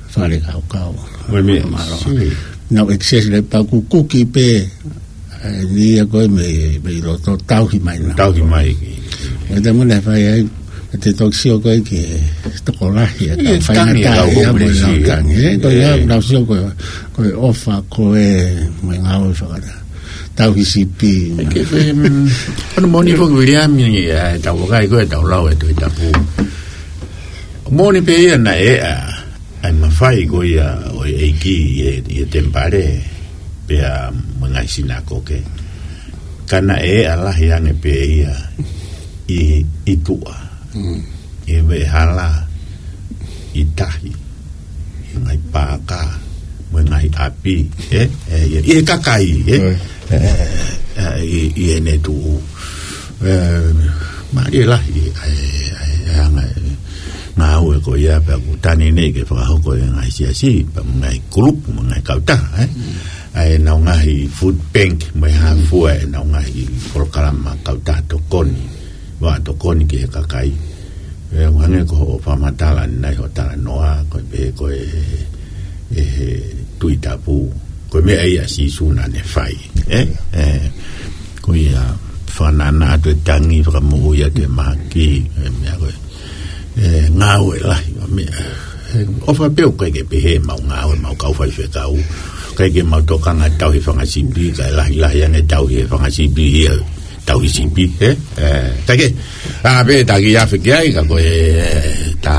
fale kau kau. Ko e meʻa, Mālō. sī. Nau excess le pea kukuki pē, ē, ni ia ko ē mei, mei loto tauhi mai na. Tauhi mai. Ko e taimi naʻe fai ai, ʻete toki sio ko ē ki he tokolahi, ʻa e ʻIo, kau faingataʻa tangi, kau ia mo e homeless, lau ʻio. tangi, ē? Ko ia, ʻIo. naʻa ku sio ko e, ko e ʻofa ko ē mo e ngāue fakataha. Tauhi sipi. Ke fe, mm, ʻoku moʻoni foki Viliami, ʻa e tau vakai ko ē, tau lau e Tuʻi Tapu. Moʻoni pē ia naʻe ʻa, ʻa e mafai ko ia ʻo e ʻEiki ʻi he, ʻi he temipale, pea mo e ngaahi sinakoke. Ka naʻe ʻa e lahi ange pē ia ʻi, ʻi tuʻa. Mm. ʻI he veʻehala, ʻi tahi, ʻi he ngaahi paaka, mo e ngaahi ʻapi, ē? ʻE, ʻi, ʻi he kakai, ē? Oi. ʻE, ʻe, ʻi, ʻi heʻene tuʻu. ʻE, mālie lahi, ʻa e, ʻa e, ʻa e anga e ngāue ko ia pea ʻoku tane nei ke fakahoko ʻe he ngaahi siasi, pea mo e ngaahi kulupu, mo e ngaahi kautaha, ē? Mm. ʻA ʻenau ngaahi food bank, mo e hā fua ʻenau ngaahi polokalama kautaha tokoni, vaʻa tokoni ki he kakai. ʻE, ʻoku hangē ko hoʻo fakamatala ʻanenai hoʻo talanoa, ko e pehē ko e, ʻe he Tuʻi Tapu, ko e meʻa ia ʻa Sīsū naʻa ne fai, ē? ʻE, ko ia fānana atu e tangi, fakamoʻui atu e mahaki, e meʻa ko ē. ʻE, ngāue lahi, meʻa. ʻE, ʻofa pē ʻoku ʻikai ke pehē ʻemau ngāue, ʻemau kau faifekau. ʻIkai ke mau tokanga tauhi fanga sipi, kae lahilahi ange tauhi e fanga sipi, ia tauhi sipi, ē? ʻE, ʻikai ke, ʻa, pē taki afe ki ai, ka ko e, ta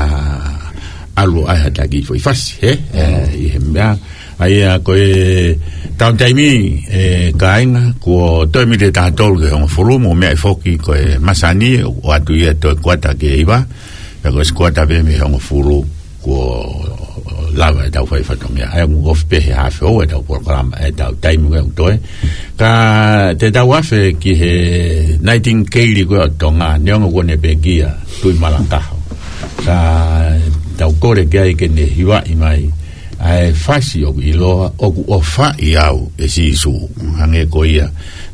ʻalu ai ha taki foʻi fasi, ē? ʻE, ʻi he meʻa, ʻa ia ko e taimi ni, ʻe kāinga, kuo toe miniti ʻe taha tolu ki he hongofulu, mou meaʻi foki ko e masani, ʻoatu ia toe kuata ki he hiva, pea ko e ʻosi kuata pē mei he hongofulu, kuo lava ʻetau fai fatongia. ʻA ia mou ofi pē he haafe houa ʻetau polokalama, ʻetau taimi ko ē ʻoku toe. Ka te tau afe ki he Nightingale ko ē ʻo Tonga, neongo kuo ne pekia, Tuʻimalakaho. Ka tau kole ki ai ke ne hivaʻi mai ʻa e fasi ʻoku ʻiloa, ʻOku ʻOfaʻi Au ʻe Sīsū. Hangē ko ia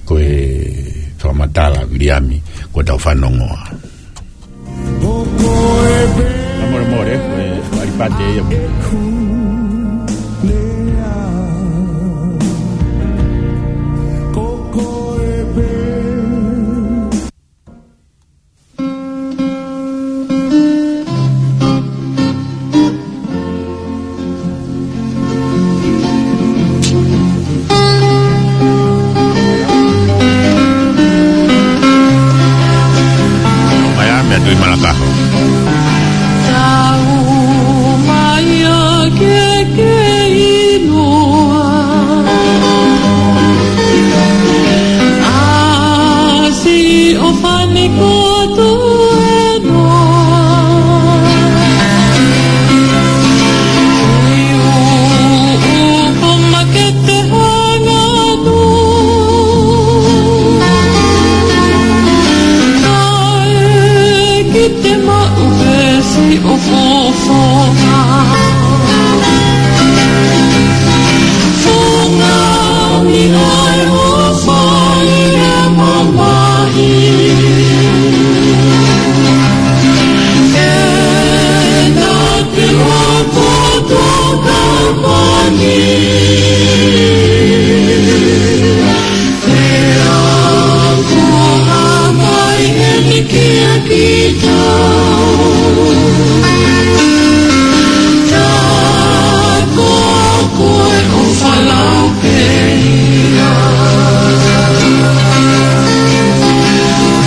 ko e fakamatala ʻa Viliami kuo tau fanongoa. Ka mole mole, ko e ʻalipate ia. Mai ā, meʻa tui malakaho. Tau mai ā ke ke ʻiloa. ʻA siʻo fani koto ʻe noa. Ui ʻū ʻū ko makete hanga noa. Kae ki te maʻu pē siʻo fofonga. Fungani ʻa e ʻofa ʻi he mamahi. Ena te ʻofa tokapani. Pea kuo hā mai eni kia kitautolu. Tā ko koe ʻofa lau pē ia.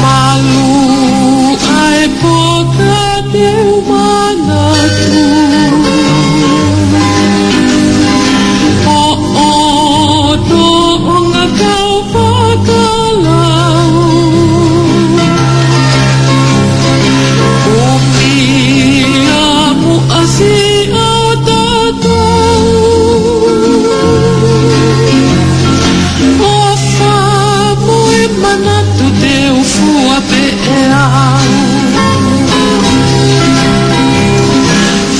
Malu ʻa e poka te u manatu. ʻO ʻoto ʻo ngā kau fakalau. ʻO pia muʻa siʻa tatau. ʻOfa mo e manatu te u fua pē ʻe au.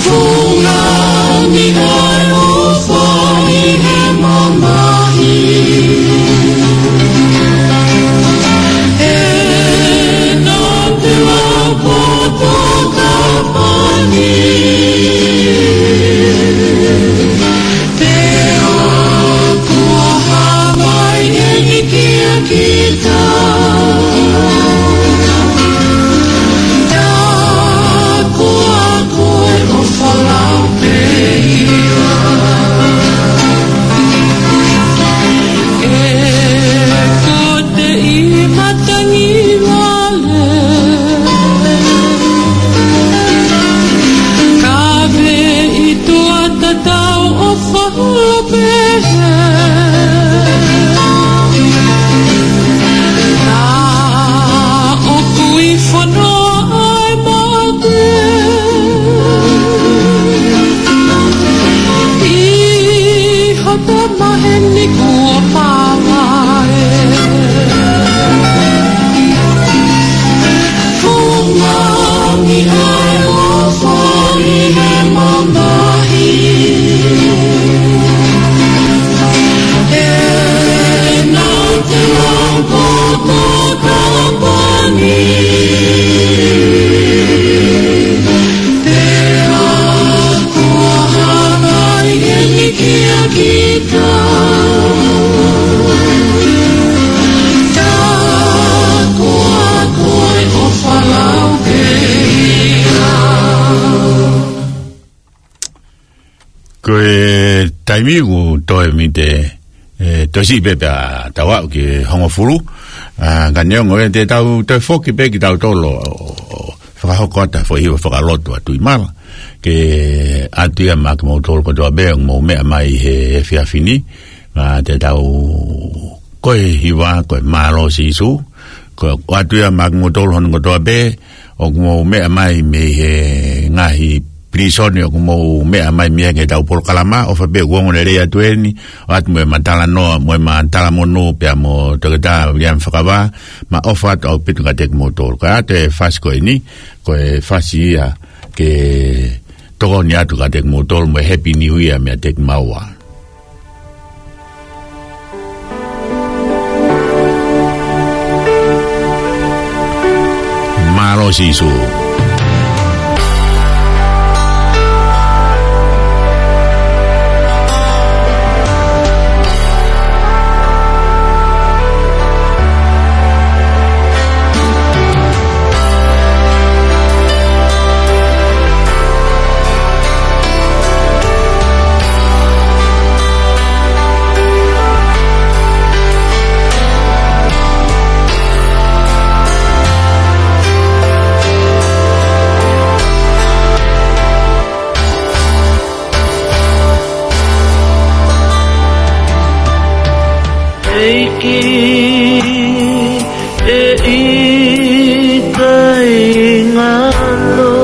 Fungani ʻa e ʻofa ʻi he mamahi. Ena te ʻofa tokapani. Pea kuo hā mai eni kia kitautolu. Tā ko koe ʻofa lau pē ia. ʻE kote ʻi matangi vale. Ka veʻi tua tatau ʻofa lau pē. Ka ʻoku ʻi fano ʻa e mate. ʻI ha pē maheni kuo pāvae. Fungani ʻa e ʻofa ʻi he mamahi. Ena te ʻofa tokapani. Pea kuo hā mai eni kia kitautolu. Tā ko koe ʻofa lau pē ia. Ko e taimi ʻoku toe mite, ʻe, toe siʻi pē pea tau aʻu ki he hongofulu. ʻA, ka neongo ē te tau toe foki pē kitautolu ʻo, ʻo, ʻo fakahoko atu ha foʻi hiva fakalotu ʻa Tuʻimala. Ke ʻatu ia maʻa kimoutolu kotoa pē ʻoku mou meʻa mai he efiafi ni. ʻA, te tau, ko e hiva, ko e Mālō Sīsū. Ko, ʻatu ia maʻa kimoutolu hono kotoa pē ʻoku mou meʻa mai mei he ngaahi pilīsone ʻoku mou meʻa mai mei ai ki heʻetau polokalama, ʻofa pē ʻoku ongo lelei atu eni, ʻoatu mo e matalanoa, mo e matalamonū pea mo Toketā Viliami Fakavā, mo e ʻofa atu ʻaupito kiate kimoutolu. Ka ʻatu e fasi ko eni, ko e fasi ia ke Tokoni atu kiate kimoutolu mo e Happy New Year meiate kimaua. Mālō Sīsū. ʻEiki, ʻe ʻikai ngalo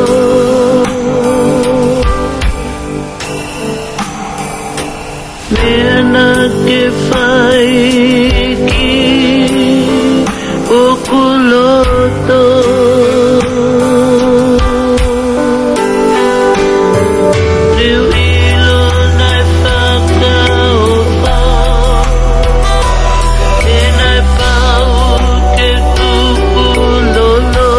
meʻa naʻa ke fai ki hoku loto. Te u ʻilo naʻe fakaʻofa, he naʻe pau ke tukulolo.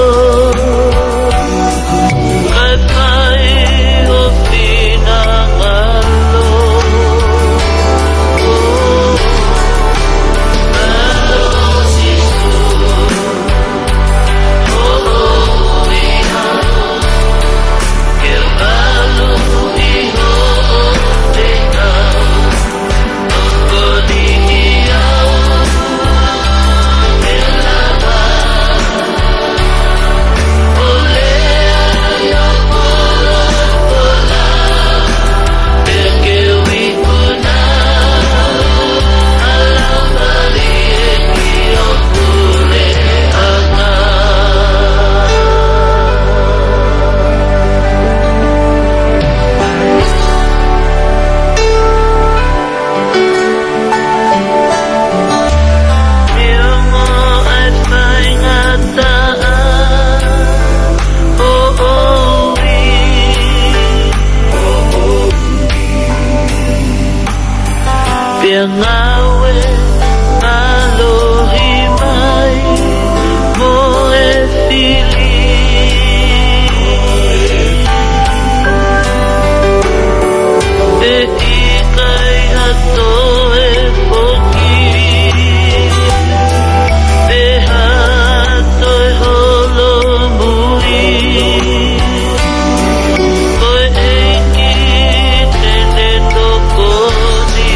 Kae fai ho finangalo. Mālō Sīsū. Pea ngāue mālohi mai mo e fili. ʻE ʻikai ha toe foki, pe ha toe holomui. Ko e ʻEiki te ne tokoni.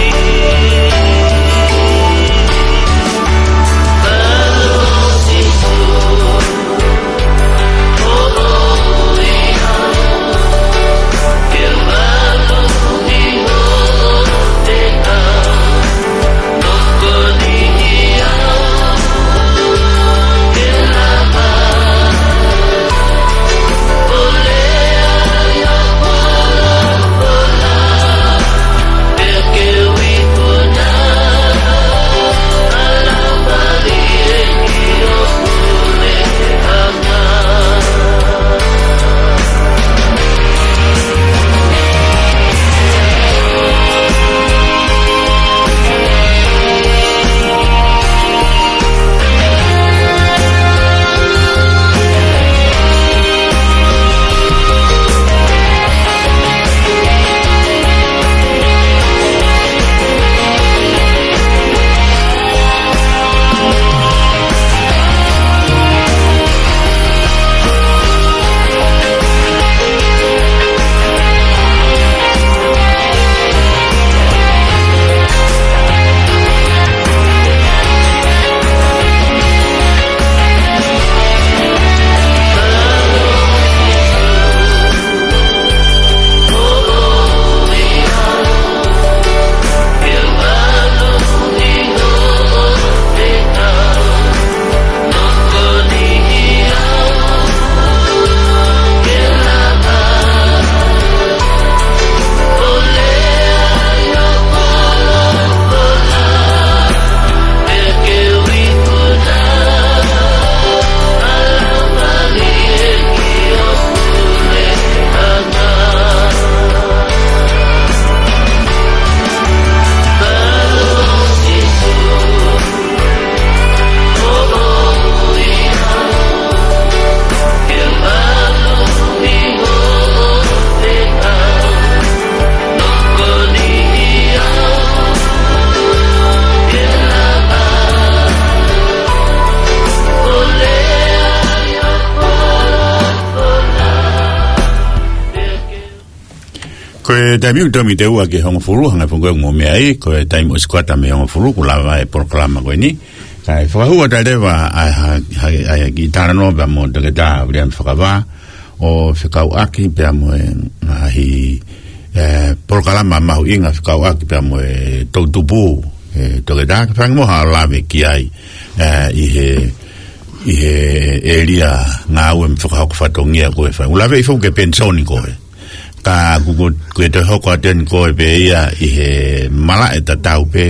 Ko e taimi ʻoku tau mei te ua ki he hongofulu, hangē foki ko e ʻoku mou meaʻi, ko e taimi ʻosi kuata mei he hongofulu, kuo lava e polokalama ko eni. Kae fakahū atu leva ʻa e ha-, ha-, ʻa e kiʻi talanoa pea mo Toketā Viliami Fakavā, ʻo fekauʻaki pea mo e ngaahi, e, polokalama mahuʻinga fekauʻaki pea mo e toʻutupu, e, Toketā, ke fai ange muʻa haʻo lave ki ai, e, ʻi he, ʻi he ʻēlia ngāue mo e fakahoko fatongia ko ē fai. ʻOku lave ʻi foki ki he penisoni ko ē. Ka ʻoku, ʻoku, ʻoku toe hoko atu eni ko ē pē ia ʻi he malaʻe tatau pē,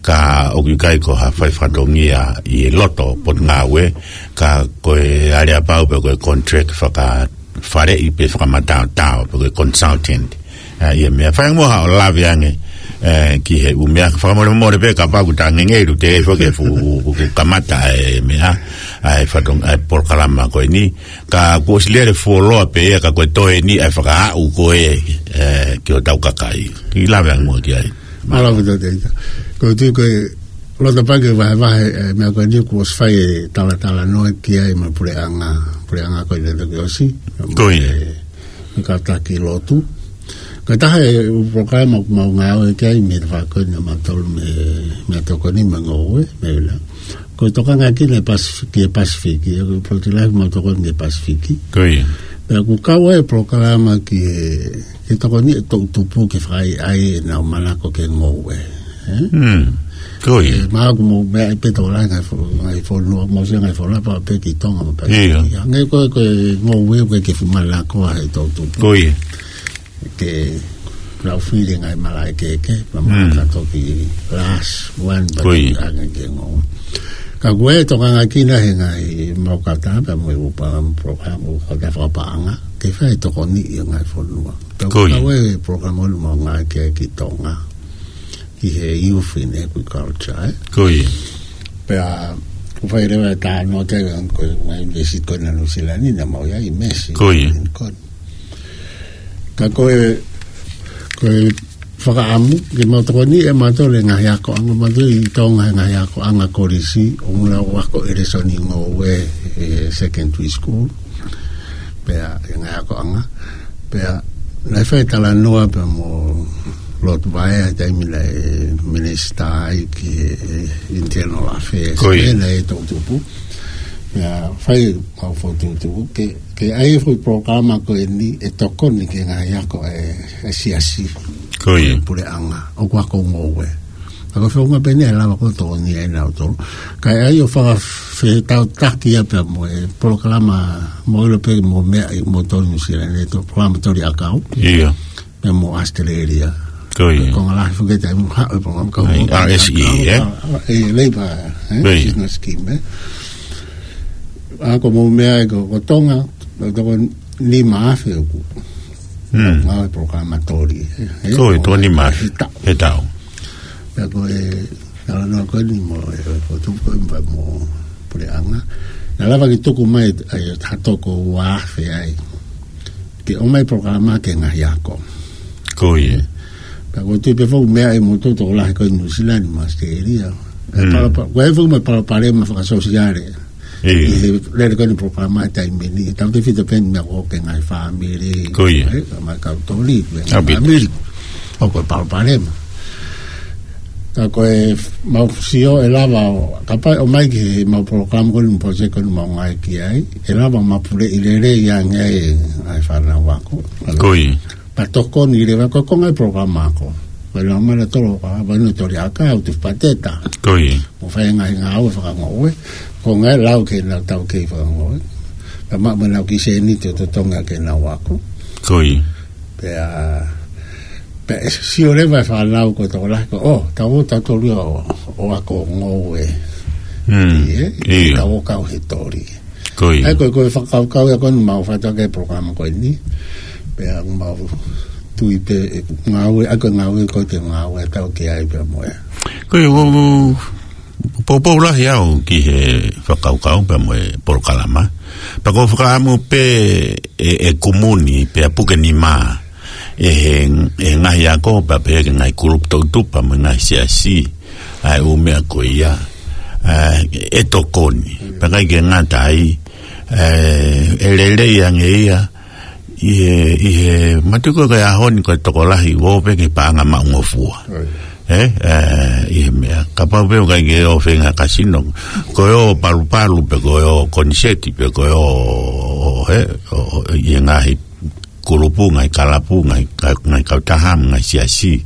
ka ʻoku ʻikai ko ha fai fatongia ʻi he loto Potungāue, ka ko e aleapau pē ko e contract fakafaleʻi pe fakamataotao pe ko e consultant. ʻA, ʻi he meʻa fai ange muʻa haʻo lave ange, e, ki he ʻū meʻa fakamolemole pē kapau ʻoku ta ngeʻengeʻi ʻoku teʻeki ai foki ke fuʻu, fuʻu kamata e meʻa, ʻa e fatongia, ʻa e polokalama ko eni. Ka kuo ʻosi lele fuoloa pē ia ka ko e toe eni ʻa e fakaaʻu ko ē, e, ki hotau kakai. Kiʻi lave ange muʻa ki ai. Mālō. Mālō ʻaupito Toketā. Ko e tui ko e loto pē ke vahevahe, e, meʻa ko eni kuo ʻosi fai e talatalanoa ki ai mo e puleʻanga, puleʻanga ko ē naʻe toki ʻosi. Ko ia. E, mo e kātaki lotu. Ko e taha e ʻū polokalama ʻoku mau ngāue ki ai mei he tafaʻaki ko eni ʻo mautolu mei, mei he tokoni mo e ngoue, mei Vila. Ko e tokanga ki he Pasif-, ki he Pasifiki, e, ko e polokalama ʻoku mau tokoni ki he Pasifiki. Ko ia. Pea ʻoku kau ai e polokalama ki he, ki he tokoni e toʻutupu ke fai ai ʻenau manako ki he ngoue. E? Mm. Ko ia. E, mahalo ʻoku mou meaʻi pē tokolahi ngaahi fo-, ngaahi fonua, mou sio ngaahi fonua pau pē ki Tonga mo pē. Ia. Hangē ko e, ko e ngoue ʻoku ʻikai ke fuʻu manako ʻa e toʻutupu. Ko ia. Ke lau fili ngaahi malaʻe kehekehe, pea mahalo Mm. ka toki last one, pea Ko ia. toki hangē ki he ngoue. Ka ko e tokangaʻi ʻe he ngaahi mau kautaha, pea mo e ʻū pā-, polokalama ʻū kautaha fakapaʻanga, ke fai tokoni ʻi he ngaahi fonua. Pea Ko ia. ko e polokalama ʻoku mau ngāue ki ai ki Tonga. Ki he Youth in Agriculture, e? Ko ia. Pea, ʻoku fai leva e talanoa ki ai, ko e ngaahi ʻunivēsiti ko ē ʻa Nuʻu Sila ni naʻa mau ʻi ai, Mesi. Ko ia. Ko ē. Ka ko e, ko e fakaʻamu, ke mau tokoni ʻe mautolu e ngaahi akoʻanga, mautolu ʻi Tonga he ngaahi akoʻanga kolisi, ʻo ngula ʻo ako ʻi he lēsoni ngoue, e, secondary school. Pea, e ngaahi akoʻanga. Pea, naʻe fai talanoa pea mo Lord Vaea, taimi naʻe minisitā ai ki he Internal Affairs. Ko ia. Pea naʻe toʻutupu. Pea, fai kau fokotuʻutuʻu ke, ke ʻai e foʻi polokalama ko eni ʻe tokoni ki he ngaahi ako e, e siasi. Ko ia. Puleʻanga. ʻOku ako ngoue. Ka ko e founga pē eni ʻe lava ko ē tokoni ai nautolu. Kae ʻai ʻo fakafetautaki ia pea mo e polokalama mo ilo pē mo meʻa ʻi mo tolu Nuʻu Sila ni to polokalama toli ʻakau. Ia. Pea mo ʻAositelēlia. Ko ia. Ko e ngaahi foki taimi ʻoku haʻu e polokalama kau Ai, mo R S E, ʻakau, e? ʻa, ʻa, e, Labour, e? Ko ia. Business scheme, e? ʻA ko mo meʻa ʻi ko, ko Tonga, ko toko nima afe ʻoku. Mm. Ngāue polokalama toli, e? Ko ia, toko nima afe. He taʻu. He taʻu. Pea ko e, talanoa ko eni mo, e, ko tupu ko eni pea mo puleʻanga. Naʻe lava ke tuku mai, ai, ha toko ua afe ai. Ke ʻomai polokalama ki he ngaahi ako. Ko ia. Pea ko e tui pē foki meʻa ʻi mo toko lahi ko ē Nuʻu Sila ni mo ʻAositelēlia. E Mm. palopa-, ko e foki mo e palopalema fakasōsiale. Ia. ʻI he lele ko eni polokalama ʻi he taimi ni, tautefito pē eni meʻa ko ē ki he ngaahi fāmili. Ko ia. E, ka mai kau toli, ki he ngaahi ʻAupito. fāmili. ʻOku ko e palopalema. Ka ko e mau sio ʻe lava ʻo, kapau ʻe ʻomai ki he mau polokalama ko eni mo e project ko eni mau ngāue ki ai, ʻe lava ʻo mapuleʻi lelei ange ai e ngaahi fānau ako. Ko ia. Pea tokoni leva ko e konga e polokalama ako. Ko e lau mai nautolu ka, ʻa ʻenau toli ʻakau, tufa pateta. Ko ia. Mo fai e ngaahi ngāue fakangoue. Ko e ngaahi lau ki heʻenau taukei fakangoue. Pea maʻu mai ʻenau kiʻi sēniti ʻo totongi ʻaki ʻenau ako. Ko ia. Pea, pea ʻe sio leva e fānau ko e tokolahi ko, ʻo, tau ō tautolu ia ʻo, ʻo ako ngoue. Mm. Ia, Ia. tau ō kau he toli. Ko ia. ʻA ia ko e, ko e fakakaukau ia ko eni mau fai atu ki he polokalama ko eni. Pea mau tui pē, e, ngāue, ʻa ia ko e ngāue ko ē te ngāue atu ki ai pea mo e. Ko ia, ʻoku, ʻoku poupou lahi au ki he fakakaukau pea mo e polokalama. Pea ʻoku ou fakaʻamu pē ʻe, ʻe kumuni, pea puke nima. ʻE he, ʻe he ngaahi ako, pea pehē ki he ngaahi kulupu toʻutupu, pea mo e ngaahi siasi. ʻA e ʻū meʻa ko ia, ʻa, ʻe tokoni. Pea ʻikai ke ngata ai, ʻe, ʻe lelei ange ia, ʻi he, ʻi he mātuku ko e ʻaho ni ko e tokolahi ʻoku pē ke paʻanga maʻungofua. Right. Ē, ē, ʻi he meʻa. Kapau pē ʻoku ʻikai ke ō feinga kasino. Ko e ō palupalu pe ko e ō koniseti pe ko e ō, ē, ʻo, ʻo, ʻi he ngaahi kulupu, ngaahi kalapu, ngaahi ka-, ngaahi kautaha, ngaahi siasi.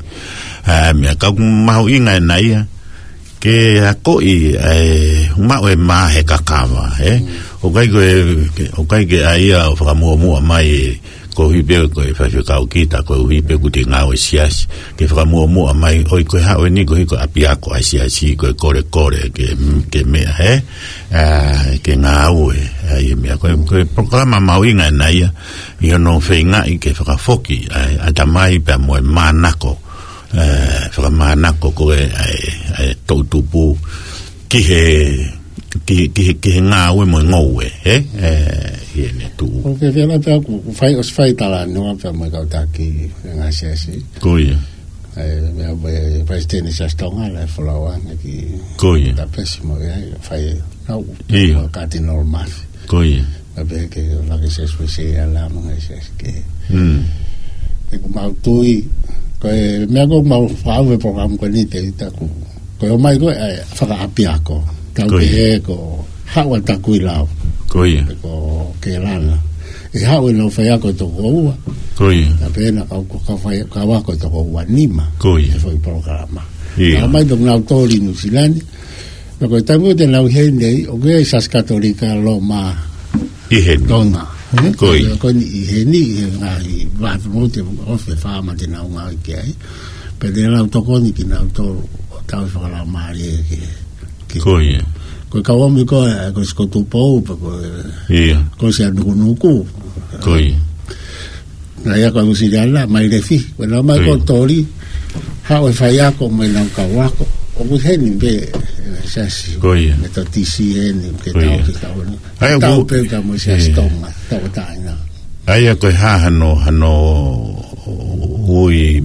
Ē, meʻa ka ʻoku mahuʻinga ʻena ia. Ke akoʻi, ē, maʻu e mā he kakava, ē? Mm. ʻOku ʻikai ko e, ke, ʻoku ʻikai ke ʻai ia ʻo fakamuʻomuʻa mai ē, koeʻuhi pē ko e faifekau kita, koeʻuhi pē ʻoku te ngāue siasi. Ke fakamuʻomuʻa mai, ʻoi ko e haʻu eni koeʻuhi ko e ʻapiako ʻa e siasi, ko e kolekole, ke, ke meʻa, ē? Ā, ke ngāue, ē, ʻi he meʻa. Ko e, ko e polokalama mahuʻinga ʻena ia, ʻi hono feingaʻi ke fakafoki, ē, ʻatamai pea mo e manako, ē, fakamanako ko e, ē, ē, toʻutupu ki he, ki, ki, ki he ngāue mo e ngoue, ē? Ē, ʻi heʻene tuʻu. ʻOku ke fela pea ʻoku, ʻoku fai, ʻosi fai talanoa pea mo e kau taki, ē, ngaahi siasi. Ko ia. Ē, meʻa mo e Palesiteni Siasi Tonga, Laʻifolau Ane ki Ko ia. Tapesi mo ia, fai, nau, Ia. Katinolo Mafi. Ko ia. Ka pehē ke lake siasi pē se ala mo e ngaahi siasi kehe. Mm. He ʻoku mau tui, ko e meʻa ʻoku mau faʻu he polokalama ko eni te ita ku. Ko e ō mai ko e, ē, fakaʻapiako. Tau Ko ia. Pehē ko haʻu ʻa Takuilau. Ko ia. Pe ko Kelana. ʻE haʻu ʻenau faiako ʻe toko ua. Ko ia. Ka pehē naʻa kau, kau fai, kau ako ʻe toko ua nima. Ko ia. He foʻi polokalama. Ia. Ka ō mai pē nautolu ʻi Nuʻusila ni. Pea ko e taimi ʻoku te nau ʻi heni ai, ʻoku ʻi ai e Siasi Katolika Loma ʻI heni. Tonga. Ē? Ko ia. Ko eni ʻi heni, ʻi he ngaahi vatu mo te ofe fā ma te nau ngāue ki ai. Pea te nau tokoni kinautolu ʻo tau fakalaumālie ki, ki Ko ia. Ko e kau ō mai ko e, ko Sikotu Pou, pe ko e, Ia. Ko Sianukunuku. Ko ia. Naʻe ʻi ai ko Nuʻusila, mai Lefi, ko e nau mai Ko ia. Ko Toli, haʻu e faiako mo ʻenau kau ako. ʻOku ʻi heni pē, ē, siasi. Ko ia. Metotisi heni, ke Ko tau, ia. Ke tau ni. ʻA ia Tau ko pē ka mo e siasi Ia. Tonga, tau taina. ʻA ia ko e hā hano, hano ui,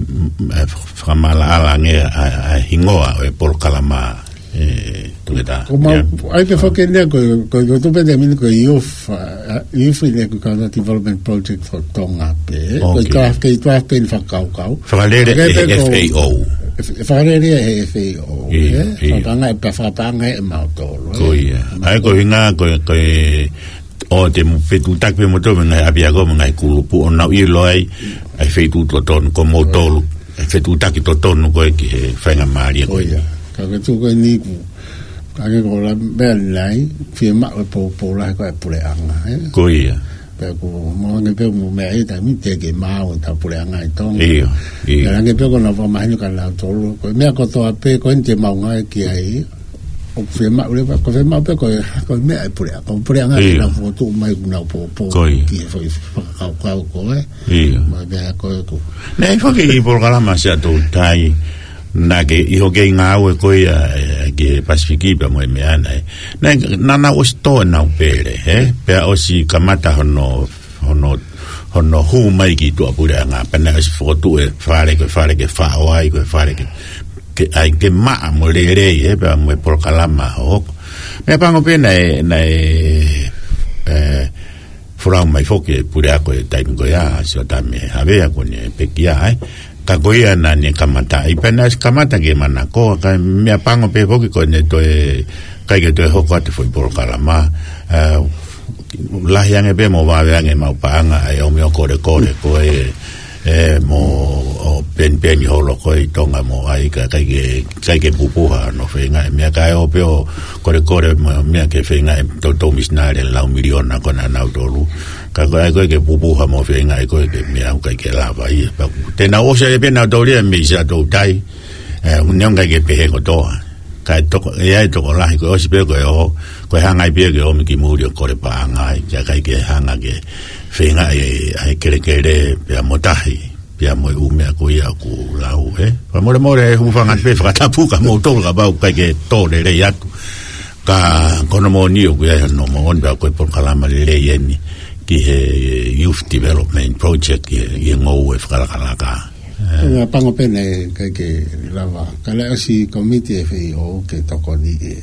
ē, fakamaʻalaʻala ange ʻa, ʻa e hingoa ʻo e polokalama. Ē, tuʻu ʻe taha. Ko mau, Ia. ʻAi pē foki ʻeni ko, ko, ko tupe te mini ko e youth, ā, youth ʻeni ko e Kaunga Development Project for Tonga pē. Ko e Ok. Tuʻa, ke tuʻa pē ʻeni fakakaukau. Fakalele Ke ʻe pē ko F A O. F-, fakalele ʻe F A O, Ia, ē? Ia. Fakapaʻanga ʻe pē fakapaʻanga ʻe mautolu, Ko ē? Ia. ʻAi ko e hinga, ko e, ko e, ʻo te mo fetuʻutaki pē mo tō, mo e ngaahi ʻapiako, mo e ngaahi kulupu, ʻo nau ʻilo ai, ʻa e feituʻu totonu, ko mautolu. ʻA e fetuʻutaki totonu ko ē ki he faingamālie Ko ko ē. Ia. Ka ke tuku ʻeni ku. Ka ke ko la meʻa nai, fiemaʻu e poupou lahi ko e puleʻanga, ē? Ko ia. Pea ku mo ange pē mo meʻa ʻi he taimi te ke maʻu ʻeta puleʻanga ʻi Tonga. Ia, ia. Pea ange pē ko ʻenau fakamahino kia nautolu. Ko e meʻa kotoa pē ko eni te mau ngāue ki ai. ʻOku fiemaʻu leva, ko e fiemaʻu pē ko e, ko e meʻa ʻa e puleʻanga. Ko e puleʻanga Ia. Ke nau fokotuʻu mai ʻoku nau poupou Ko ia. Ki he foʻi fakakaukau ko ē. Ia. Mo e meʻa ko ē ʻoku. Naʻe ʻi ai foki e polokalama Siaʻatoutai, naʻa ke ʻi hoʻo kei ngāue ko ia, ē, ki he Pasifiki pea mo e meʻa naʻe. Naʻe, naʻa nau ʻosi tō ʻenau pele, ē? Pea ʻosi kamata hono, hono, hono hū mai ki tuʻapuleʻanga. Pea naʻe ʻosi fokotuʻu e fale, ko e fale ke faʻo ai, ko e fale ke, ke ʻai ke maʻa mo lelei, ē? Pea mo e polokalama ʻoku. Meʻapango pē naʻe, naʻe, ē, folau mai foki e puleako ʻi he taimi ko ia, Siotami Havea ko ʻene pekia ai. Ka ko ia naʻa ne kamata ai, pea naʻe ʻosi kamata ke manako, ka meʻapango pē foki ko ʻene toe, ʻikai ke toe hoko atu e foʻi polokalama. Ē, lahi ange pē mo vave ange maʻu paʻanga ʻa e ʻomi ʻo kolekole ko ē, ē, mo ʻo penipeni holo ko ē ʻi Tonga mo ai ka ʻikai ke, ʻikai ke pupuha hono feingaʻi e meʻa kae ō pē ʻo kolekole mo e meʻa ke feingaʻi e toutou misinale lau miliona ko ē naʻa nau tolu. Ka ko e ʻai ko ē ke pupuha mo feingaʻi ko ē ke meʻa ʻoku ʻikai ke lava ia. Pea te nau ʻosi ai pē nautolu ia mei Siaʻatoutai. Ē, ʻoku ne ʻikai ke pehē kotoa. Kae toko, ʻe ʻi ai e tokolahi ko e ʻosi pē ko e ō, ko e hanga ai pē ke ō mai ki muli ʻo kole paʻanga ai, ka ʻikai ke hanga ke feingaʻi e, ʻa e kelekele, pea mo tahi, pea mo e ʻū meʻa ko ia ʻoku lau, ē. Fakamolemole, ē, hūfanga pē fakatapu kia moutolu kapau ʻoku ʻikai ke tō lelei atu. Ka ko hono moʻoni ʻoku ʻi ai hono moʻoni pea ko e polokalama lelei ʻeni ki he Youth Development Project, ki he, ki he ngoue fakalakalaka. Ē. Meʻapango pē naʻe ʻikai ke lava. Ka naʻe ʻosi komiti e F A O ke tokoni e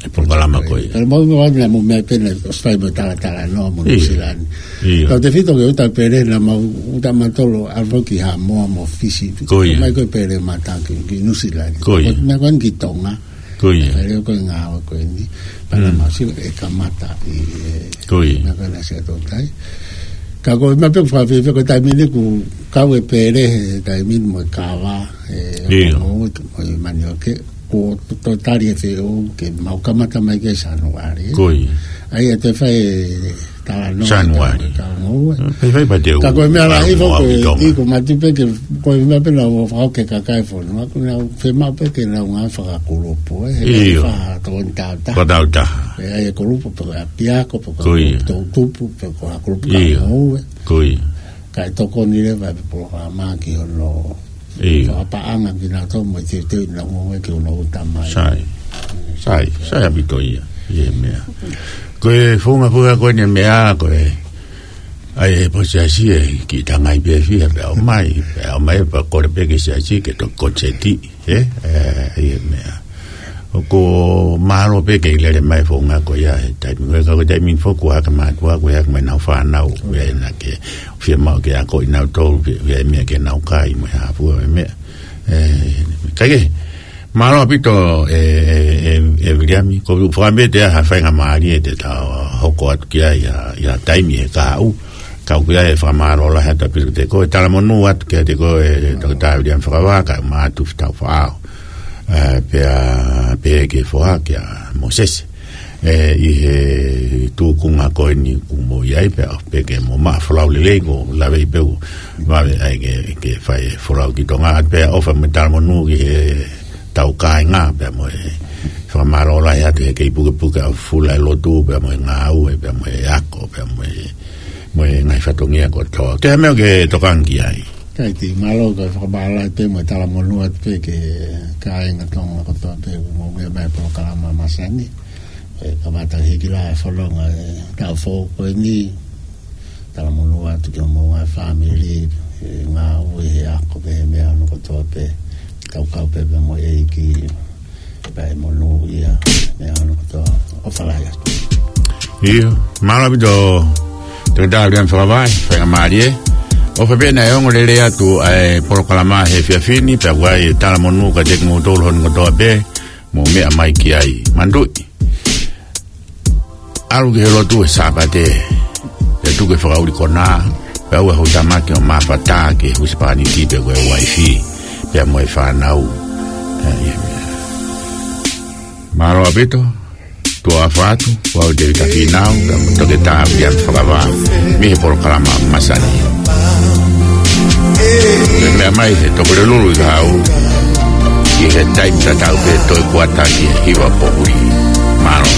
ʻa e polokalama ko ia. Pea mau, mau, mau, mau meʻa pē naʻe ʻosi fai mo e talatala noa mo Nuʻu Sila ni. ʻIo. Kau tefito ke ʻuta pele naʻa mau ʻuta mautolu ʻalu ki Haʻamoa mo Fisi. Ko ia. Mai ko e pele mata ki, ki Nuʻu Sila ni. Ko ia. Ko e meʻa ko eni ki Tonga. Ko ia. Pele ko e ngāue ko eni. Pea naʻa mau sio e kamata ʻi he, ko ia, meʻa ko ena sia totai. Ka ko e meʻa pē ʻoku fakafiefia ko e taimi ni kuo kau e pele he taimi ni mo e kava, ʻio, mo, mo e manioke. Kuo to-, totali e feʻunga ke mau kamata mai ki he Sānuali. Ko ia. ʻA ia te fai e talanoa Sānuali. Ka, ka ngoue. Fai, fai pē te u, ka ko e meʻa lahi fo ko e, ʻi ko matu pē ke, ko e meʻa pē naʻa fakahoko ki he kakai e fonua, ko ʻenau fiemaʻu pē ke nau ngāue fakakulupu, ē. He ʻio, fakatō ni tauta. Ko tauta. ʻE ʻai e kulupu pe ko e ʻapiako, pe ko e, ko ia, toʻutupu, pe ko e kulupu, ʻio, ka ngoue. Ko ia. Kae tokoni leva e polokalama ki hono, ʻio, fakapaʻanga kinautolu mo e teuteu ʻenau ngoue ki hono ʻuta mai. Sai. Sai, sai ʻaupito ia. ʻI he meʻa. Ko e founga founga ko eni e meʻa, ko e, ʻai e pō siasi e kiʻi tangai pē fiha, pea ʻomai, pea ʻomai, pea kole pē ki he siasi ke toki konseti. Ē, ē, ʻi he meʻa. ʻOku mālō pē ke lele mai founga ko ia he taimi. Ko e, ka ko e taimi foki ʻoku hake mātuʻa, ʻoku hake mai ʻenau fānau, ʻoku ʻi ai naʻa ke fiemaʻu ke akoʻi nautolu, ʻoku ʻi ai e meʻa ke nau kai mo e hā fua e meʻa. Ē, ka ke, mālō ʻaupito ē, ē, ē, ē Viliami, ko e fakaʻamu pē te ʻi ai ha faingamālie te ta hoko atu ki ai ʻi ha, ʻi ha taimi he kahaʻu. Ka ʻoku ʻi ai e fakamālō lahi atu ʻaupito kiate koe, talamonū atu kiate koe, Toketā Viliami Fakavā, kae ʻumaʻā ʻa Tufitau Faʻao. Ē, pea, pehē ki he foha kia Mōsese. Ē, ʻi he tūkunga ko eni ʻoku mou ʻi ai, pea pehē ke mou maʻu folau lelei, ʻoku ou lave pē ʻoku vave ai ke, ke fai e folau ki Tonga, pea ʻofa mo e talamonū ki he tau kāinga, pea mo e fakamālō lahi atu he kei pukepuke ʻa e fula e lotu, pea mo e ngāue, pea mo e ako, pea mo e mo e ngaahi fatongia kotoa. Ko e hā e meʻa ʻoku ke tokanga ki ai? Kae mālō, kae fakamālō pē mo e talamonū atu pē ki he kāinga Tonga kotoa pē ʻoku mou meʻa mai he polokalama masani. Ē, kamata hiki lā e fononga e taʻu foʻou ko eni. Talamonū atu ki homou ngaahi fāmili, he ngāue, he ako, pea he meʻa hono kotoa pē. Kaukau pē pea mo e ʻEiki. Pea ʻe monūʻia, meʻa hono kotoa, ʻofa lahi atu. ʻIo, mālō ʻaupito, Toketā Viliami Fakavā, faingamālie. ʻOfa pē naʻe ongo lelei atu ʻa e polokalama he efiafi ni, pea ʻoku ʻi ai e talamonū kiate kimoutolu hono kotoa pē, mou meʻa mai ki ai. Manatuʻi. ʻAlu ki he lotu he Sāpate, pea tuku e fakaʻuli konā, pea ʻoua ʻe hū tamaki ʻo mafatā ki he husepāniti pe ko e uaifi, pea mo e fānau. Ē, ʻio. Mālō ʻaupito, tuʻa ʻofa atu, ʻoku ou Tēvita Fīnau, pea mo Toketā Viliami Fakavā, mei he polokalama masani. Meʻa mai he Topolelulu ʻi he kahaʻu, ʻi he taimi tatau pē, toe kuata ki he hiva poʻuli. Mālō.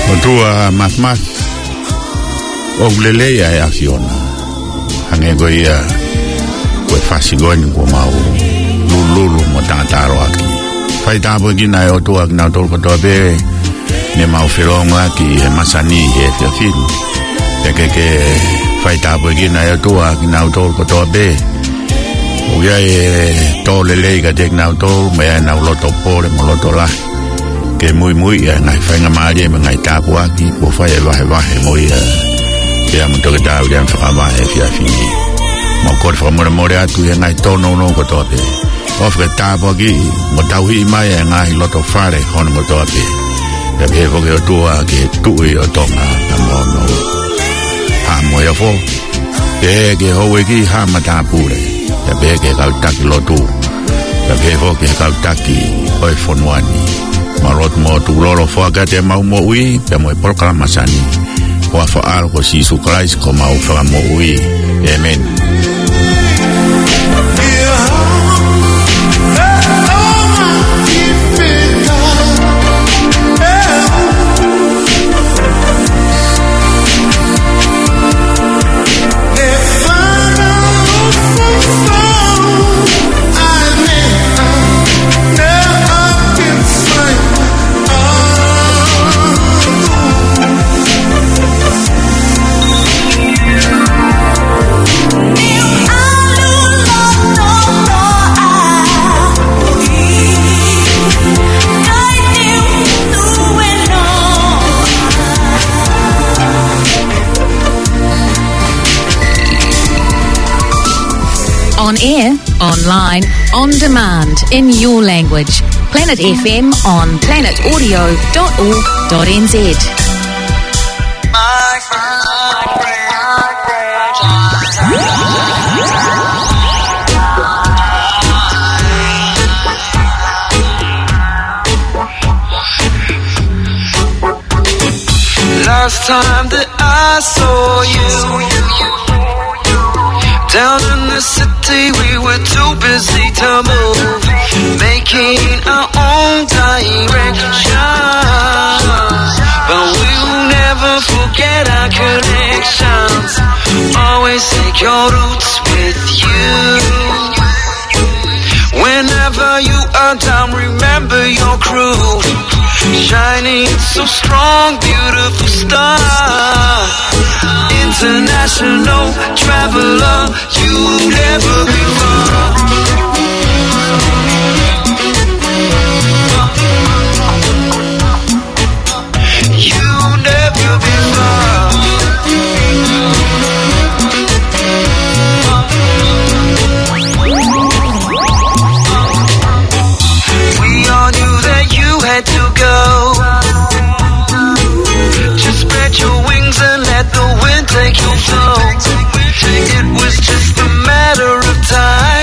ʻOtua Māfimafi, ʻoku lelei ʻa e ʻAfiona. Hangē ko ia ko e fasi ko eni kuo mau lulululu mo tangata ʻalu ʻaki. Fai tāpuekina ʻe ʻOtua kinautolu kotoa pē ne mau felōngoaki he masani he efiafi ni. Pea ke ke fai tāpuekina ʻe ʻOtua kinautolu kotoa pē ʻoku ʻi ai e tō lelei kiate kinautolu, mo ʻi ai ʻenau loto pole mo loto lahi ke muimui ʻi he ngaahi faingamālie mo e ngaahi tāpuaki kuo fai ʻe he vahevahe mo ia, pea mo Toketā Viliami Fakavā he efiafi ni. Mau kole fakamolemole atu ʻi he ngaahi tōnounou kotoa pē. ʻOfa ke tāpuakiʻi mo tauhi mai e ngaahi loto fale hono kotoa pē. Pea pehē foki ʻOtua ki he Tuʻi ʻo Tonga, pea mo hono Haʻa Moheofo. Pehē ki he houʻeiki, haʻa matāpule. Pea pehē ki he kau taki lotu. Pea pehē foki ki he kau taki ʻo e fonua ni. Mālō atu mo tukulolo foaki atu ʻemau moʻui pea mo e polokalama sani. Ko e huafa ʻo Sīsū Kalaisi ko homau Fakamoʻui. ʻĒmeni. On air, online, on demand, in your language. Planet F M on planet audio dot org dot N Z. Last time that I saw you, down in the city, we were too busy to move, making our own directions. But we'll never forget our connections. Always take your roots with you. Whenever you are down, remember your crew. Shining so strong, beautiful star. International traveler, you never be far. You never be far. We all knew that you had to go. Just spread your wings and let the wind take your soul. It was just a matter of time.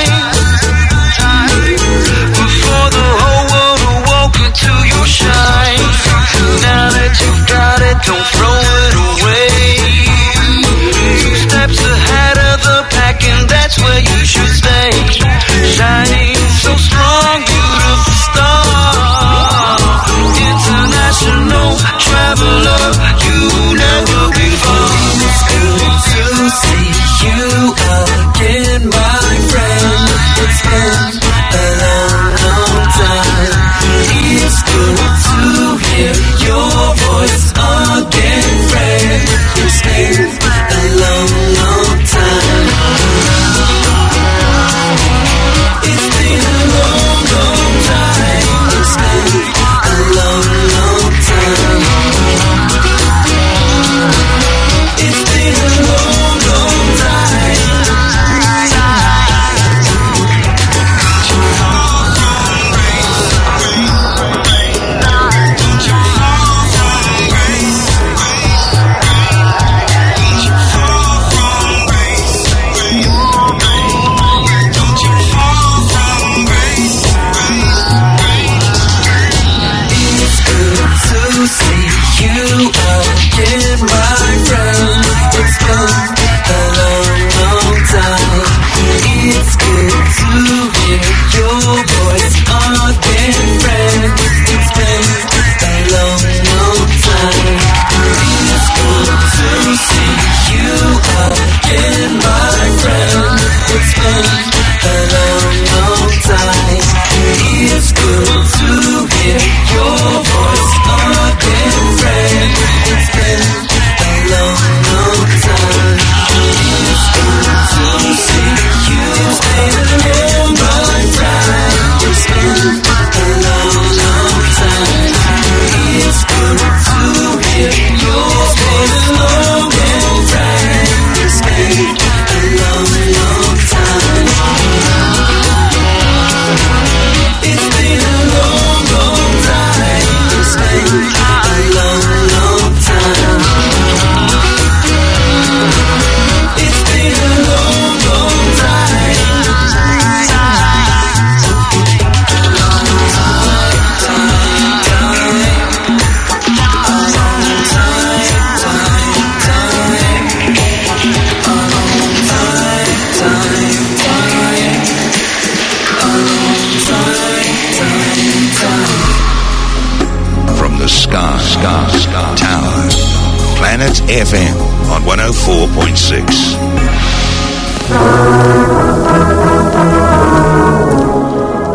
Planet F M on one oh four point six.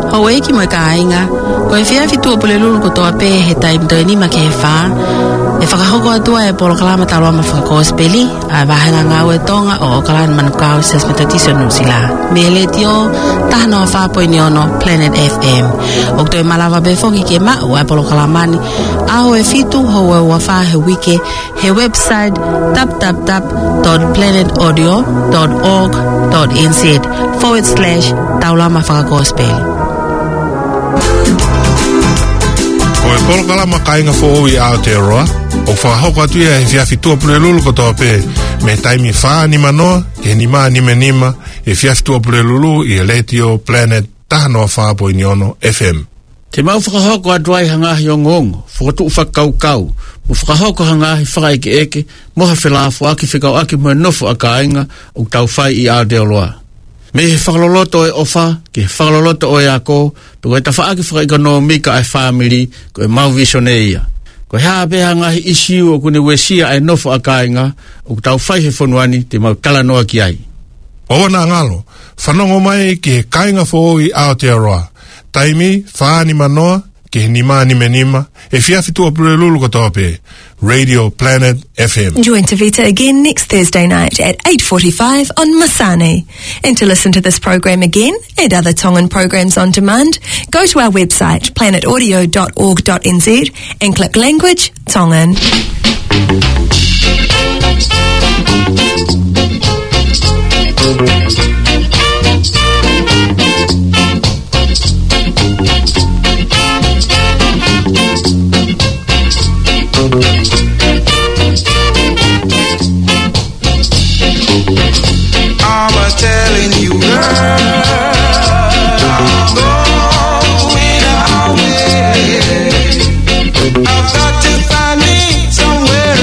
Houʻeiki mo e kāinga, ko e efiafi Tuʻapulelulu kotoa pē he taimi toe nima ki he fā, ʻe fakahoko atu ai e polokalama Taulama Fakakosipeli ʻa e Vāhenga Ngāue Tonga ʻo ʻOkalani Manukau Siasi Metotisi ʻo Nuʻusila, mei he Letiō taha noa fā poini ono Planet F M. ʻOku toe malava pē foki ke maʻu ʻa e polokalama ni ʻaho ʻe fitu, houa ʻe ua fā he uike, he website w w w dot planet audio dot org dot n z forward slash taulama fakakosipeli. Ko e polokalama Kāinga Foʻou ʻi Aotearoa ʻoku fakahoko atu ia he efiafi Tuʻapulelulu kotoa pē, mei he taimi fā nima noa ki he nima nima nima, he efiafi Tuʻapulelulu ʻi he Letiō Planet taha noa fā poini ono F M. Te mau fakahoko atu ai ha ngaahi ongoongo, fokotuʻu fakakaukau, mo fakahoko ha ngaahi fakaʻekeʻeke mo ha felāfoaki fekauʻaki mo e nofo ʻa kāinga ʻoku tau fai ʻi Aotearoa. Mei he fakaloloto ʻo e ʻofa ki he fakaloloto ʻo e ako, pe ko e tafaʻaki fakaʻekonōmika ʻa e fāmili, ko ʻemau visone ia. Ko e hā pē ha ngaahi ʻīsiu ʻoku ne uesia ʻa e nofo ʻa kāinga ʻoku tau fai he fonua ni, te mau talanoa ki ai. ʻOua naʻa ngalo, fanongo mai ki he Kāinga Foʻou ʻi Aotearoa, taimi fā nima noa ki he nima nima nima, efiafi Tuʻapulelulu kotoa pē, Radio Planet F M. Join Tavita again next Thursday night at eight forty-five on Masani. And to listen to this program again and other Tongan programs on demand, go to our website, planet audio dot org dot n z, and click Language Tongan. I was telling you, girl, I'm going away. I've got to find me somewhere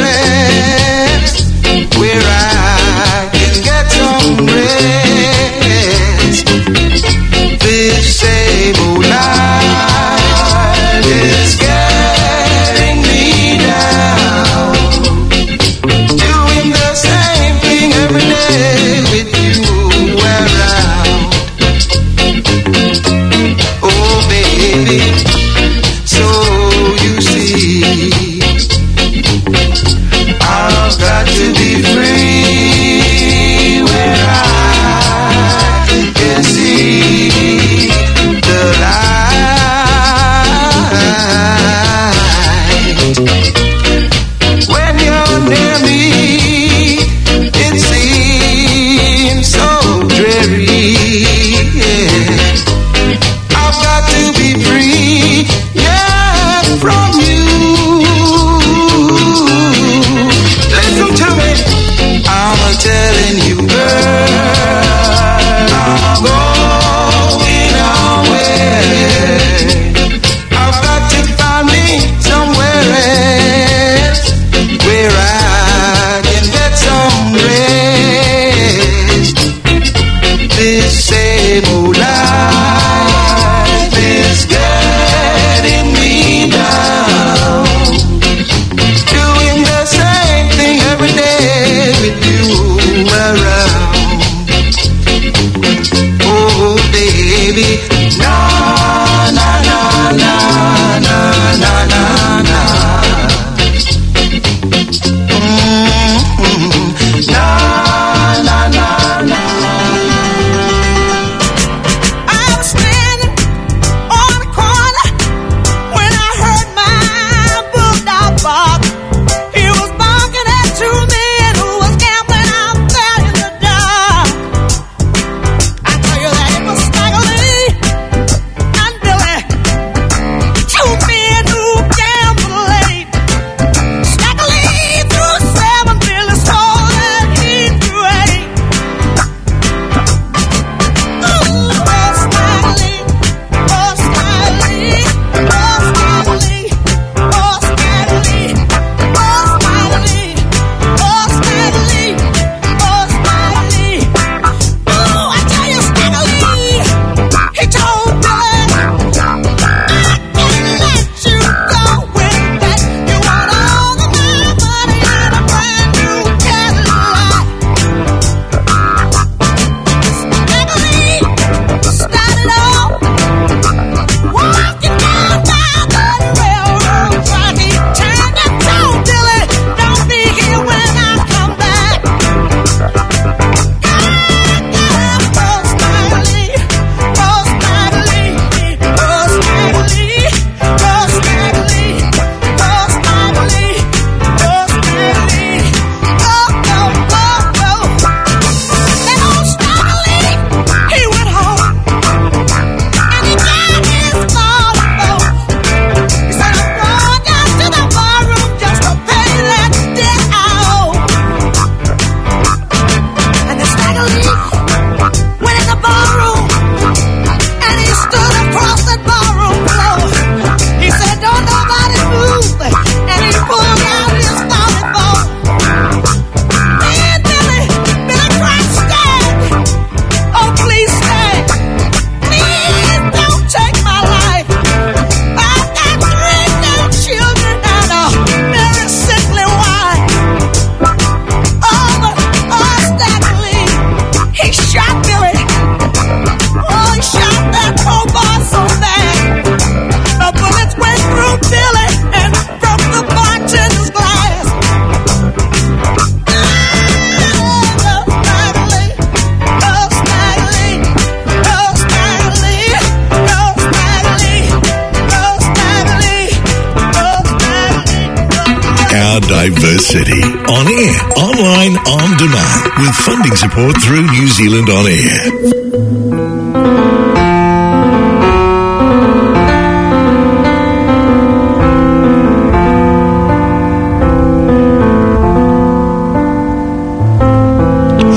Diversity. On air, online, on demand, with funding support through New Zealand On Air.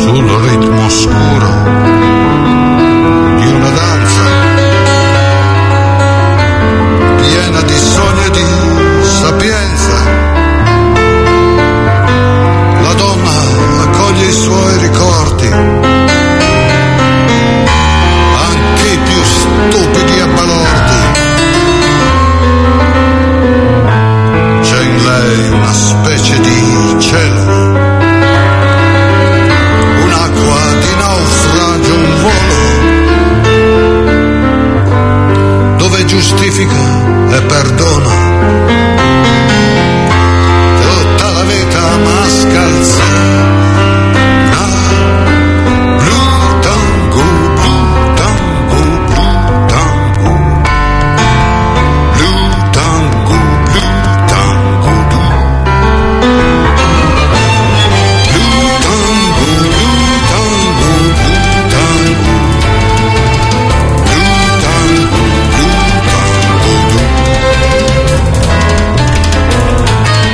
Sul ritmo scuro di una danza piena di sogni e di sapienza, la donna accoglie i suoi ricordi, anche i più stupidi e balordi. C'è in lei una specie di cielo, un'acqua di naufragio, un volo dove giustifica e perdona tutta la vita mascalzona. Blue tango, blue tango, blue tango. Blue tango, blue tango, blue. Blue tango, blue tango, blue tango. Blue tango, blue tango, blue.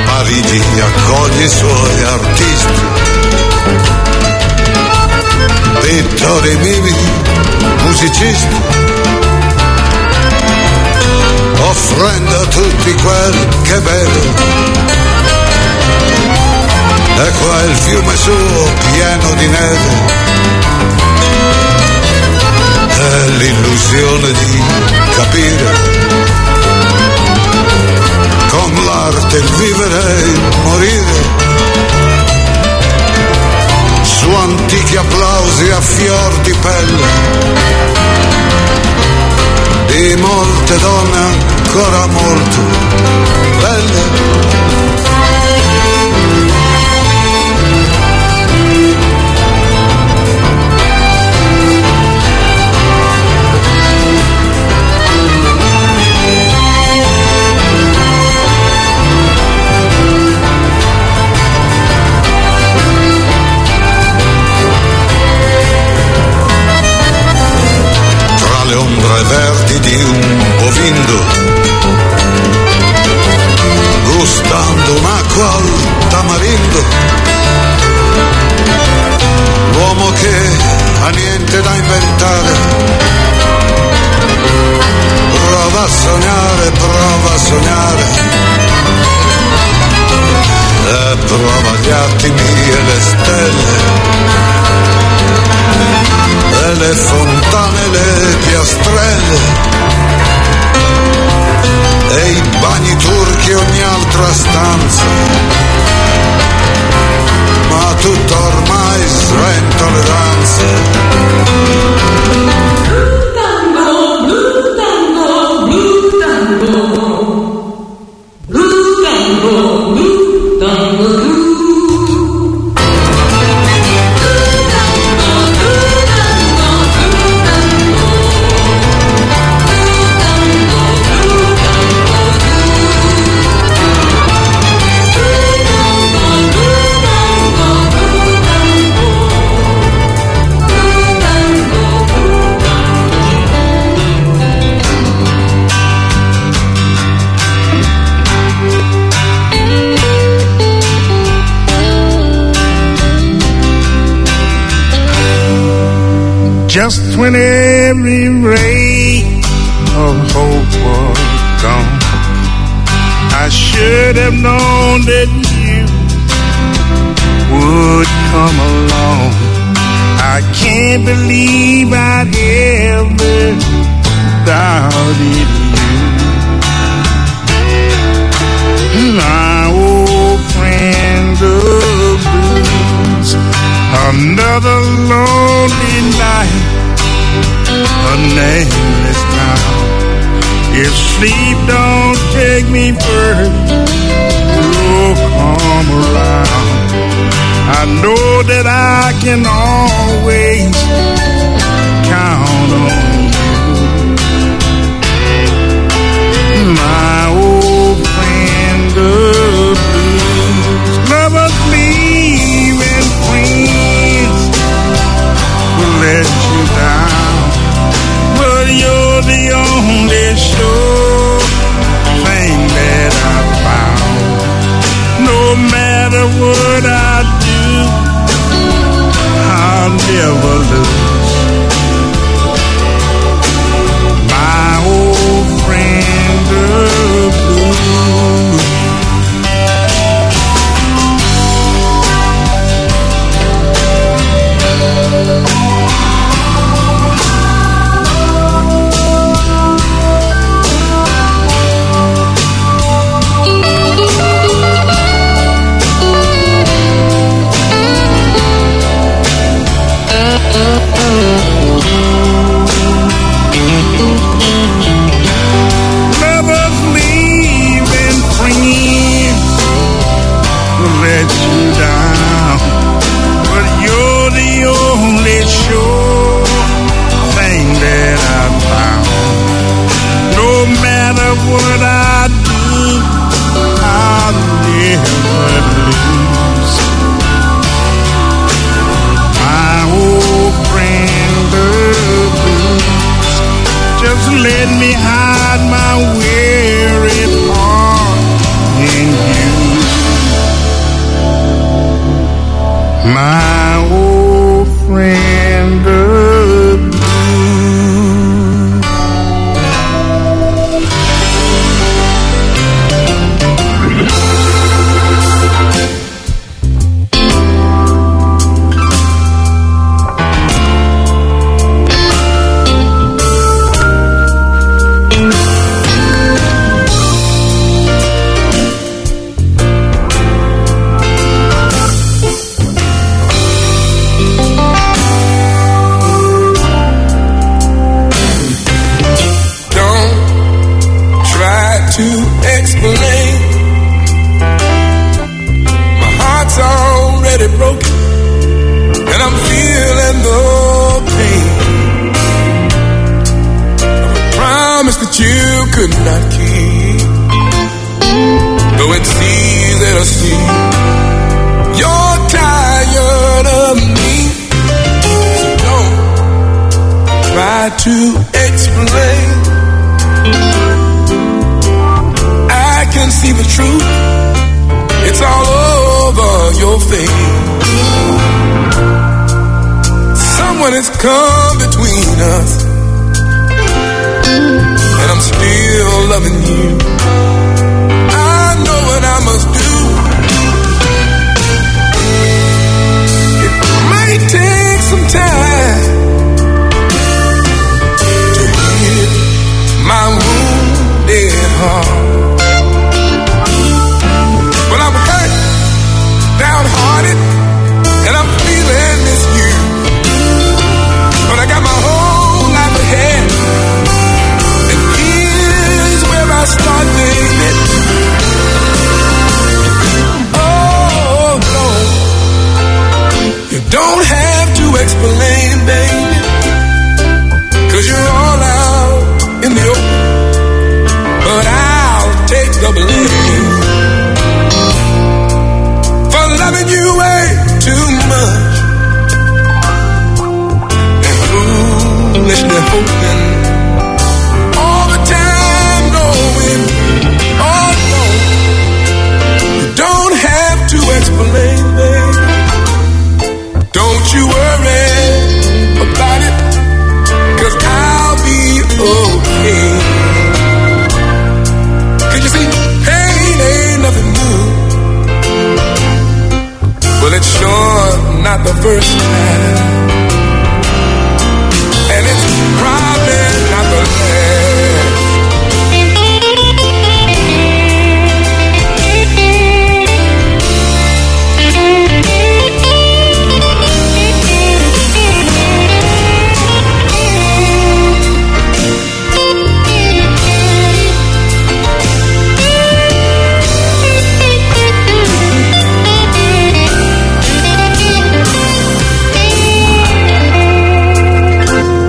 Parigi accoglie i suoi artisti, pittori, mimi, musicisti, offrendo a tutti quel che beve. E qua il fiume suo pieno di neve, è l'illusione di capire con l'arte il vivere e il morire. Su antichi applausi a fior di pelle di molte donne ancora molto belle. Tra le ombre verdi di un bovindo, gustando un'acqua al tamarindo, l'uomo che ha niente da inventare prova a sognare, prova a sognare, e prova gli attimi e le stelle, e le fontane e le piastrelle, e i bagni turchi e ogni altra stanza, ma tutto ormai sventa le danze. Blue tango, blue tango, blue tango. Blue tango, blue tango, blue. Just when every ray of hope was gone, I should have known that you would come along. I can't believe I'd ever doubted you. My old friend the blues, another lonely night, a nameless town. If sleep don't take me first, you'll come around. I know that I can always count on you. My old friend the blues. My old friend, the blues. Don't try to explain. My heart's already broken, and I'm feeling the pain of a promise that you could not keep. Though it's easy to see, you're tired of me. So don't try to explain. I can see the truth. It's all over your face. Someone has come between us. And I'm still loving you. I know what I must do. It might take some time to heal my wounded heart. But I'm hurt, downhearted, and I'm feeling this you. But I got my whole life ahead. And here's where I start, baby. Oh, no. You don't have to explain, baby. 'Cause you're all out in the open. But I'll take the blame for loving you way too much. And foolishly hoping all the time, knowing, oh no, you don't have to explain, baby. Don't you worry about it, 'cause I'll be okay. 'Cause you see, pain ain't nothing new. Well, it's sure not the first time. And it's probably not the last.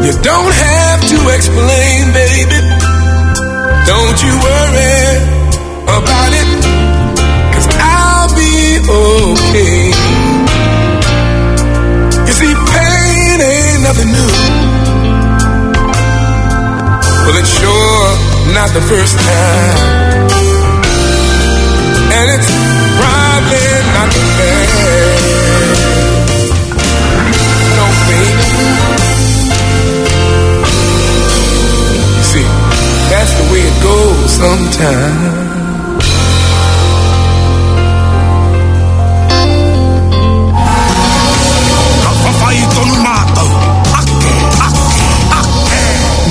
You don't have to explain, baby. Don't you worry about it, 'cause I'll be okay. You see, pain ain't nothing new. Well, it's sure not the first time. And it's probably not the last. No, baby. See, that's the way it goes sometimes.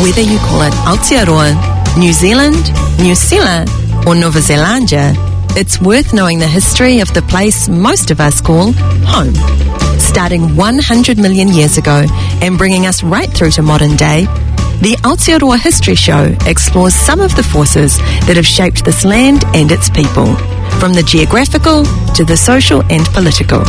Whether you call it Aotearoa, New Zealand, New Zealand, or Nova Zelandia, it's worth knowing the history of the place most of us call home. Starting one hundred million years ago and bringing us right through to modern day, the Aotearoa History Show explores some of the forces that have shaped this land and its people, from the geographical to the social and political.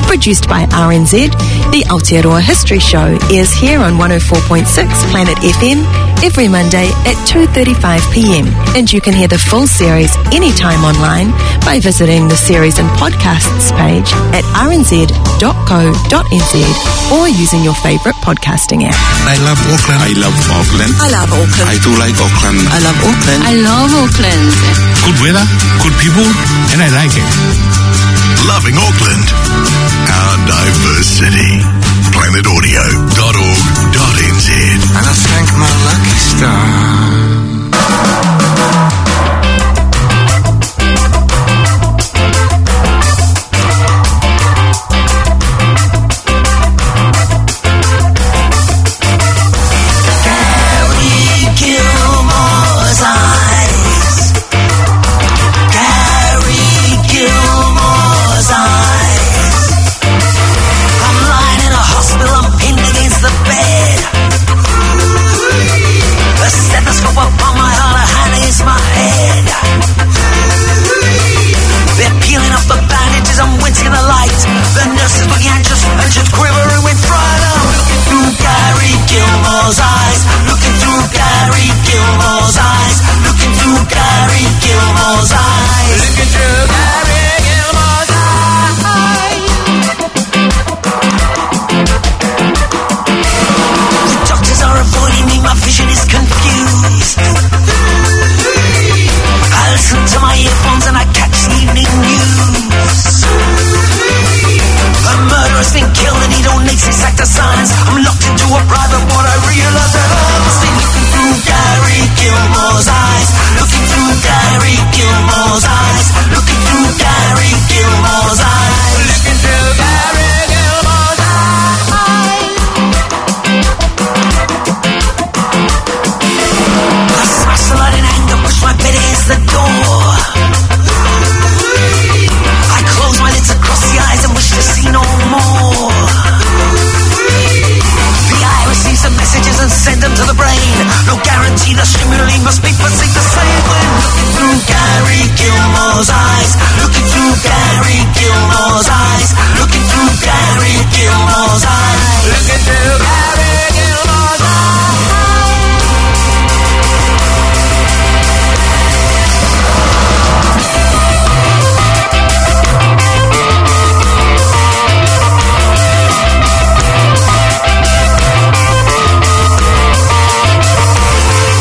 Produced by R N Z, the Aotearoa History Show airs here on one oh four point six Planet F M every Monday at two thirty-five p.m. And you can hear the full series anytime online by visiting the series and podcasts page at R N Z dot co dot N Z or using your favourite podcasting app. I love Auckland. I love Auckland. I love Auckland. I do like Auckland. I love Auckland. I love Auckland. Good weather, good people, and I like it. Loving Auckland. Our diversity. planet audio dot org dot N Z. And I thank my lucky star. Gary Gilmore's eyes. I'm lying in a hospital, I'm pinned against the bed. A stethoscope upon my heart, a hand against my head. They're peeling off the bandages, I'm wincing in the light. The nurse is looking anxious, and she's quivering with fright. I'm looking through Gary Gilmore's eyes, looking through Gary Gilmore's eyes, looking through Gary Gilmore's eyes. Looking through Gary Gilmore's eyes. The doctors are avoiding me, my vision is confused. I listen to my earphones and I catch the evening news. A murderer's been killed and he donates his act of science. I'm locked into a private ward, I realize that I'm still looking through Gary Gilmore's eyes. Looking through Gary Gilmore's eyes. Looking through Gary Gilmore's eyes. Looking through Gary Gilmore's eyes. I smash the light in anger, push my bed against the door. I close my lids across the eyes and wish to see no more. The eye receives the messages and send them to the brain. No guarantee the stimuli must be perceived the same when looking through Gary Gilmore's eyes. Looking through Gary Gilmore's eyes. Looking through Gary Gilmore's eyes. Looking through Gary Gilmore's eyes.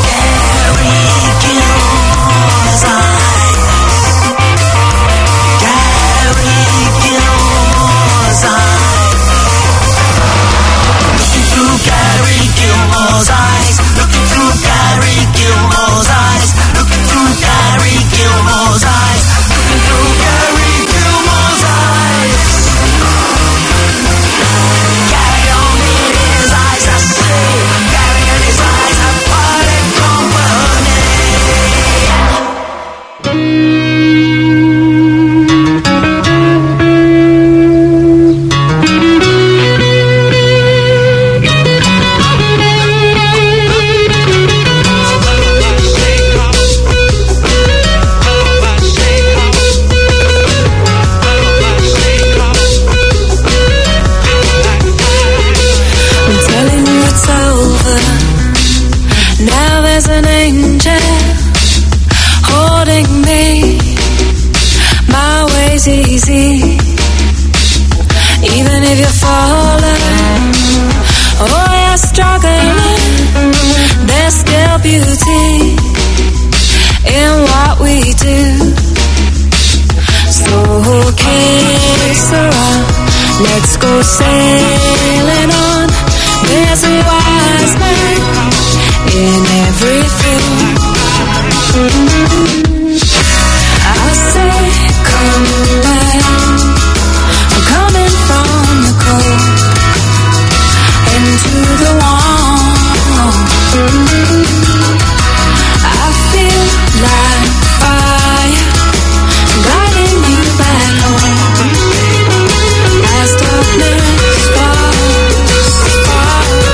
Gary Gilmore's eyes. Gary Gilmore's eyes. Looking through Gary Gilmore's eyes. Looking through Gary Gilmore's eyes. Looking through Gary Gilmore's eyes. Looking through Gary Gilmore's eyes. Gary don't need his eyes to see. Gary and his eyes have parted company. I'm telling you it's over. Now there's an angel holding me. My way's easy. Even if you're falling or you're struggling, there's still beauty in what we do. So kiss her up, let's go sailing on. There's a wise man in everything. I say, come back. I'm coming from the cold into the warm. I feel like fire, guiding me back home. As darkness falls, falls, falls.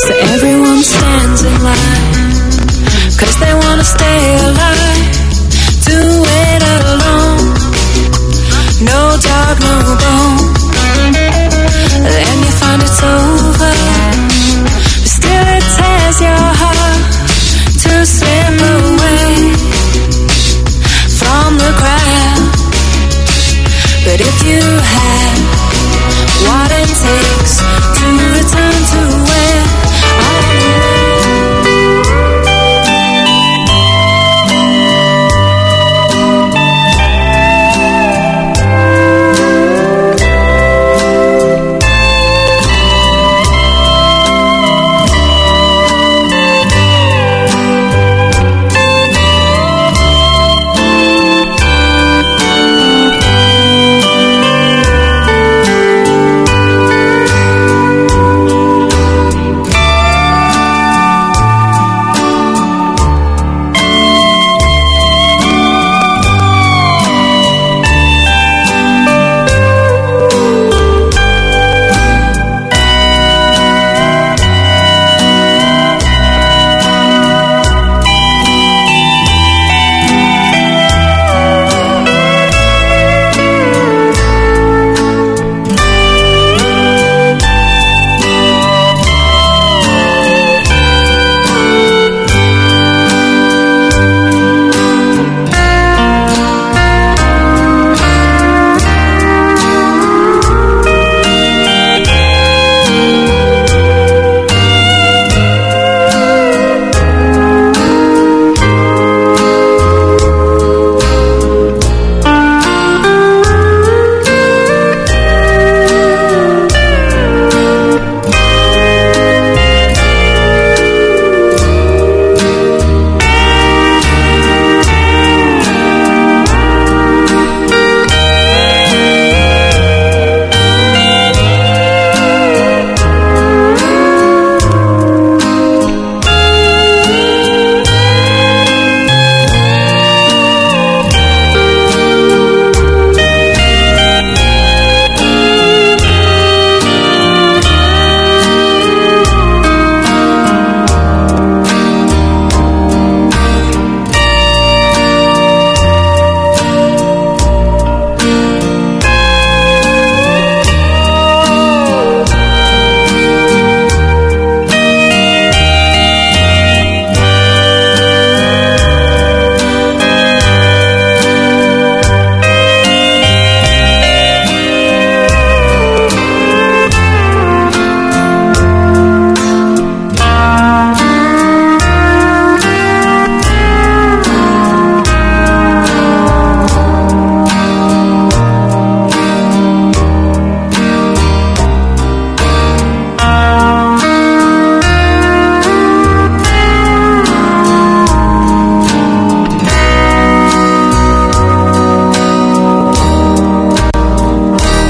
So everyone stands in line, 'cause they wanna stay alive. Do it alone, no dog, no bone. Then you find it's over, but still it tears your heart to slip away from the crowd. But if you have what it takes to return to